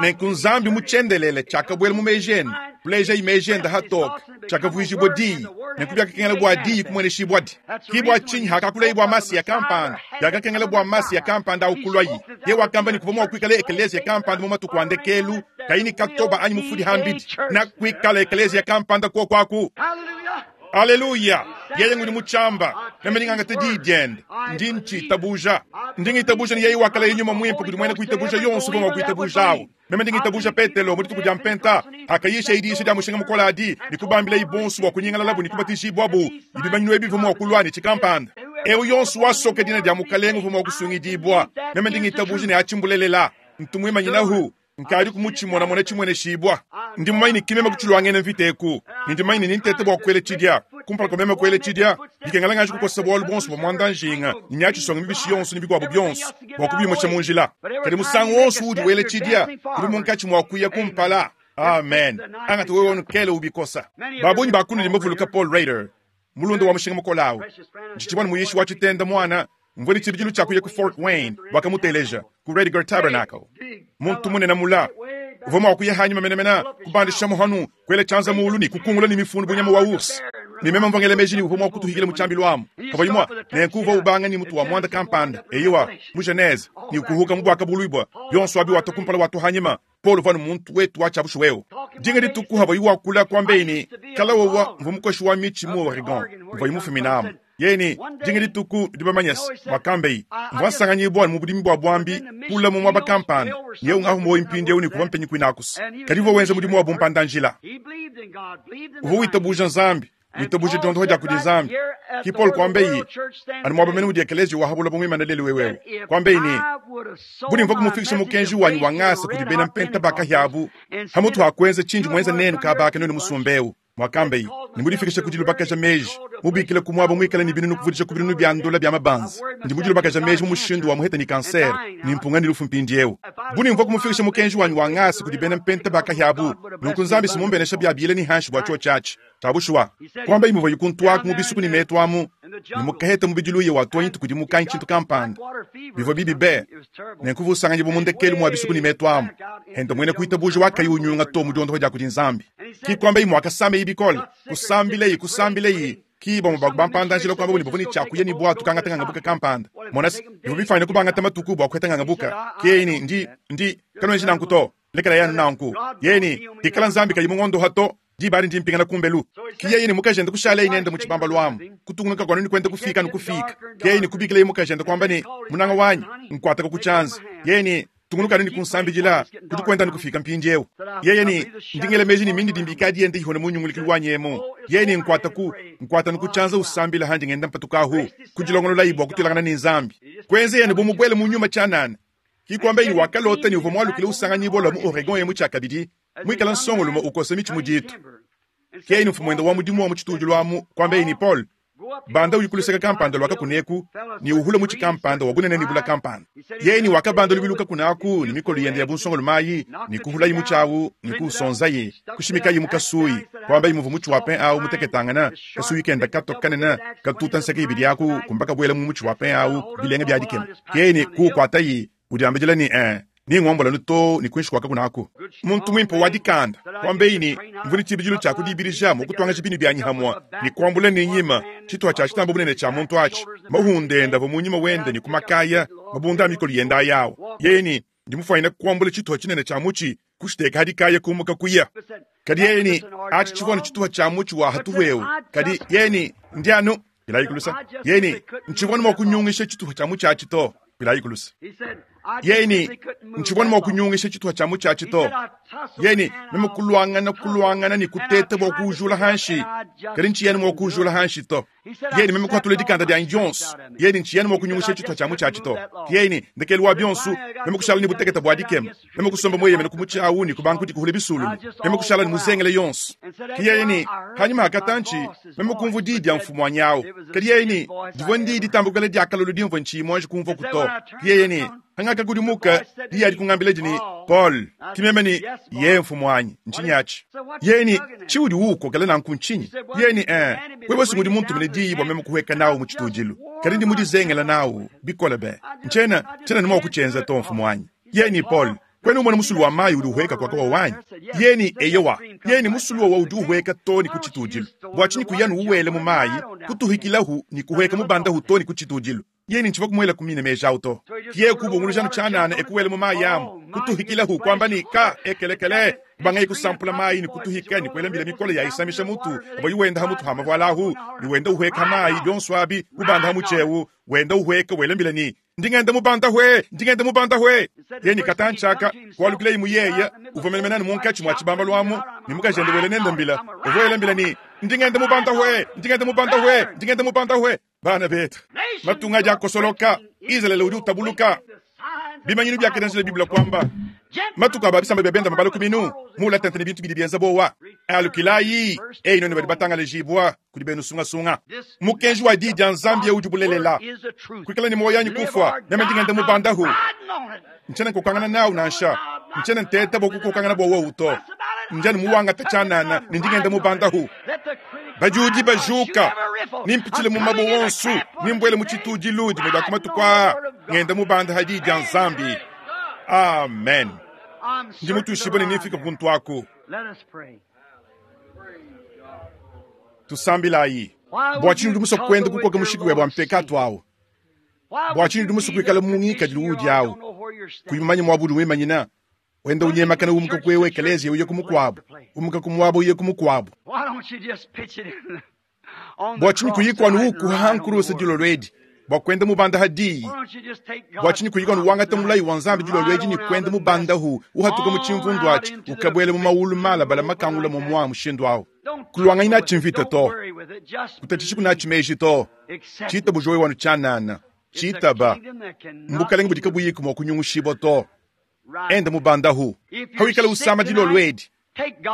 Nenku Nzambi mu tshiendelele tshiakabuela mu meji ende, kulejayi meji ende hatoka, tshiakavuijibua diyi. Nenku biakakengela bua diyi kumueneshibua-di. Ki bua tshinyi hakakulayi bua Masiya kampanda, biakakengela bua Masiya kampanda au kuluayi. Yeye wakamba ne kuvua mua kuikala ekeleziya kampanda mu matuku a ndekelu, kayi ne katoba anyi mufudi hambidi, na kuikala ekeleziya kampanda kuoku aku. Aleluya! Yeye ngudi mu tshiamba, meme ndi ngangata diyi diende, ndi ntshitabuja. Ndi ngitabuja ne yeye wakalaya nyuma muimpe kudi muena kuitabuja yonso uvua mua kuitabuja awu. Meme ndi ngitabuja Petelo mu dituku dia Mpenta, hakayisha diyisha dia mushinga mukole adi ne kubambilayi bonso bua kunyingalalabu ne kubatijibwabu, ne bimanyinu ebi bivua mua kulua ne tshikampanda. Eu yonso wasoka dina dia Mukalenge uvua mua kusungidibua. Meme ndi ngitabuja ne atshi mbulelela. Ntu muimanyinahu. Nkadi ku mutshimonamona tshimueneshibua. Ndi mumanye ne ki meme kutshiluangena mvita eku, ne ndi mumanye ne nintete bua kuela tshidia. Kumpala kua meme kuela tshidia, bikengela nganji kukosa bualu buonso bua muanda njinga ne miatshisonga mibishi yonso ne bikuabu bionso bua kubiumusha mu njila. Kadi musangu wonso uudi wela tshidia, udi munkatshi mua kuya kumpala. Amen. Angata wewe nukele ubikosa. Ba bungi ba kunudi mbavuluka Paul Rader, mulunda wa mushinga mukole awu. Ntshitshivua ne muyishi wa tshitenda muana, mvua ne tshibidilu tshia kuya ku Fort Wayne bua kamuteleja, ku Rediger Tabernacle. Muntu munene mula, uvua mua kuya hanyima menemene, kubandisha muhanu, kuela tshianza muulu ne kukungula ne mifundu bu nyama wa ours. Ne meme mvua ngela meji ne uvua mua kutuhikila mu tshiambilu amu. Kavua imua, nenku uvua ubanga ne mutu wa muanda kampanda, eyowa, mu Genese, ne ukuhuka mu Buakabuluibua, bionso abi watua kumpala watua hanyima. Paulo uvua anu muntu wetu wa tshia bushuwa eu. Dinga dituku havuaye wakula, kuambaye ne, Kala wowa mvua mukoshi wa mitshi mu Oregon, mvuaye mufuminamu. Yeye ne, Dinga dituku, nudi bamanye se, muakambaye, mvua nsanganyibua anu mu budimi bua buambi, kule mu muaba kampanda, ne eu ngahu muoyo mpindieu ne kuvua mpenyi kuinaku's. Kadi uvua wenza mudimu wa bumpanda-njila. Uvua witabuja Nzambi, witabuja diondoha dia kudi Nzambi. Ki Paulo kuambaye, anu muaba mene udi ekeleziya wa ha buloba muimane lelu eu eu, kuambaye ne, Bu ne mvua kumufikisha mukenji wanyi wa ngasa kudi bena mpenta ba kahiabu, hamutu ha kuenza tshindi muenza nenu kaba aka nuenu musumba eu, muakambaye, ne mudifikisha ku dilubakaja meji, mubikila ku muaba muikale ne binunu kuvudija ku binunu bia ndola bia mabanza, ndi mudilubakaja meji mu mushindu wa muheta ne kansere, ne mpunga ne lufu mpindieu. Bu ne mvua kumufikisha mukenji wanyi wa ngasa kudi bena mpenta ba kahiabu, nunku Nzambi si mumbenesha bia bile ne hanshi bua tshiotshi atshi. Tshia bushuwa, kuambaye muvuaye kuntuaku mu bisuku ne metu amu, ne mukaheta mubidi luya wa tuonyi tukudimuka anyi tshintu kampanda. Bivua bibi be! Nenku uvua usanganyibua mu ndekelu mua bisuku ne metu amu, henda muena kuitabuja wakayi unyunga to mu diondopa dia kudi Nzambi. Ki kuambaye muakasambaye bikole, kusambilaye, kusambilaye. Ki bamue ba ku bampanda-njila kuambabu ne bavua ne tshia kuya ne buatu kangata ngangabuka kampanda. Mona se, bivua bifuanyine kubangata matuku bua kuheta ngangabuka. Ki yeye ne, Ndi, ndi, kanuenji nanku to. Lekelayi anu nanku. Yeye ne, Hikala Nzambi kayi mungondoha to, Diba adi ndi mpingana kumbelu. Ki yeye ne mukajende kushalaye nende mu tshibambalu amu, kutungunuka kua anu ne kuenda kufiika anu kufiika. Ki yeye ne kubikilaye mukajende kuamba ne, Munanga wanyi, nkuataka ku tshianza. Yeye ne, Tungunuka anu ne kunsambidila, kudi kuenda anu kufiika mpindieu. Yeye ne, Ndi ngela meji ne mindidimbi ikadi yenda ihona mu nyungulukilu wanyi emu. Yeye ne, Nkuata ku, nkuata anu ku tshianza usambila handi ngenda mpatuka ahu. Kudilongololayi bua kutuilangana ne Nzambi. Kuenzeyi anu bu mubuele mu nyuma tshianana. Ki kuambaye ne wakalota ne uvua mualukile usanganyibua lua mu Oregon emu tshiakabidi, muikale nsongolume ukosa mitshi mu ditu. Ke yeye mfumuende wa mudimu wa mu tshitudilu amu kuambaye ne, Paul, banda uyi ku luseke kampanda lua kakuna eku ne uhule mutshi kampanda wa bunene ne bula kampanda. Yeye ne wakabanda lubilu kakuna aku ne mikolo yende ya bunsongolume ayi ne kuhulaye mutshi au ne kuusonzaye, kushimikaye mu kasuyi, kuambaye muvua mutshi wa pin au muteketangana, kasuyi kenda katua kanene katuta nseke ibidi aku kumba kabuela mu mutshi wa pin au bilenga bia dikema. Ke yeye ne kuukuataye udiambidila ne, Ee, nengombola anu too ne kuinshi kua kakuna aku. Muntu muimpe wa dikanda, kuambeyi ne, Mvua ne tshibidilu tshia kudibidija mua kutuangaja binu bianyi hamue ne kuambula ne nyima tshituha tshia tshitamba bunene tshia muntu atshi. Mahunda ende avua mu nyima wende ne ku makaya, mabunda a mikolo yende ayawu. Yeye ne, Ndi mufuanyine kuambula tshituha tshinene tshia mutshi, kushiteka ha dikaya kumuka kuya. Kadi yeye ne, Atshi tshivua anu tshituha tshia mutshi wa hatuhu eu. Kadi yeye ne, Ndi anu Pilayi kulusa. Yeye ne, Ntshivua anu mua kunyungisha tshituha tshia mutshi atshi to. Pilayi kulusa. Yeye ne, Ntshivua anu mua kunyungisha tshituha tshia mutshi atshi to. Yeye ne, Meme kuluangana, kuluangana ne kuteta bua kuujula hanshi, kadi ntshiyi anu mua kuujula hanshi to. Yeye ne, Meme kuhatula dikanda dianyi dionso. Yeye ne, Ntshiyi anu mua kunyungusha tshituha tshia mutshi atshi to. Yeye ne, Ndekelu wa bionso, meme kushala ne butekete bua dikema. Meme kusomba mueyemene ku mutshi au ne kubanga kudikuhula bisululu. Meme kushala ne muzengele yonso. Ke yeye ne, Hanyima ha katantshi, meme kumvua di dia mfumuanyi au. Kadi yeye ne, Divua ndi ditamba kuikala dia kalolo dimvua ntshiyi muanji kumvuaku to. Ke yeye ne, Hangakakudimuka, di adi kungambila ne, Paul, ke meme ne, Ye mfumuanyi, ntshinyi atshi? Yeye ne, Tshiudi uukokela nanku ntshinyi? Yeye ne, Ee, wewe si ngudi muntumine diyi bua meme kuhueka nawu mu tshitudilu, kadi ndi mudizengela nawu bikole be. Ntshiena, tshiena ne mua kutshienza to, mfumuanyi. Yeye ne, Paul, kuena umona musulu wa mayi udi uhueka kuaka wawa anyi? Yeye ne, Eyowa. Yeye ne, Musulu wawa udi uhueka to ne ku tshitudilu. Bua tshinyi kuya anu uwela mu mayi, kutuhikilahu ne kuhueka mubandahu to ne ku tshitudilu? Yeye ne, Ntshivua kumuela ku mine meji au to. Yeye kubunguluja anu tshianana e kuwela mu mayi amu, kutuhikilahu, kuamba ne, Ka, ekelekele! Kubangaye kusampula mayi ne kutuhika ne kuela mbila mikole ya isamisha mutu, avua wenda ha mutu ha mavuala ahu ne wenda uhueka mayi, bionso abi kubanda ha mutshi eu, wenda uhueka wela mbila ne, Ndi ngenda mubanda hwe, ndi ngenda mubanda hwe. Yeye ne katantshi aka, kualukilaye mu yeye, uvua menemene anu munkatshi mua tshibambalu amu, ne mukajende wela nende mbila, uvua wela mbila ne, Ndi ngenda mubanda hwe, ndi ngenda mubanda hwe, ndi ngenda mubanda hwe. Bana betu, matunga adi akosoloka, Izalele udi utabuluka. Bimanyinu biakadianjila Bible kuamba, matuku a ba bisamba bia benda mabala ku minu, muula tente ne bintu bidi bienza buowa. Alukilayi, eyi nuenu badi batangalajibua kudi benu sungasunga. Mukenji wa Diyi dia Nzambi eu udi bulelela. Kuikala ne muoyo anyi kufua, meme ndi ngenda mubandahu. Ntshiena nkokangana nawu nansha, ntshiena nteta bua kukokangana bua wowu to. Ndi anu muwangata tshianana ne ndi ngenda mubandahu. Badiudi bajuka, nimpitshile mu mabue wonso, nimbuele mu tshitudilu dimue dia ku matuku aa, ngenda mubanda ha diyi dia Nzambi. Amen. Ndi mutuishibue ne nemfike kuntu aku. Tusambilayi. Bua tshinyi udi musue kuenda kukoka mushiki webe wa mpekatu awu? Bua tshinyi udi musue kuikala mu ngikadilu uudi awu, kuyi mumanye muaba udi wimanyina, wenda unyemakana umuka ku ewu ekeleziya uya ku mukuabu, umuka ku muaba uya ku mukuabu? Bua tshinyi kuyiku anu ukuha ha nkuruse dilolo edi bua kuenda mubanda ha diyi? Bua tshinyi kuyiku anu wangata mulayi wa Nzambi dilolo edi ne kuenda mubandahu uhatuka mu tshimvundu atshi ukabuela mu mawulu malabala makangula muamua mushindu awu? Kuluanganyi natshi mvita to, kutatshishi natshi meji to. Tshitabuja wewe anu tshianana, tshitaba. Mbukalenge budi kabuyiku mua kunyungushibua to. Enda mubandahu hawikala usama dilolo edi.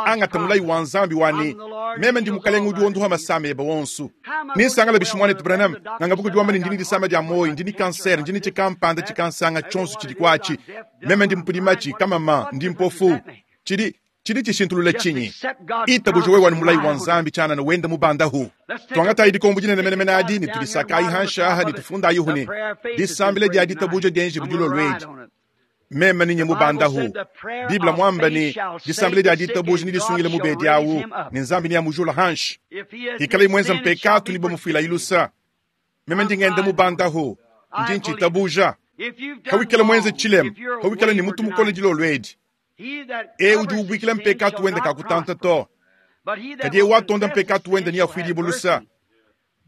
Angata mulayi wa Nzambi wa ne, Meme ndi Mukalenge udi wondoha masama ebe wonso. Ninsangala bishi muanetu Branham, nganga buku diwamba ne ndi ne disama dia muoyo, ndi ne kansere, ndi ne tshikampanda tshikansanga tshionso tshidi kuatshi. Meme ndi mpudimatshi, kamama, ndi mpofu. Tshidi Tshidi tshishintulula tshinyi? Itabuja wewe anu mulayi wa Nzambi tshianana wenda mubandahu. Tuangatayi dikombo dinene menemene adi ne tudisakayi hanshi aha ne tufundayihu ne, Disambila dia ditabuja dienjibu dilolo edi. Meme ninye mubandahu. Bible muamba ne, disambila dia ditabuja nedisungile mubedi awu, ne Nzambi neamujula hanshi. Ikalayi muenza mpekatu ne bamufuilayi lusa. Meme ndi ngenda mubandahu, ndi ntshitabuja. Hawikala muenze tshilema, hawikala ne mutu mukole dilolo edi, Eu udi ubuikila mpekatu wende kakutanta to, kadi eu watonda mpekatu wende neafuidibue lusa.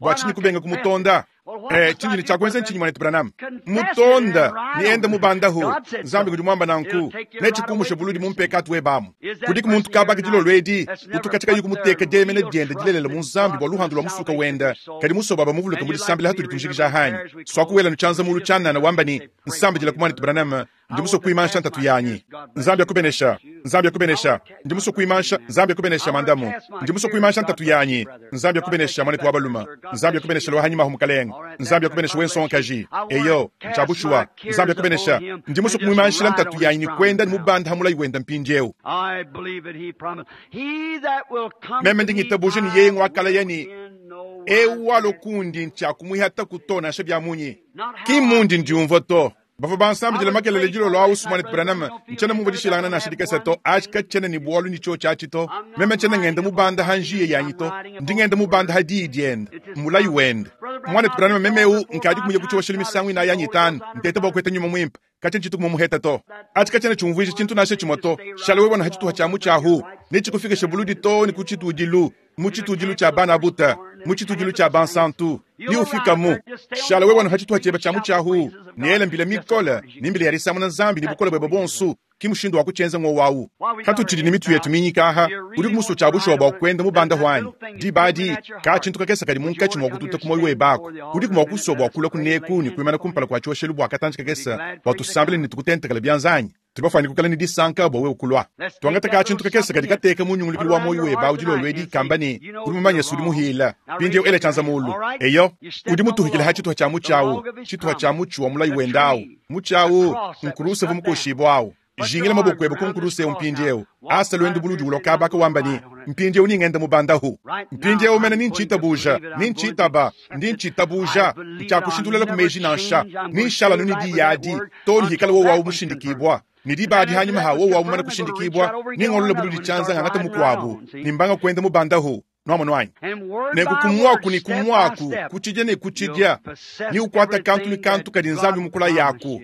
Bua tshinyi kubenga kumutonda? Eh, tshindi ne tshia kuenza ntshinyi, muanetu Branham? Mutonda ne enda mubandahu. Nzambi udi muamba nanku, netshikumushe buludi mu mpekatu webe amu. Kudiku muntu kabaka dilolo edi utu katshia kayi kumuteka dieyemena diende dilelela mu Nzambi bua luhandu lua musuka wende, kadi musue bua bamuvuluke mu disambila hatudi tujikija anyi? Suaku wela nu tshianza mulu tshianana wamba ne, Nsambidilaku muanetu Branham, Ndi musue kuimansha ntatu yanyi. Nzambi akubenesha. Nzambi akubenesha. Ndi musue kuimansha. Nzambi akubenesha, mandamu. Ndi musue kuimansha ntatu yanyi. Nzambi akubenesha, muanetu wa balume. Nzambi akubenesha, lua hanyima ahu, mukalenge. Nzambi akubenesha, we nsongakaji. Eyo, ntshia bushuwa. Nzambi akubenesha. Ndi musue kumuimanshila ntatu yanyi ne kuenda ne mubanda ha mulayi wenda mpindieu. Meme ndi ngitabuja ne yeye nguakalaya ne, Eu walua kundi ntshiakumuihataku to nansha bia munyi. Ki mmundi ndiumvua to. Bavua bansambidila makelela dilolo awu Muanetu Branham, ntshiena mumvua dishilangana nansha dikese to. Atshi katshiena ne bualu ne tshiotshi atshi to. Meme ntshiena ngenda mubanda ha njiya yanyi to. Ndi ngenda mubanda ha diyi diende, mulayi wende. Muanetu Branham, meme eu nkadi kumuya ku tshioshelu misangu inayi anyi itanu, nteta bua kuheta nyuma muimpe. Katshia ntshitu kumumuheta to. Atshi katshiena tshiumvuija tshintu nansha tshimue to. Shala wewe ha tshituha tshia mutshi ahu, netshikufikishe buludi too ne ku tshitudilu, mu tshitudilu tshia bana buta, mu tshitudilu tshia bansantu. Ne ufikamu, shala wewe anu ha tshituha tshiebe tshia mutshi ahu, ne ela mbila mikole ne mbila ya disamuna Nzambi ne bukole buebe buonso. Ki mushindu wa kutshienza ngowu awu. Katutshidi ne mitu yetu minyika aha. Udiku musue tshia bushuwa bua kuenda mubanda anyi? Diba adi, ka tshintu kakese kadi munkatshi mua kututa ku muoyo webe aku. Udiku mua kusua bua kulua kuneku ne kuimana kumpala kua tshioshelu bua katantshi kakese bua tusambile ne tukutentekele bianza anyi? Tudi bafuane kuikala ne disanka bua wewe kulua. Tuangate ka tshintu kakese kadi kateka mu nyungulukilu wa muoyo webe awu dilolo edi, kamba ne, Udi mumanye se udi muhila. Mpindieu ela tshianza mulu. Eyo, udi mutuhikile ha tshituha tshia mutshi awu, tshituha tshia mutshi wa mulayi wende awu. Mutshi awu nkuruse uvua mukoshibue awu. Jingila maboko ebe ku nkuruse eu mpindieu. Asa luendu buludi ulua kaba aka wamba ne, Mpindieu ningenda mubandahu. Mpindieu mene ni ntshitabuja, ni ntshitaba, ndi ntshitabuja, ntshiakushintulula ku meji nansha, ni nshala anu ne diyi adi, too ne hikala wowu awu mushindikibua. Ne diba adi hanyima ha wowu awu mumane kushindikibua, ningolola buludi tshianza ngangata mukuabu, ne mbanga kuenda mubandahu. Nuamonu anyi? Nenku ku muaku ne ku muaku, ku tshidia ne ku tshidia, ne ukuata kantu ne kantu kadi Nzambi mukulayaku.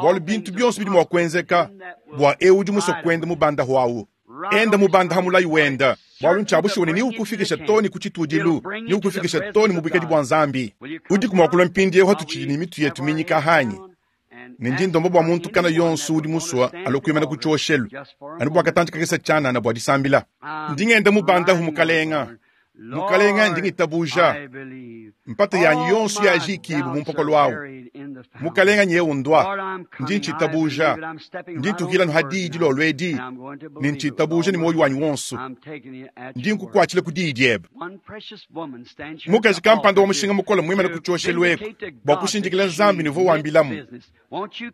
Bualu bintu bionso bidi mua kuenzeka bua eu udi musue kuenda mubandahu awu. Enda mubanda ha mulayi wenda, bualu ntshia bushuwa ne neukufikisha too ne ku tshitudilu, neukufikisha too ne mu buikadi bua Nzambi. Udiku mua kulua mpindieu hatutshidi ne mitu yetu minyika anyi? Ne ndi ndomba bua muntu kana yonso udi musue alue kuimana ku tshioshelu, anu bua katantshi kakese tshianana bua disambila. Ndi ngenda mubandahu, Mukalenga. Mukalenga, ndi ngitabuja. Mpata yanyi yonso yajikibu mu mpokolo awu. Mukalenga nyewu ndwa, ndi ntshitabuja, ndi ntukila anu ha diyi dilolo edi, ne ntshitabuja ne muoyo wanyi wonso. Ndi nkukuatshila ku diyi diebe. Mukaji kampanda wa mushinga mukole muimane ku tshioshelu eku bua kushindikila Nzambi ne uvua wambilamu.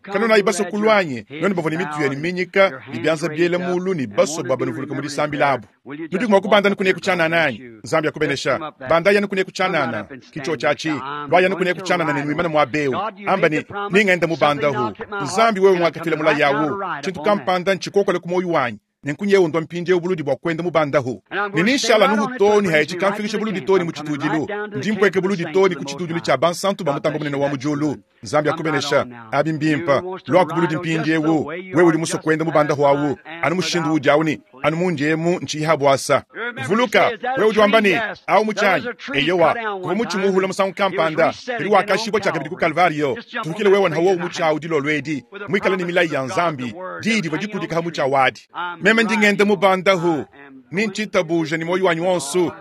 Kanunayi basue kulua anyi, nuenu bavua ne mitu yenu minyika ne bianza biela mulu ne basue bua banuvuluke mu disambila abu? Nudiku mua kubanda anu kuneku tshianana anyi? Nzambi akubenesha. Bandayi anu kuneku tshianana. Ki tshiotshi atshi. Luayi anu kuneku tshianana ne nuimane muaba eu. Amba ne, Nengende mubandahu. Nzambi, wewe ngakafila mulayi awu. Tshintu kampanda ntshikokole ku muoyo wanyi. Nenku nyewu ndua mpindieu buludi bua kuenda mubandahu. Ne ninshala anuhu too ne haetshi kamfikisha buludi too ne mu tshitudilu. Ndi mpueka buludi too ne ku tshitudilu tshia bansantu ba Mutambe Bunene wa mu diulu. Nzambi akubenesha. Abi mbimpe. Luaku buludi mpindiewu. Wewe udi musue kuenda mubandahu awu, anu mushindu uudi awu ne anu mundi emu ntshiyi ha buasa. Vuluka, wewe udi wamba ne, Awu mutshi anyi? Eyowa, kuvua mutshi muhula musangu kampanda, kadi wakashibua tshiakabidi ku Kalvariyo. Tuvukile wewe nha wowu mutshi awu dilolo edi, muikale ne milayi ya Nzambi, diyi divua dikudika ha mutshi awu adi. Meme ndi ngenda mubandahu, ne ntshitabuja ne muoyo wanyi wonso.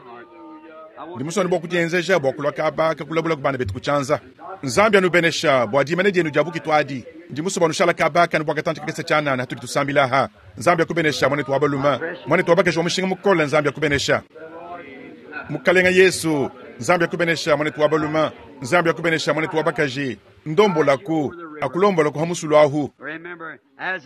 Ndi musue anu bua kudienzeja bua kulua kaba ka kulabula ku bana betu ku tshianza. Nzambi anubenesha bua dimanya dienu dia bukitu adi. Ndi musue bua nushala kaba kanu bua katantshi kakese tshianana hatudi tusambila aha. Nzambi akubenesha, muanetu wa balume, muanetu wa bakaji wa mushinga mukole. Nzambi akubenesha. Mukalenga Yesu, Nzambi akubenesha, muanetu wa balume. Nzambi akubenesha, muanetu wa bakaji. Ndombolaku, akulombolaku ha musulu ahu.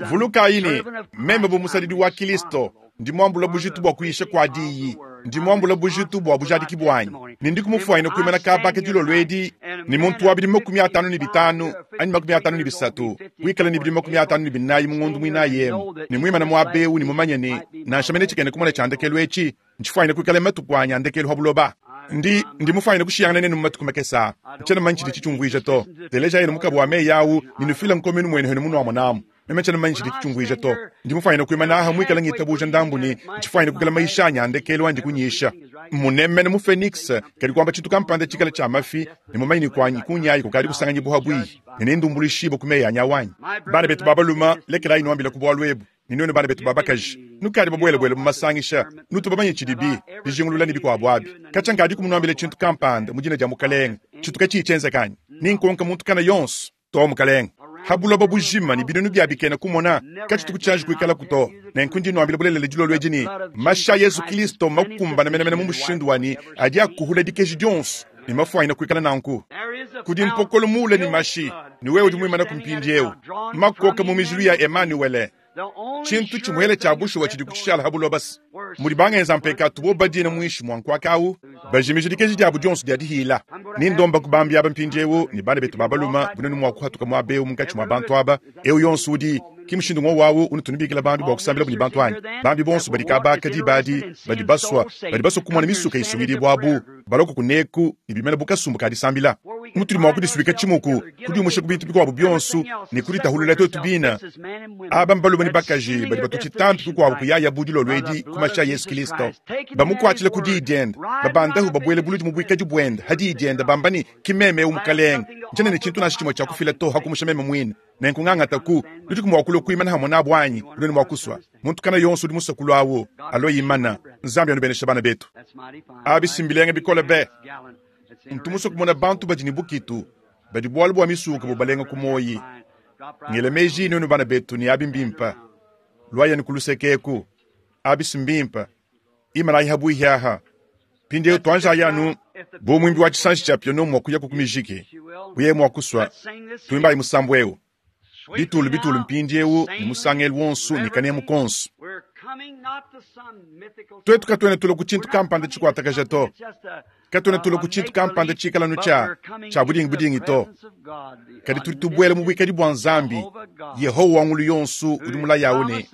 Vulukayi ne, meme bu musadidi wa Kilisto, ndi muambula bujitu bua kuyisha kua diyi, ndi muambula bujitu bua bujadiki buanyi, ne ndi kumufuanyina kuimana kaba ka dilolo edi ne muntu wa bidimu 53 anyi 53 wikala ne bidimu 54 mu ngondo muinayi emu, ne muimana muaba eu ne mumanye ne, nansha mene tshikena kumona tshia ndekelu etshi ntshifuanyine kuikala matuku anyi a ndekelu ha buloba. Ndi, ndi mufuanyine kushiyangana nenu mu matuku makese aa. Ntshiena mumanye tshidi tshitshiumvuija to. Telejayi anu mukaba wa meyi au ne nufile nkomenu muenu henu munuamonamu. Meme tshiena mumanye tshidi tshitshiumvuija to. Ndi mufuanyine kuimana aha muikale ngitabuja ndambu ne ntshifuanyine kuikala mayisha anyi a ndekelu andi kunyisha. Mmunemene mu Phoenix, kadi kuamba tshintu kampanda tshikale tshia mafi, ne mumanye ne kuanyi kunyayi kukadi kusanganyibua habuihi, ne nendumbuluishibue ku meyi anyi awu anyi? Bana betu ba balume, lekelayi nuambila ku bualu ebu. Ne nuenu bana betu ba bakaji, nukadi babuelabuela mu masangisha, nutu bamanye tshidibi, dijingulula ne bikuabu abi. Katshia nkadiku munuambile tshintu kampanda mu dina dia Mukalenge, tshitu katshiyi tshienzeka anyi? Ni nkonka muntu kana yonso, Too, Mukalenge. Ha buloba bujima ne binunu bia bikena kumona, katshituku tshianji kuikalaku to. Nenku ndi nuambila bulelela dilolo edi ne, mashi a Yezu Kilisto mmakumbane menemene mu mushindu wa ne adi akuhula dikeji dionso, ne mafuanyine kuikala nanku. Kudi mpokolo muule ne mashi, ne wewe udi muimanaku mpindieu, makoka mu mijilu ya Emanuwele. Tshintu tshimuele tshia bushuwa tshidi kutshishala ha buloba se mudi bangenza mpekatu bo badina muinshi mua nkuaka au, bajimija dikeji diabu dionso dia dihila. Ni ndomba ku bambi aba mpindieu ne bana betu ba balume bunenu mua kuhatuka muaba eu munkatshi mua bantu aba. Eu yonso udi ki mushindu ngowu au unutu nubikila bambi bua kusambilabu ne bantu anyi? Bambi bonso badi kaba aka diba adi badi basua badi basua kumona misuka isungidibua abu balua kuneku ne bimana bu kasumbu ka disambila. Mutudi mua kudisuika tshimuku, kudiumusha ku bintu bikuabu bionso ne kuditahulula tuetu bine. Aba mbalume ne bakaji badi batua tshitampi kukuabu kuyaya bu dilolo edi ku mashi a Yesu Kilisto, bamukuatshila ku diyi diende, babandahu babuele buludi mu buikadi buende ha diyi diende, bamba ne, Ki meme eu Mukalenge, ntshiena ne tshintu nansha tshimue tshia kufila to ha kumusha meme muine. Nenku ngangataku, nudiku mua kulua kuimana hamue nabu anyi? Nuenu mua kusua. Muntu kana yonso udi musue kulua awu, alue imana. Nzambi anubeneshe bana betu. Abi si mbilenga bikole be! Ntu musue kumona bantu badi ne bukitu, badi bualu bua misuke bubalenga ku muoyi. Ngela meji nuenu bana betu ne abi mbimpe. Luayanu ku luseke eku. Abi si mbimpe. Imanayi habuihi aha. Mpindieu tuanjayi anu bu muimbi wa tshisanji tshia piano mua kuyaku ku mijiki, bu yeye mua kusua, tuimbayi musambu eu bitulu bitulu mpindieu ne musangelu wonso ne kanemu konso. Tuetu katuena tulua ku tshintu kampanda tshikuatakaja to. Katuena tulua ku tshintu kampanda tshikala anu tshia tshia budingi budingi to, kadi tudi tubuela mu buikadi bua Nzambi, Yehowa wa ngulu yonso udi mulaye au ne,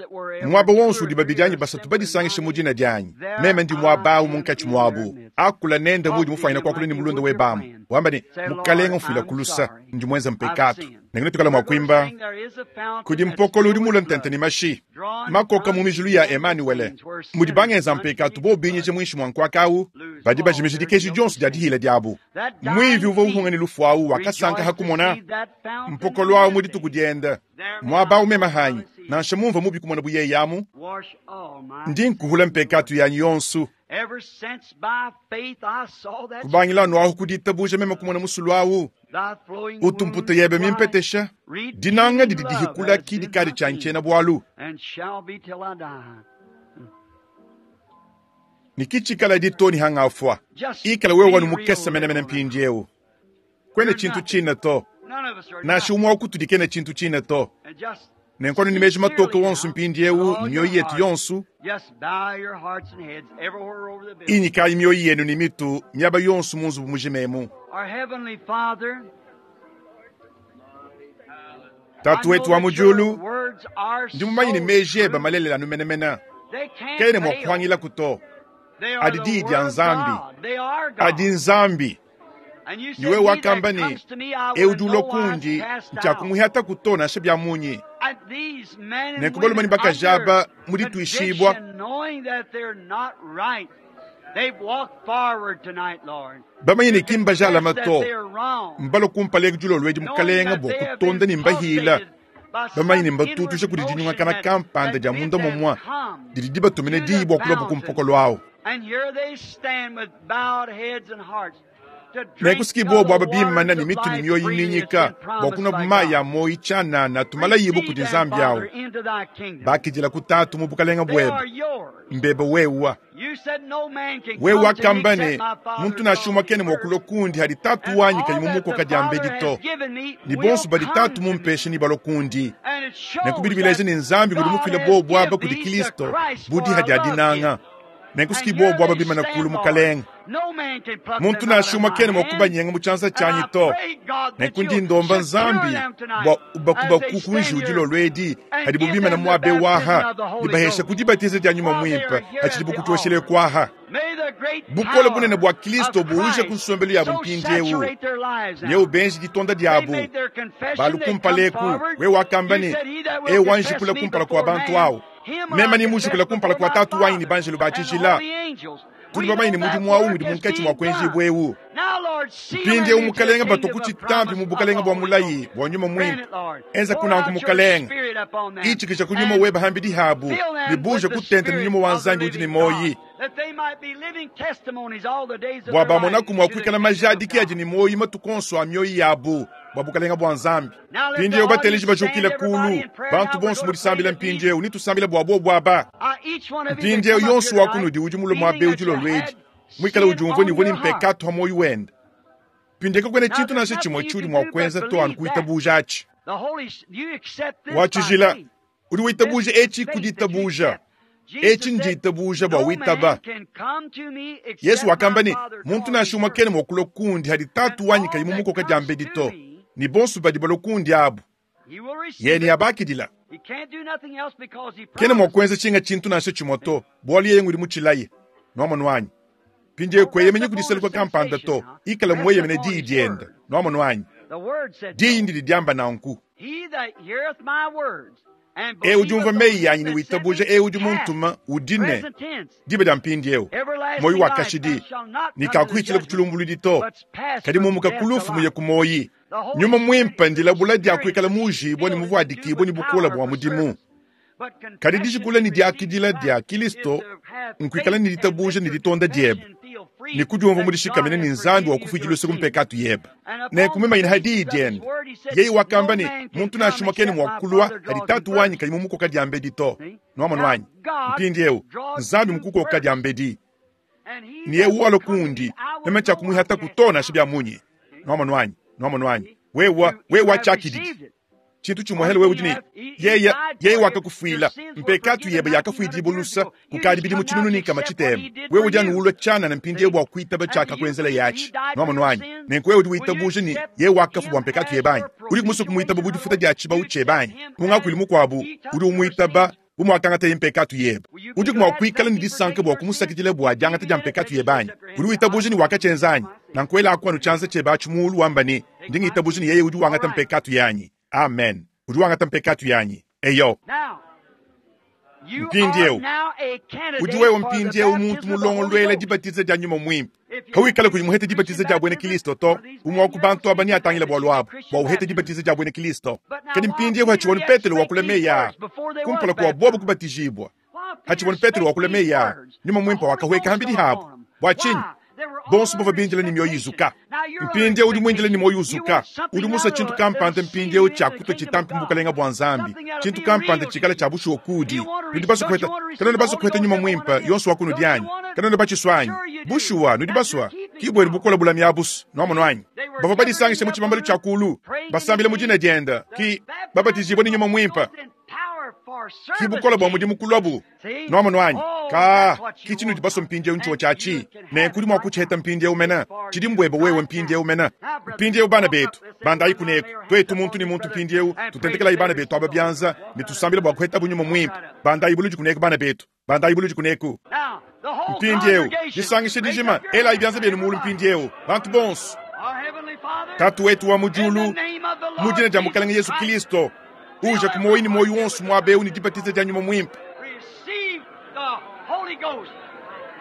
Muaba wonso udi babidi anyi basatu badisangishe mu dina dianyi, meme ndi muaba au munkatshi muabu. Akula nende muudi mufuanyine kuakula ne mulunda webe amu, wamba ne, Mukalenge, mfuilaku lusa, ndi muenze mpekatu. Nenku netuikale mua kuimba, Kudi mpokolo udi mule ntente ne mashi, makoka mu mijilu ya Emanuele, mudi bangenza mpekatu bobu binyije muinshi mua nkuaka au, badi bajimija dikeji dionso dia dihila diabu. Muivi uvua uhunga ne lufu au wakasanka ha kumona mpokolo au mu dituku diende. Muaba au meme hanyi, nansha mumvua mubi kumona bu yeye amu, ndi nkuhula mpekatu yanyi yonso. Kubangila anu ahu ku ditabuja meme kumona musulu au. Utu mputa yebe mimpetesha. Dinanga didi dihikula ki dikadi tshianyi tshiena-bualu. Ne ki tshikala to ne hangafua. Ikala wewe wanu mukese menemene mpindieu. Kuena tshintu tshine to. Nansha umue wa kutudi kena tshintu tshine to. Nenku anu ne meji matoke wonso mpindieu ne mioyo yetu yonso. Inyikayi mioyo yenu ne mitu miaba yonso mu nzubu mujima emu. Tatu wetu wa mu diulu, ndi mumanye ne meji ebe malelela anu menemene. Kaena mua kupangilaku to. Adi diyi dia Nzambi. Adi Nzambi. Ne wewe wakamba ne, Eu udi ulua kundi, ntshiakumuihataku to nansha bia munyi. Nenku balume ne bakaji aba mu dituishibua bamanye ne ki mbajalame to, mbalue kumpala eku dilolo edi Mukalenge bua kutonda ne mbahila, bamanye ne mbatutusha kudi dinyungakana kampanda dia munda mumue didi dibatumine diyi bua kuluabu ku mpokolo au. Nenku siki bobu aba bimana ne mitu ne mioyo minyika bua kunua mayi a muoyo tshianana tumalayibu kudi Nzambi awu. Bakidila ku Tatu mu bukalenge buebe, mbebe wewa. Wewe wakamba ne, muntu nansha umue kena mua kulua kundi hadi Tatu wanyi kayi mumukoka diambedi to. Ne bonso badi Tatu mumpeshe nebalue kundi. Nenku bidi bileja ne Nzambi udi mufile bobu aba kudi Kristo bu diha dia dinanga. Nenku siki bobu aba bimana kulu Mukalenge. Muntu nansha umue kena mua kubanyenga mu tshianza tshianyi to. Nenku ndi ndomba Nzambi bua ubakubaku ku njiwu dilolo edi hadibu bimana muaba eu aha, ne bahesha ku dibatiza dia Nyuma Muimpe hatshidibu kutuoshele kuaha. Bukole bunene bua Kristo buuje ku nsombelu yabu mpindieu. Ne ubenji ditonda diabu. Balu kumpala eku, wewe wakamba ne, Eu wanjikula kumpala kua bantu awu. Meme nemujikule kumpala kua Tatu wanyi ne banjelu ba tshijila. Tudi bamanye ne mudimu awu ngudi munkatshi mua kuenjibua eu. Mpindieu Mukalenge batua ku tshitampi mu bukalenge bua mulayi bua Nyuma Muimpe. Enza kunanku Mukalenge. Itshikija ku Nyuma webe hambidi habu ne buuje kutenta ne Nyuma wa Nzambi udi ne muoyi. Bua bamonaku mua kuikala majadiki adi ne muoyi matuku onso a mioyo yabu bua bukalenge bua Nzambi. Mpindieu bateleji bajukile kulu, bantu bonso mu disambila mpindieu, netusambile bua bobu aba. Mpindieu yonso wa kunudi udi mulue muaba eu dilolo edi, muikale udiumvua ne uvua ne mpekatu pa muoyo wende. Mpindieu kakuena tshintu nansha tshimue tshiudi mua kuenza to anu kuitabuja atshi. Wa tshijila, udi witabuja etshi ku ditabuja. Etshi nditabuja bua witaba. Yesu wakamba ne, muntu nansha umue kena mua kulua kundi hadi Tatu wanyi kayi mumukoka diambedi to, ne bonso badi balua kundi abu yeye neabakidila. Kena mua kuenza tshinga tshintu nansha tshimue to, bualu yeye ngudi mutshilaye. Nuamonu anyi? Mpindieu kueyemenyi kudiseluka kampanda to, ikala mueyemene diyi diende. Nuamonu anyi? Diyi ndidi diamba nanku. Eu udi umvua meyi anyi ne witabuja eu udi muntuma udi ne diba dia mpindieu muoyo wa kashidi, ne kakuhitshila ku tshilumbuludi to, kadi mumuka ku lufu muye ku muoyi. Nyuma Muimpe ndilabula dia kuikala muujibue ne muvuadikibue ne bukole bua mudimu. Kadi dijikula ne diakidila dia Kristo nkuikala ne ditabuja ne ditonda diebe, ne kudiumvua mudishikamine ne Nzambi wa kufuidi luse ku mpekatu yebe. Nenku mimanyine ha diyi diende. Yeye wakamba ne, muntu nansha umue kena mua kulua hadi Tatu wanyi kayi mumukoka diambedi to. Nuamonu anyi? Mpindieu, Nzambi mukukoka diambedi. Ne eu walua kundi, meme tshiakumuihataku to nansha bia munyi. Nuamonu anyi? Nuamonu anyi? Wewe, wewe watshiakididi. Tshintu tshimue hele wewe udi ne yeye, yeye wakakufuila mpekatu yebe yakafuidibua lusa kukadi bidimu tshinunu ne nkama tshitema. Wewe udi anu ulua tshianana mpindieu bua kuitaba tshiakakuenzela yatshi. Nuamonu anyi? Nenku wewe udi witabuja ne yeye wakafua bua mpekatu yebe anyi? Udi musue kumuitaba bu difuta dia tshibawu tshiebe anyi? Mu ngakuilu mukuabu, udi umuitaba bu muakangataye mpekatu yebe. Udiku mua kuikala ne disanka bua kumusakidila bua diangata dia mpekatu yebe anyi? Udi witabuja ne wakatshienza anyi? Nanku elaku anu tshianza tshiebe atshi muulu wamba ne, ndi ngitabuja ne yeye udi wangata mpekatu yanyi. Amen. Udi wangata mpekatu yanyi. Eyo. Mpindieu, udi wewe mpindieu muntu mulongoluela dibatiza dia Nyuma Muimpe. Kawikala kuyi muhete dibatiza dia buena Kristo to, umue wa ku bantu aba neatangile bualu abu bua uhete dibatiza dia buena Kristo. Kadi mpindieu hatshivua Petelo wakula meyi aa kumpala kua bobu kubatijibua. Hatshivua Petelo wakula meyi aa, Nyuma Muimpe wakahueka hambidi habu. Bua tshinyi? Bonso bavua bindile ne mioyo izuka. Mpindieu udi muindile ne muoyo uzuka. Udi musue tshintu kampanda mpindieu tshia kutua tshitampi mu Bukalenge bua Nzambi, tshintu kampanda tshikale tshia bushuwa kuudi. Nudi basue kupeta, kanuena basue kupeta Nyuma Muimpe, yonso wa kunudi anyi? Kanuena batshisua anyi? Bushuwa, nudi basua. Ki buenu bukole bulami abu's, nuamonu anyi? Bavua badisangishe mu tshibambalu tshia kuulu, basambila mu dina diende, ki babatijibue ne Nyuma Muimpe. Ki bukole bua mudimu kuluabu. Nuamonu anyi? Kaa, ki tshinudi basue mpindiewu ntshiwa tshiatshi. Nenku udi mua kutshiheta mpindiewu mene. Tshidi mbuebe wewe mpindiewu mene. Mpindiewu bana betu, bandayi kuneku. Tuetu muntu ne muntu mpindiewu, tutentekelayi bana betu aba bianza ne tusambila bua kuhetabu Nyuma Muimpe. Bandayi buludi kuneku bana betu. Bandayi buludi kuneku. Mpindiewu, disangisha dijima, elayi bianza bienu mulu mpindiewu, bantu bonso. Tatu wetu wa mu diulu, mu dina dia Mukalenge Yesu Kilisto, uja ku muoyo ne muoyo wonso muaba eu ne dibatiza dia Nyuma Muimpe. Receive the Holy Ghost.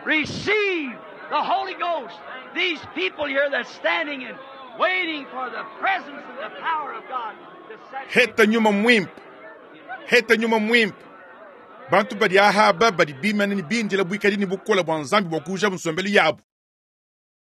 Receive the Holy Ghost. These people here that's standing and waiting for the presence and the power of God to set Heta Nyuma Muimpe. Heta Nyuma Muimpe. Bantu badi aha aba badi bimane ne bindila buikadi ne bukole bua Nzambi bua kuujabu nsombelu yabu.